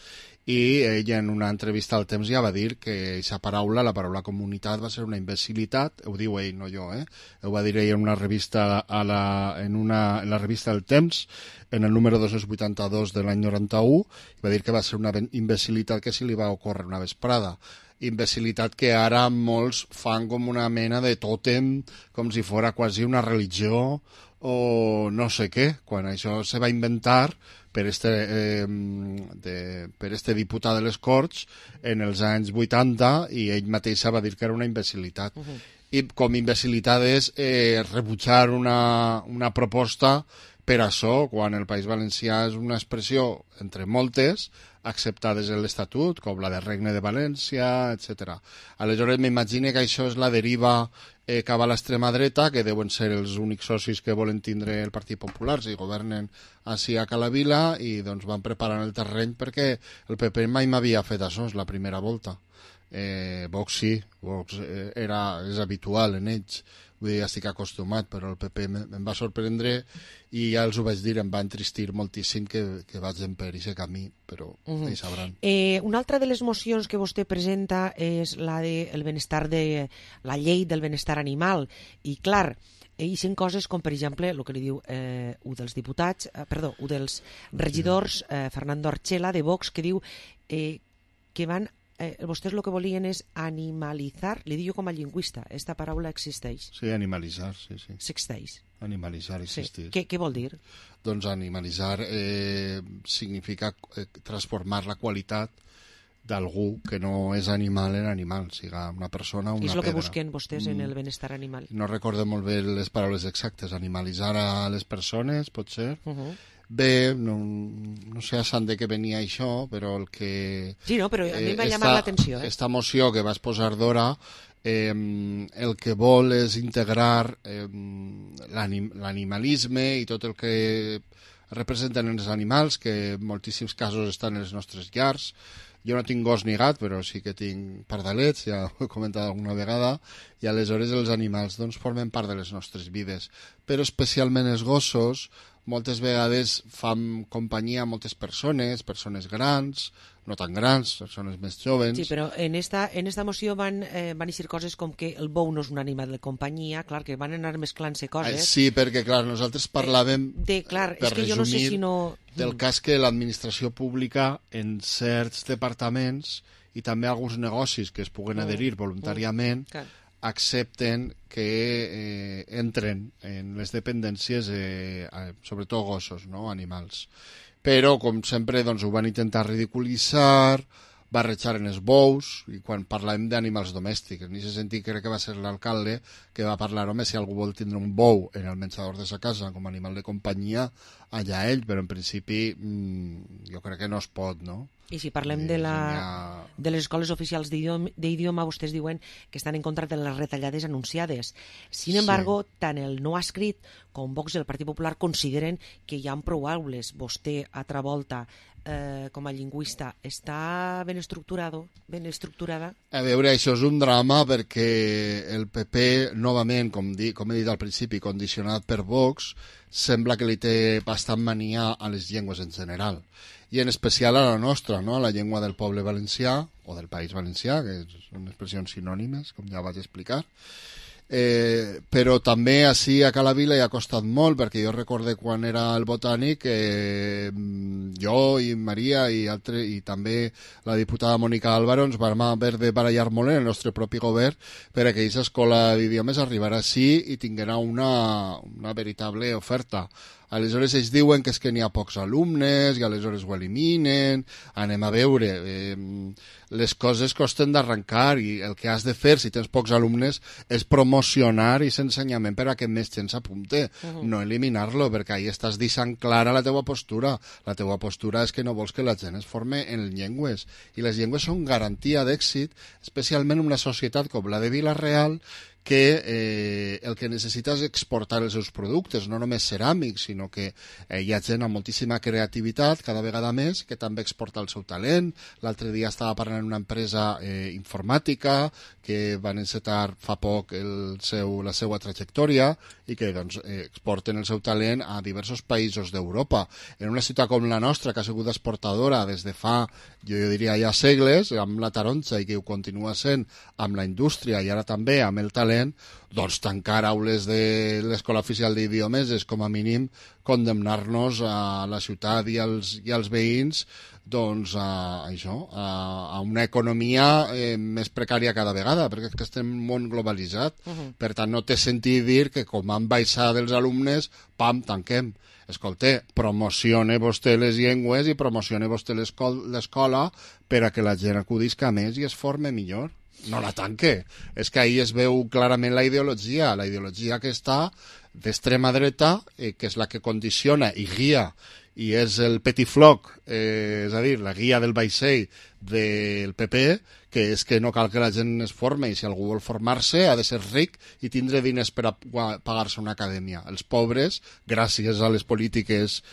i ella en una entrevista al Temps ja va dir que aquesta paraula, la paraula comunitat, va ser una imbecilitat, ho diu ell, no jo, ho va dir ell en una revista en la revista El Temps, en el número 282 de l'any 91, i va dir que va ser una imbecilitat que se li va ocórrer una vesprada. Imbecilitat que ara molts fan com una mena de tòtem, com si fos quasi una religió o no sé què, quan això se va inventar per este diputat de les Corts en els anys 80 i ell mateix va dir que era una imbecilitat. I com imbecilitat és rebutjar una proposta per això, quan el País Valencià és una expressió, entre moltes, acceptades en l'Estatut, com la de Regne de València, etc. Aleshores, m'imagino que això és la deriva cap a l'extrema dreta, que deuen ser els únics socis que volen tindre el Partit Popular si governen així a Calavila, i doncs van preparant el terreny perquè el PP mai m'havia fet això, és la primera volta. Vox sí, Vox és habitual en ells, vull dir, estic acostumat, però el PP em va sorprendre i ja els ho vaig dir, em va entristir moltíssim que vagin per aquest camí, però ells sabran. Una altra de les mocions que vostè presenta és la de benestar la llei del benestar animal, i clar, hi són coses com, per exemple, el que li diu un dels regidors, Fernando Archela, de Vox, que diu que van vostès el que volien és animalitzar, li dic jo com a lingüista, aquesta paraula existeix? Sí, animalitzar, sí. Existeix? Animalitzar existeix. Sí. Què vol dir? Doncs animalitzar significa transformar la qualitat d'algú que no és animal en animal, siga una persona o una pedra. És el que busquen vostès en el benestar animal? No recordo molt bé les paraules exactes. Animalitzar a les persones, pot ser? Bé, no sé a sant de què venia això, però el que... Sí, no, però a mi m'ha llamat l'atenció. Esta moció que vas posar d'hora, el que vol és integrar l'animalisme i tot el que representen els animals, que en moltíssims casos estan en les nostres llars. Jo no tinc gos ni gat, però sí que tinc pardalets, ja ho he comentat alguna vegada, i aleshores els animals doncs, formen part de les nostres vides. Però especialment els gossos moltes vegades fan companyia a moltes persones grans, no tan grans, persones més joves. Sí, però en esta moció van eixir coses com que el bou no és un animal de companyia, clar, que van anar mesclant-se coses. Sí, perquè, clar, nosaltres parlàvem, per és que resumir, jo no sé si no... del cas que l'administració pública en certs departaments i també alguns negocis que es puguen adherir voluntàriament accepten que entren en les dependències, sobretot gossos, no? Animals. Però, com sempre, doncs, ho van intentar ridiculitzar, barrejar en els bous, i quan parlàvem d'animals domèstics. En aquest sentit, crec que va ser l'alcalde que va parlar, home, si algú vol tindre un bou en el menjador de sa casa com a animal de companyia, allà ell, però en principi jo crec que no es pot, no? I si parlem de les escoles oficials d'idioma, vostès diuen que estan en contra de les retallades anunciades. Sin embargo, tant el no escrit com Vox i el Partit Popular consideren que hi ha prou aules. Vostè, altra volta, com a lingüista, està ben estructurada? A veure, això és un drama perquè el PP, novament, com he dit al principi, condicionat per Vox, sembla que li té bastant mania a les llengües en general, i en especial a la nostra, no? A la llengua del poble valencià, o del País Valencià, que són expressions sinònimes, com ja vaig explicar. Però també així a Calavila hi ha costat molt, perquè jo recorde quan era el Botànic, jo i Maria i també la diputada Mònica Álvaro ens vam haver de barallar molt en el nostre propi govern perquè aquesta escola d'idiomes arribarà així i tinguera una veritable oferta. Aleshores ells diuen que és que n'hi ha pocs alumnes i aleshores ho eliminen. Anem a veure, les coses costen d'arrencar i el que has de fer si tens pocs alumnes és promocionar aquest ensenyament per a que més gent s'apunte, no eliminar-lo, perquè ahí estàs deixant clara la teua postura. La teua postura és que no vols que la gent es forme en llengües, i les llengües són garantia d'èxit, especialment en una societat com la de Vila-real, que el que necessita és exportar els seus productes, no només ceràmics, sinó que hi ha gent amb moltíssima creativitat, cada vegada més, que també exporta el seu talent. L'altre dia estava parlant d'una empresa informàtica que van encetar fa poc la seva trajectòria i que doncs, exporten el seu talent a diversos països d'Europa. En una ciutat com la nostra, que ha sigut exportadora des de fa, jo diria ja segles, amb la taronja, i que ho continua sent amb la indústria i ara també amb el talent, valent, doncs tancar aules de l'Escola Oficial d'Idiomes és com a mínim condemnar-nos a la ciutat i als veïns doncs a una economia més precària cada vegada, perquè és que estem en un món globalitzat. Per tant, no té sentit dir que com han baixat els alumnes, pam, tanquem. Escolta, promocione vostè les llengües i promocione vostè l'escola per a que la gent acudisca més i es forme millor. No la tanque. És que ahí es veu clarament la ideologia que està d'extrema dreta, que és la que condiciona i guia, i és el petit floc, és a dir, la guia del vaixell del PP, que és que no cal que la gent es forme, i si algú vol formar-se ha de ser ric i tindre diners per a pagar-se una acadèmia. Els pobres, gràcies a les polítiques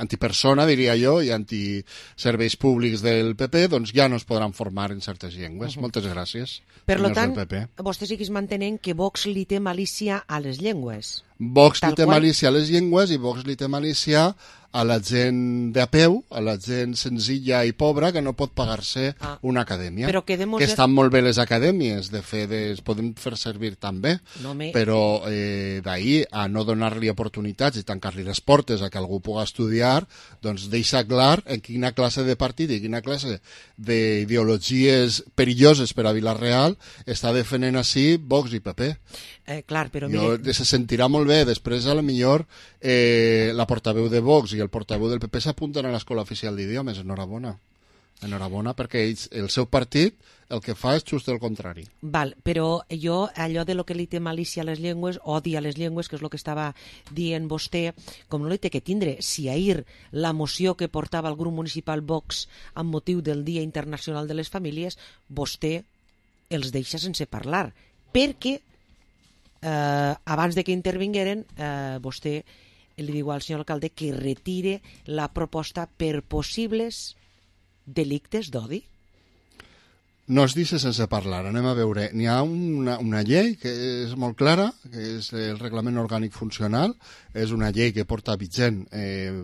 antipersona, diria jo, i antiserveis públics del PP, doncs ja no es podran formar en certes llengües. Moltes gràcies. Per tant, vostè segueix mantenint que Vox li té malícia a les llengües. Vox li té malícia a les llengües i Vox li té malícia a la gent de a peu, a la gent senzilla i pobra que no pot pagar-se una acadèmia. Que estan molt bé les acadèmies, de fet es poden fer servir també, però d'ahir a no donar-li oportunitats i tancar-li les portes a que algú pugui estudiar, doncs deixa clar en quina classe de partit i quina classe d'ideologies perilloses per a Vila-real està defendent així Vox i PP. Clar, però se sentirà molt bé. Després, a lo millor, la portaveu de Vox i el portaveu del PP s'apunten a l'Escola Oficial d'Idiomes. Enhorabona. Enhorabona, perquè ells, el seu partit, el que fa és just el contrari. Val, però jo, allò de lo que li té malícia a les llengües, odia les llengües, que és el que estava dient vostè, com no li té que tindre, si ahir la moció que portava el grup municipal Vox amb motiu del Dia Internacional de les Famílies, vostè els deixa sense parlar, perquè abans de que intervingueren vostè li diu al senyor alcalde que retire la proposta per possibles delictes d'odi. No es deixa sense parlar, anem a veure. N'hi ha una llei que és molt clara, que és el Reglament Orgànic Funcional, és una llei que porta vigent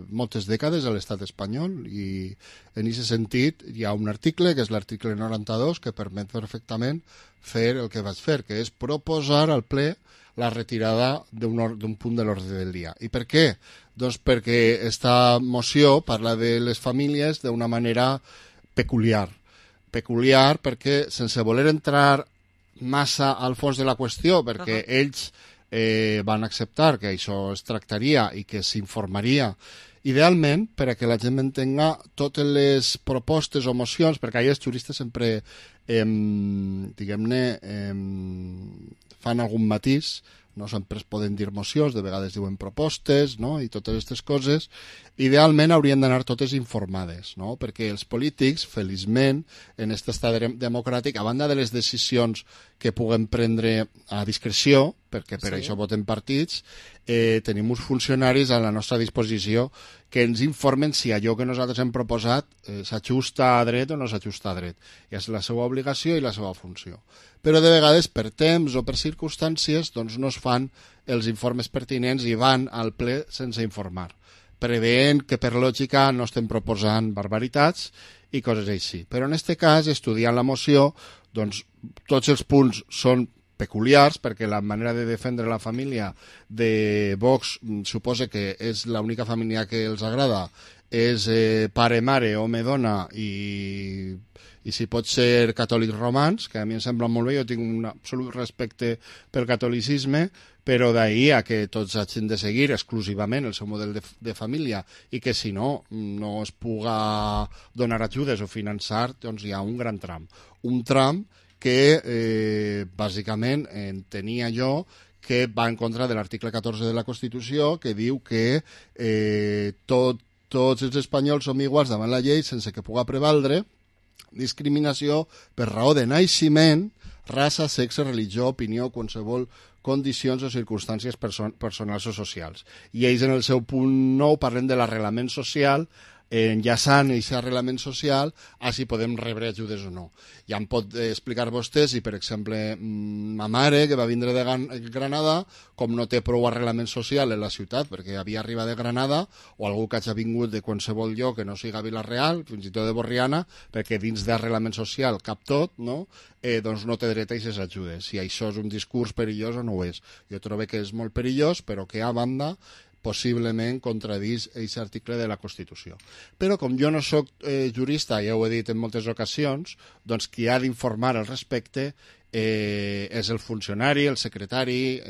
moltes dècades a l'estat espanyol i en aquest sentit hi ha un article, que és l'article 92, que permet perfectament fer el que vaig fer, que és proposar al ple la retirada d'un punt de l'ordre del dia. I per què? Doncs perquè esta moció parla de les famílies d'una manera peculiar. Peculiar perquè, sense voler entrar massa al fons de la qüestió, perquè ells van acceptar que això es tractaria i que s'informaria idealment per a que la gent entenga totes les propostes o mocions, perquè ahir els juristes sempre diguem-ne fan algun matís, no sempre es poden dir mocions, de vegades diuen propostes, no? I totes aquestes coses, idealment haurien d'anar totes informades, no? Perquè els polítics, feliçment, en aquest estat democràtic, a banda de les decisions que puguem prendre a discreció, perquè per això voten partits, tenim uns funcionaris a la nostra disposició que ens informen si allò que nosaltres hem proposat s'ajusta a dret o no s'ajusta a dret. I és la seva obligació i la seva funció. Però de vegades, per temps o per circumstàncies, doncs no es fan els informes pertinents i van al ple sense informar, preveient que per lògica no estem proposant barbaritats i coses així. Però en aquest cas, estudiant la moció, doncs tots els punts són peculiars, perquè la manera de defendre la família de Vox suposa que és l'única família que els agrada, és pare, mare, home, dona i si pot ser catòlics romans, que a mi em sembla molt bé, jo tinc un absolut respecte pel catolicisme, però d'ahir a que tots hagin de seguir exclusivament el seu model de família i que si no es puga donar ajudes o finançar, doncs hi ha un gran tram. Un tram que bàsicament entenia jo que va en contra de l'article 14 de la Constitució, que diu que tots els espanyols som iguals davant la llei sense que puga prevaldre discriminació per raó de naixement, raça, sexe, religió, opinió, qualsevol condicions o circumstàncies personals o socials. I ells en el seu punt 9 parlen de l'arrelament social enllaçant aquest arrelament social a si podem rebre ajudes o no. Ja em pot explicar vostè si, per exemple, ma mare, que va vindre de Granada, com no té prou arrelament social en la ciutat, perquè havia arribat de Granada, o algú que hagi vingut de qualsevol lloc que no siga Vila-real, fins i tot de Borriana, perquè dins d'arrelament social cap tot, no? Doncs no té dret a aquestes ajudes. Si això és un discurs perillós o no ho és. Jo trobo que és molt perillós, però que a banda possiblement contradís aquest article de la Constitució. Però com jo no sóc jurista, ja ho he dit en moltes ocasions, doncs qui ha d'informar al respecte és el funcionari, el secretari,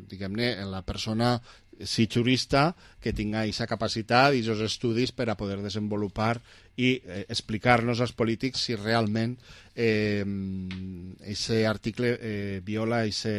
diguem-ne, la persona, si jurista, que tinga aquesta capacitat i aquests estudis per a poder desenvolupar i explicar-nos als polítics si realment aquest article viola aquest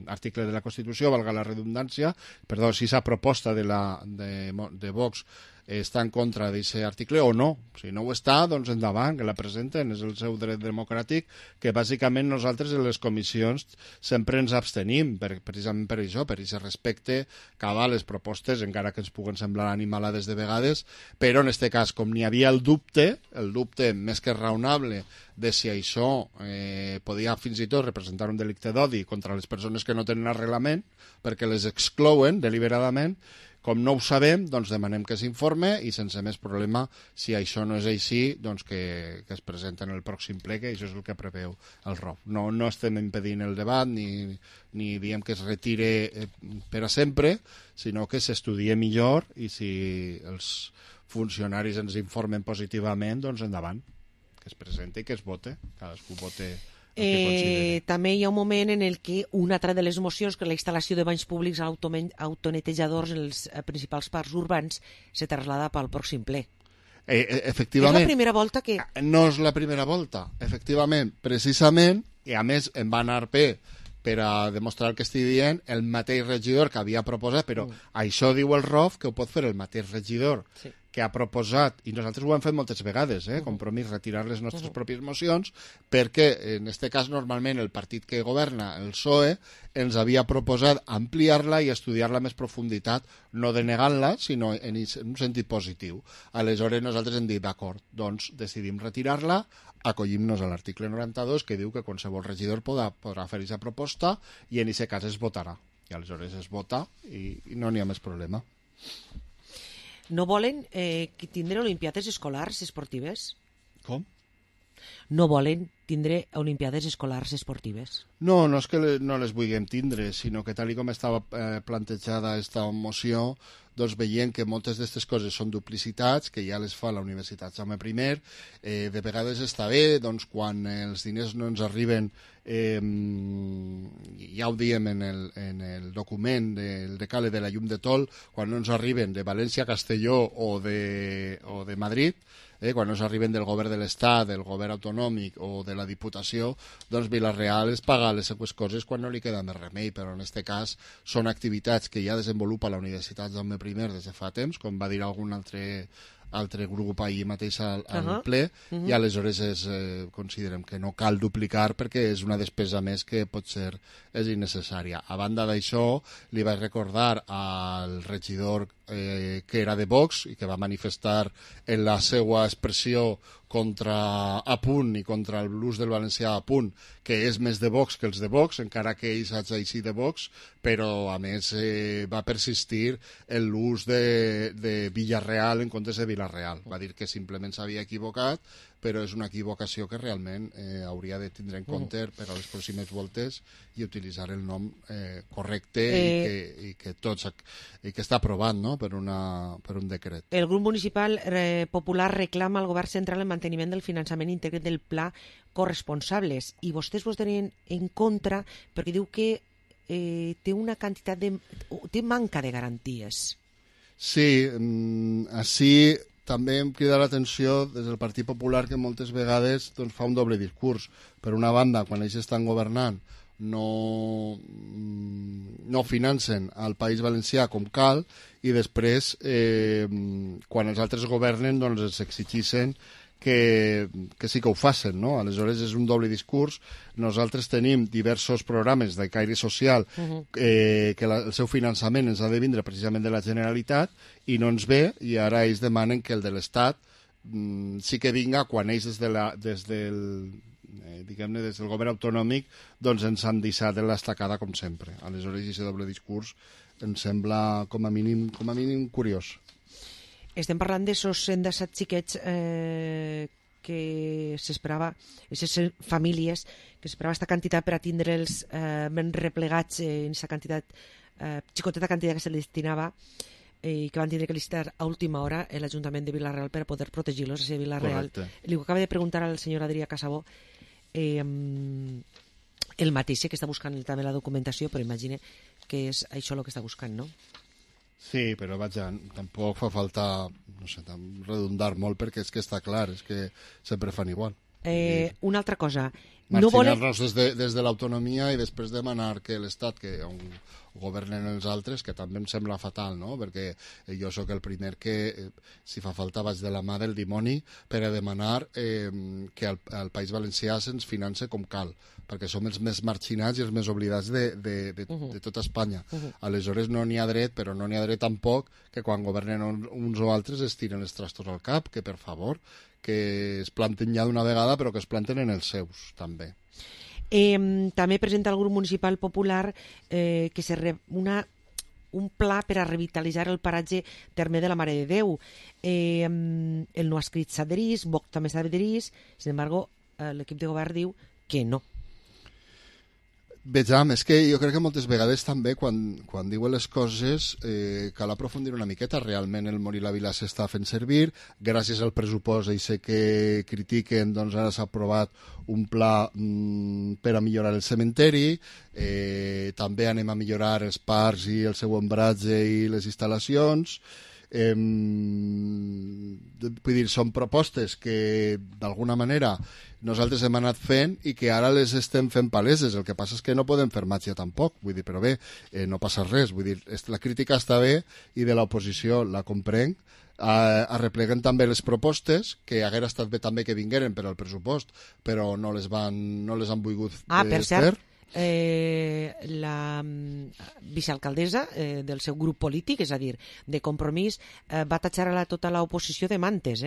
article de la Constitució, valga la redundància, perdó, si aquesta proposta de Vox està en contra d'aquest article o no. Si no ho està, doncs endavant, que la presenten, és el seu dret democràtic, que bàsicament nosaltres en les comissions sempre ens abstenim, precisament per això, per aquest respecte cap a les propostes, encara que ens puguen semblar animalades de vegades, però en aquest cas, com n'hi havia el dubte més que raonable de si això podia fins i tot representar un delicte d'odi contra les persones que no tenen arrelament, perquè les exclouen deliberadament. Com no ho sabem, doncs demanem que s'informe i sense més problema, si això no és així, doncs que es presenta en el pròxim ple, que això és el que preveu el ROF. No estem impedint el debat ni diem que es retire per a sempre, sinó que s'estudie millor i si els funcionaris ens informen positivament, doncs endavant, que es presenti i que es vote, cadascú vote. També hi ha un moment en el que una altra de les mocions, que la instal·lació de banys públics autonetejadors en els principals parcs urbans, se traslada pel pròxim ple. Efectivament. És la primera volta que... No és la primera volta, efectivament. Precisament, i a més em va anar bé per a demostrar el que estic dient, el mateix regidor que havia proposat, però això diu el ROF que ho pot fer el mateix regidor que ha proposat, i nosaltres ho hem fet moltes vegades, Compromís, retirar les nostres pròpies mocions, perquè en aquest cas normalment el partit que governa, el PSOE, ens havia proposat ampliar-la i estudiar-la més profunditat, no denegant-la, sinó en un sentit positiu. Aleshores nosaltres hem dit, d'acord, doncs decidim retirar-la, acollim-nos a l'article 92 que diu que qualsevol regidor podrà fer aquesta proposta i en aquest cas es votarà. I aleshores es vota i no n'hi ha més problema. No volen tindre olimpiades escolars esportives? Com? No volen tindre olimpiades escolars esportives? No és que no les vulguem tindre, sinó que tal com estava plantejada aquesta moció, doncs veiem que moltes d'aquestes coses són duplicitats, que ja les fa la Universitat Jaume I, de vegades està bé, doncs quan els diners no ens arriben, ja ho diem en el document del decàleg de la llum de Tol, quan no ens arriben de València, Castelló o de Madrid, quan no ens arriben del govern de l'Estat, del govern autonòmic o de la Diputació, doncs Vila-real es paga les seues coses quan no li queda més remei, però en aquest cas són activitats que ja desenvolupa la Universitat Jaume I des de fa temps, com va dir algun altre grup ahir mateix al ple, i aleshores considerem que no cal duplicar perquè és una despesa més que potser és innecessària. A banda d'això, li vaig recordar al regidor que era de Vox i que va manifestar en la seva expressió contra Apunt i contra l'ús del valencià a Punt, que és més de Vox que els de Vox, encara que ells hagi així de Vox, però a més va persistir en l'ús de Villarreal en comptes de Vila-real. Va dir que simplement s'havia equivocat, però és una equivocació que realment hauria de tindre en compte per a les pròximes voltes i utilitzar el nom correcte i que està aprovat, no?, per un decret. El grup municipal popular reclama al govern central el manteniment del finançament íntegre del pla corresponsables i vostès vos tenen en contra perquè diu que té una quantitat té manca de garanties. Sí, així també em crida l'atenció des del Partit Popular que moltes vegades doncs, fa un doble discurs. Per una banda, quan ells estan governant no financen al País Valencià com cal i després quan els altres governen doncs els exigeixen que sí que ho facin, no? Aleshores és un doble discurs. Nosaltres tenim diversos programes de caire social que el seu finançament ens ha de vindre precisament de la Generalitat i no ens ve, i ara ells demanen que el de l'Estat sí que vinga quan ells des del govern autonòmic doncs ens han deixat en l'estacada com sempre. Aleshores aquest doble discurs em sembla com a mínim curiós. Estem parlant d'aixòs 117 xiquets que s'esperava, aquestes famílies, que s'esperava aquesta quantitat per a tindre'ls ben replegats en aquesta quantitat, xicoteta quantitat que se li destinava, i que van tindre que licitar a última hora l'Ajuntament de Vila-real per a poder protegir-los. A Vila-real. Li acaba de preguntar al senyor Adrià Casabó el mateix, que està buscant també la documentació, però imagine que és això el que està buscant, no? Sí, però vaja, tampoc fa falta, no sé, redundar molt, perquè és que està clar, és que sempre fan igual. Una altra cosa, marginar-nos des de l'autonomia i després demanar que l'Estat, que on governen els altres, que també em sembla fatal, no? Perquè jo sóc el primer que, si fa falta, vaig de la mà del dimoni per a demanar que el País Valencià se'ns finance com cal, perquè som els més marginats i els més oblidats de tota Espanya. Aleshores no n'hi ha dret, però no n'hi ha dret tampoc que quan governen uns o altres es tiren els trastos al cap, que per favor, que es planten ja d'una vegada, però que es planten en els seus, també. També presenta el grup municipal popular un pla per a revitalitzar el paratge terme de la Mare de Déu. El no ha escrit s'adherís, Vox també s'adherís, sin embargo, l'equip de govern diu que no. Vejam, és que jo crec que moltes vegades també quan diuen les coses cal aprofundir una miqueta. Realment el Morir la Vila s'està fent servir, gràcies al pressupost i sé que critiquen, doncs ara s'ha aprovat un pla per a millorar el cementeri, també anem a millorar els parcs i el seu ombratge i les instal·lacions. Vull dir, són propostes que d'alguna manera nosaltres hem anat fent i que ara les estem fent paleses. El que passa és que no podem fer màgia tampoc, vull dir, però bé, no passa res, vull dir, la crítica està bé i de l'oposició la comprenc. Arrepleguen també les propostes, que haguera estat bé també que vingueren per al pressupost, però no les han volgut per cert, la vicealcaldessa del seu grup polític, és a dir, de Compromís, va tatxar a tota l'oposició de mantes,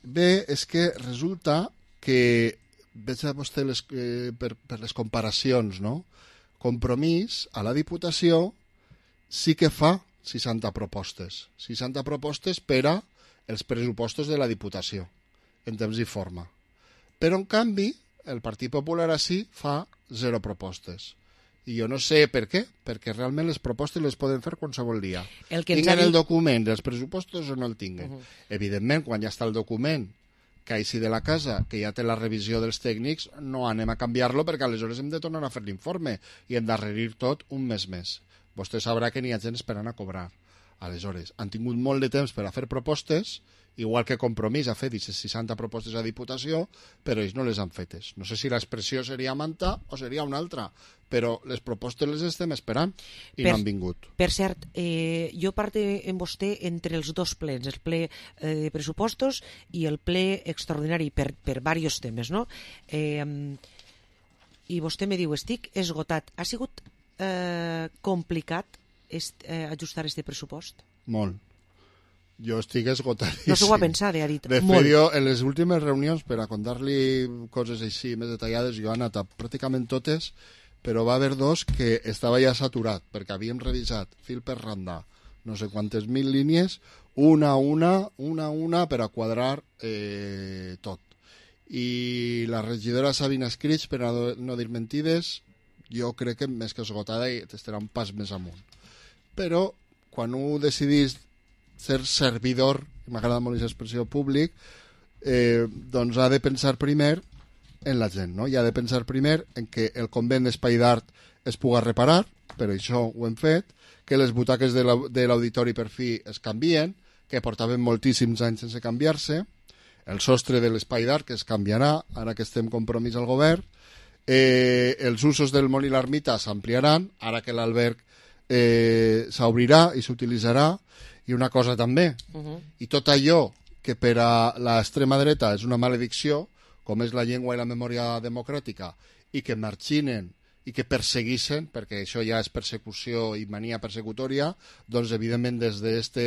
Bé, és que resulta que veig a vostè per les comparacions, no? Compromís a la Diputació sí que fa 60 propostes per a els pressupostos de la Diputació, en temps i forma. Però, en canvi, el Partit Popular així fa 0 propostes. I jo no sé per què, perquè realment les propostes les poden fer qualsevol dia. Tinguen el document dels pressupostos o no el tinguen. Evidentment, quan ja està el document que així de la casa, que ja té la revisió dels tècnics, no anem a canviar-lo perquè aleshores hem de tornar a fer l'informe i endarrerir tot un mes més. Vostè sabrà que n'hi ha gent esperant a cobrar. Aleshores, han tingut molt de temps per a fer propostes, igual que Compromís ha fet 60 propostes a Diputació, però ells no les han fetes. No sé si l'expressió seria manta o seria una altra, però les propostes les estem esperant i no han vingut. Per cert, jo parte amb vostè entre els dos plens, el ple de pressupostos i el ple extraordinari per diversos temes, no? I vostè me diu, estic esgotat. Ha sigut complicat ajustar este pressupost? Molt. Jo estic esgotadíssim. No s'ho va pensar, ha dit. De fet, jo, en les últimes reunions, per a contar-li coses així més detallades, jo he anat a pràcticament totes, però va haver 2 que estava ja saturat, perquè havíem revisat fil per randa no sé quantes mil línies, una a una, per a quadrar tot. I la regidora Sabina Escrits, per a no dir mentides, jo crec que més que esgotada estarà un pas més amunt. Però, quan ho decidís ser servidor, m'agrada molt aquesta expressió, públic, doncs ha de pensar primer en la gent, no? I ha de pensar primer en que el convent d'Espai d'Art es puga reparar, per això ho hem fet, que les butaques de l'auditori per fi es canvien, que portaven moltíssims anys sense canviar-se, el sostre de l'Espai d'Art que es canviarà, ara que estem Compromís al govern, els usos del Molí l'Ermita s'ampliaran, ara que l'alberg s'obrirà i s'utilitzarà. I una cosa també, i tot allò que per a l'extrema dreta és una maledicció, com és la llengua i la memòria democràtica, i que marginen i que persegueixen, perquè això ja és persecució i mania persecutòria, doncs evidentment des d'aquest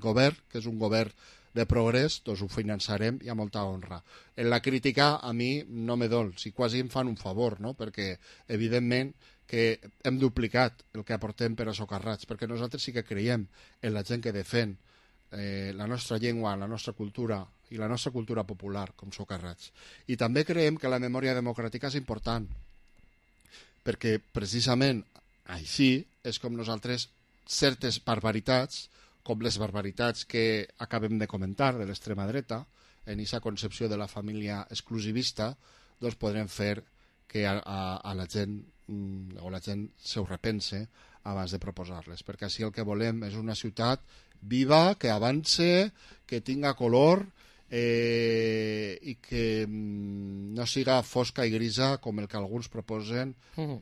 govern, que és un govern de progrés, doncs ho finançarem i a molta honra. En la crítica a mi no me dol, si quasi em fan un favor, no? Perquè evidentment que hem duplicat el que aportem per a socarrats, perquè nosaltres sí que creiem en la gent que defèn la nostra llengua, la nostra cultura i la nostra cultura popular com socarrats. I també creiem que la memòria democràtica és important, perquè precisament així és com nosaltres certes barbaritats, com les barbaritats que acabem de comentar de l'extrema dreta, en aquesta concepció de la família exclusivista, doncs podrem fer que a la gent o la gent s'ho repense abans de proposar-les, perquè així el que volem és una ciutat viva, que avance, que tinga color i que no siga fosca i grisa com el que alguns proposen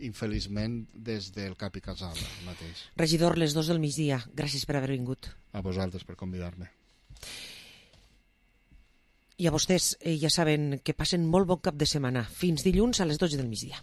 infeliçment des del Cap i Casal mateix. Regidor, les 2 del migdia, gràcies per haver vingut. A vosaltres per convidar-me. I a vostès, ja saben que passen molt bon cap de setmana. Fins dilluns a les 12 del migdia.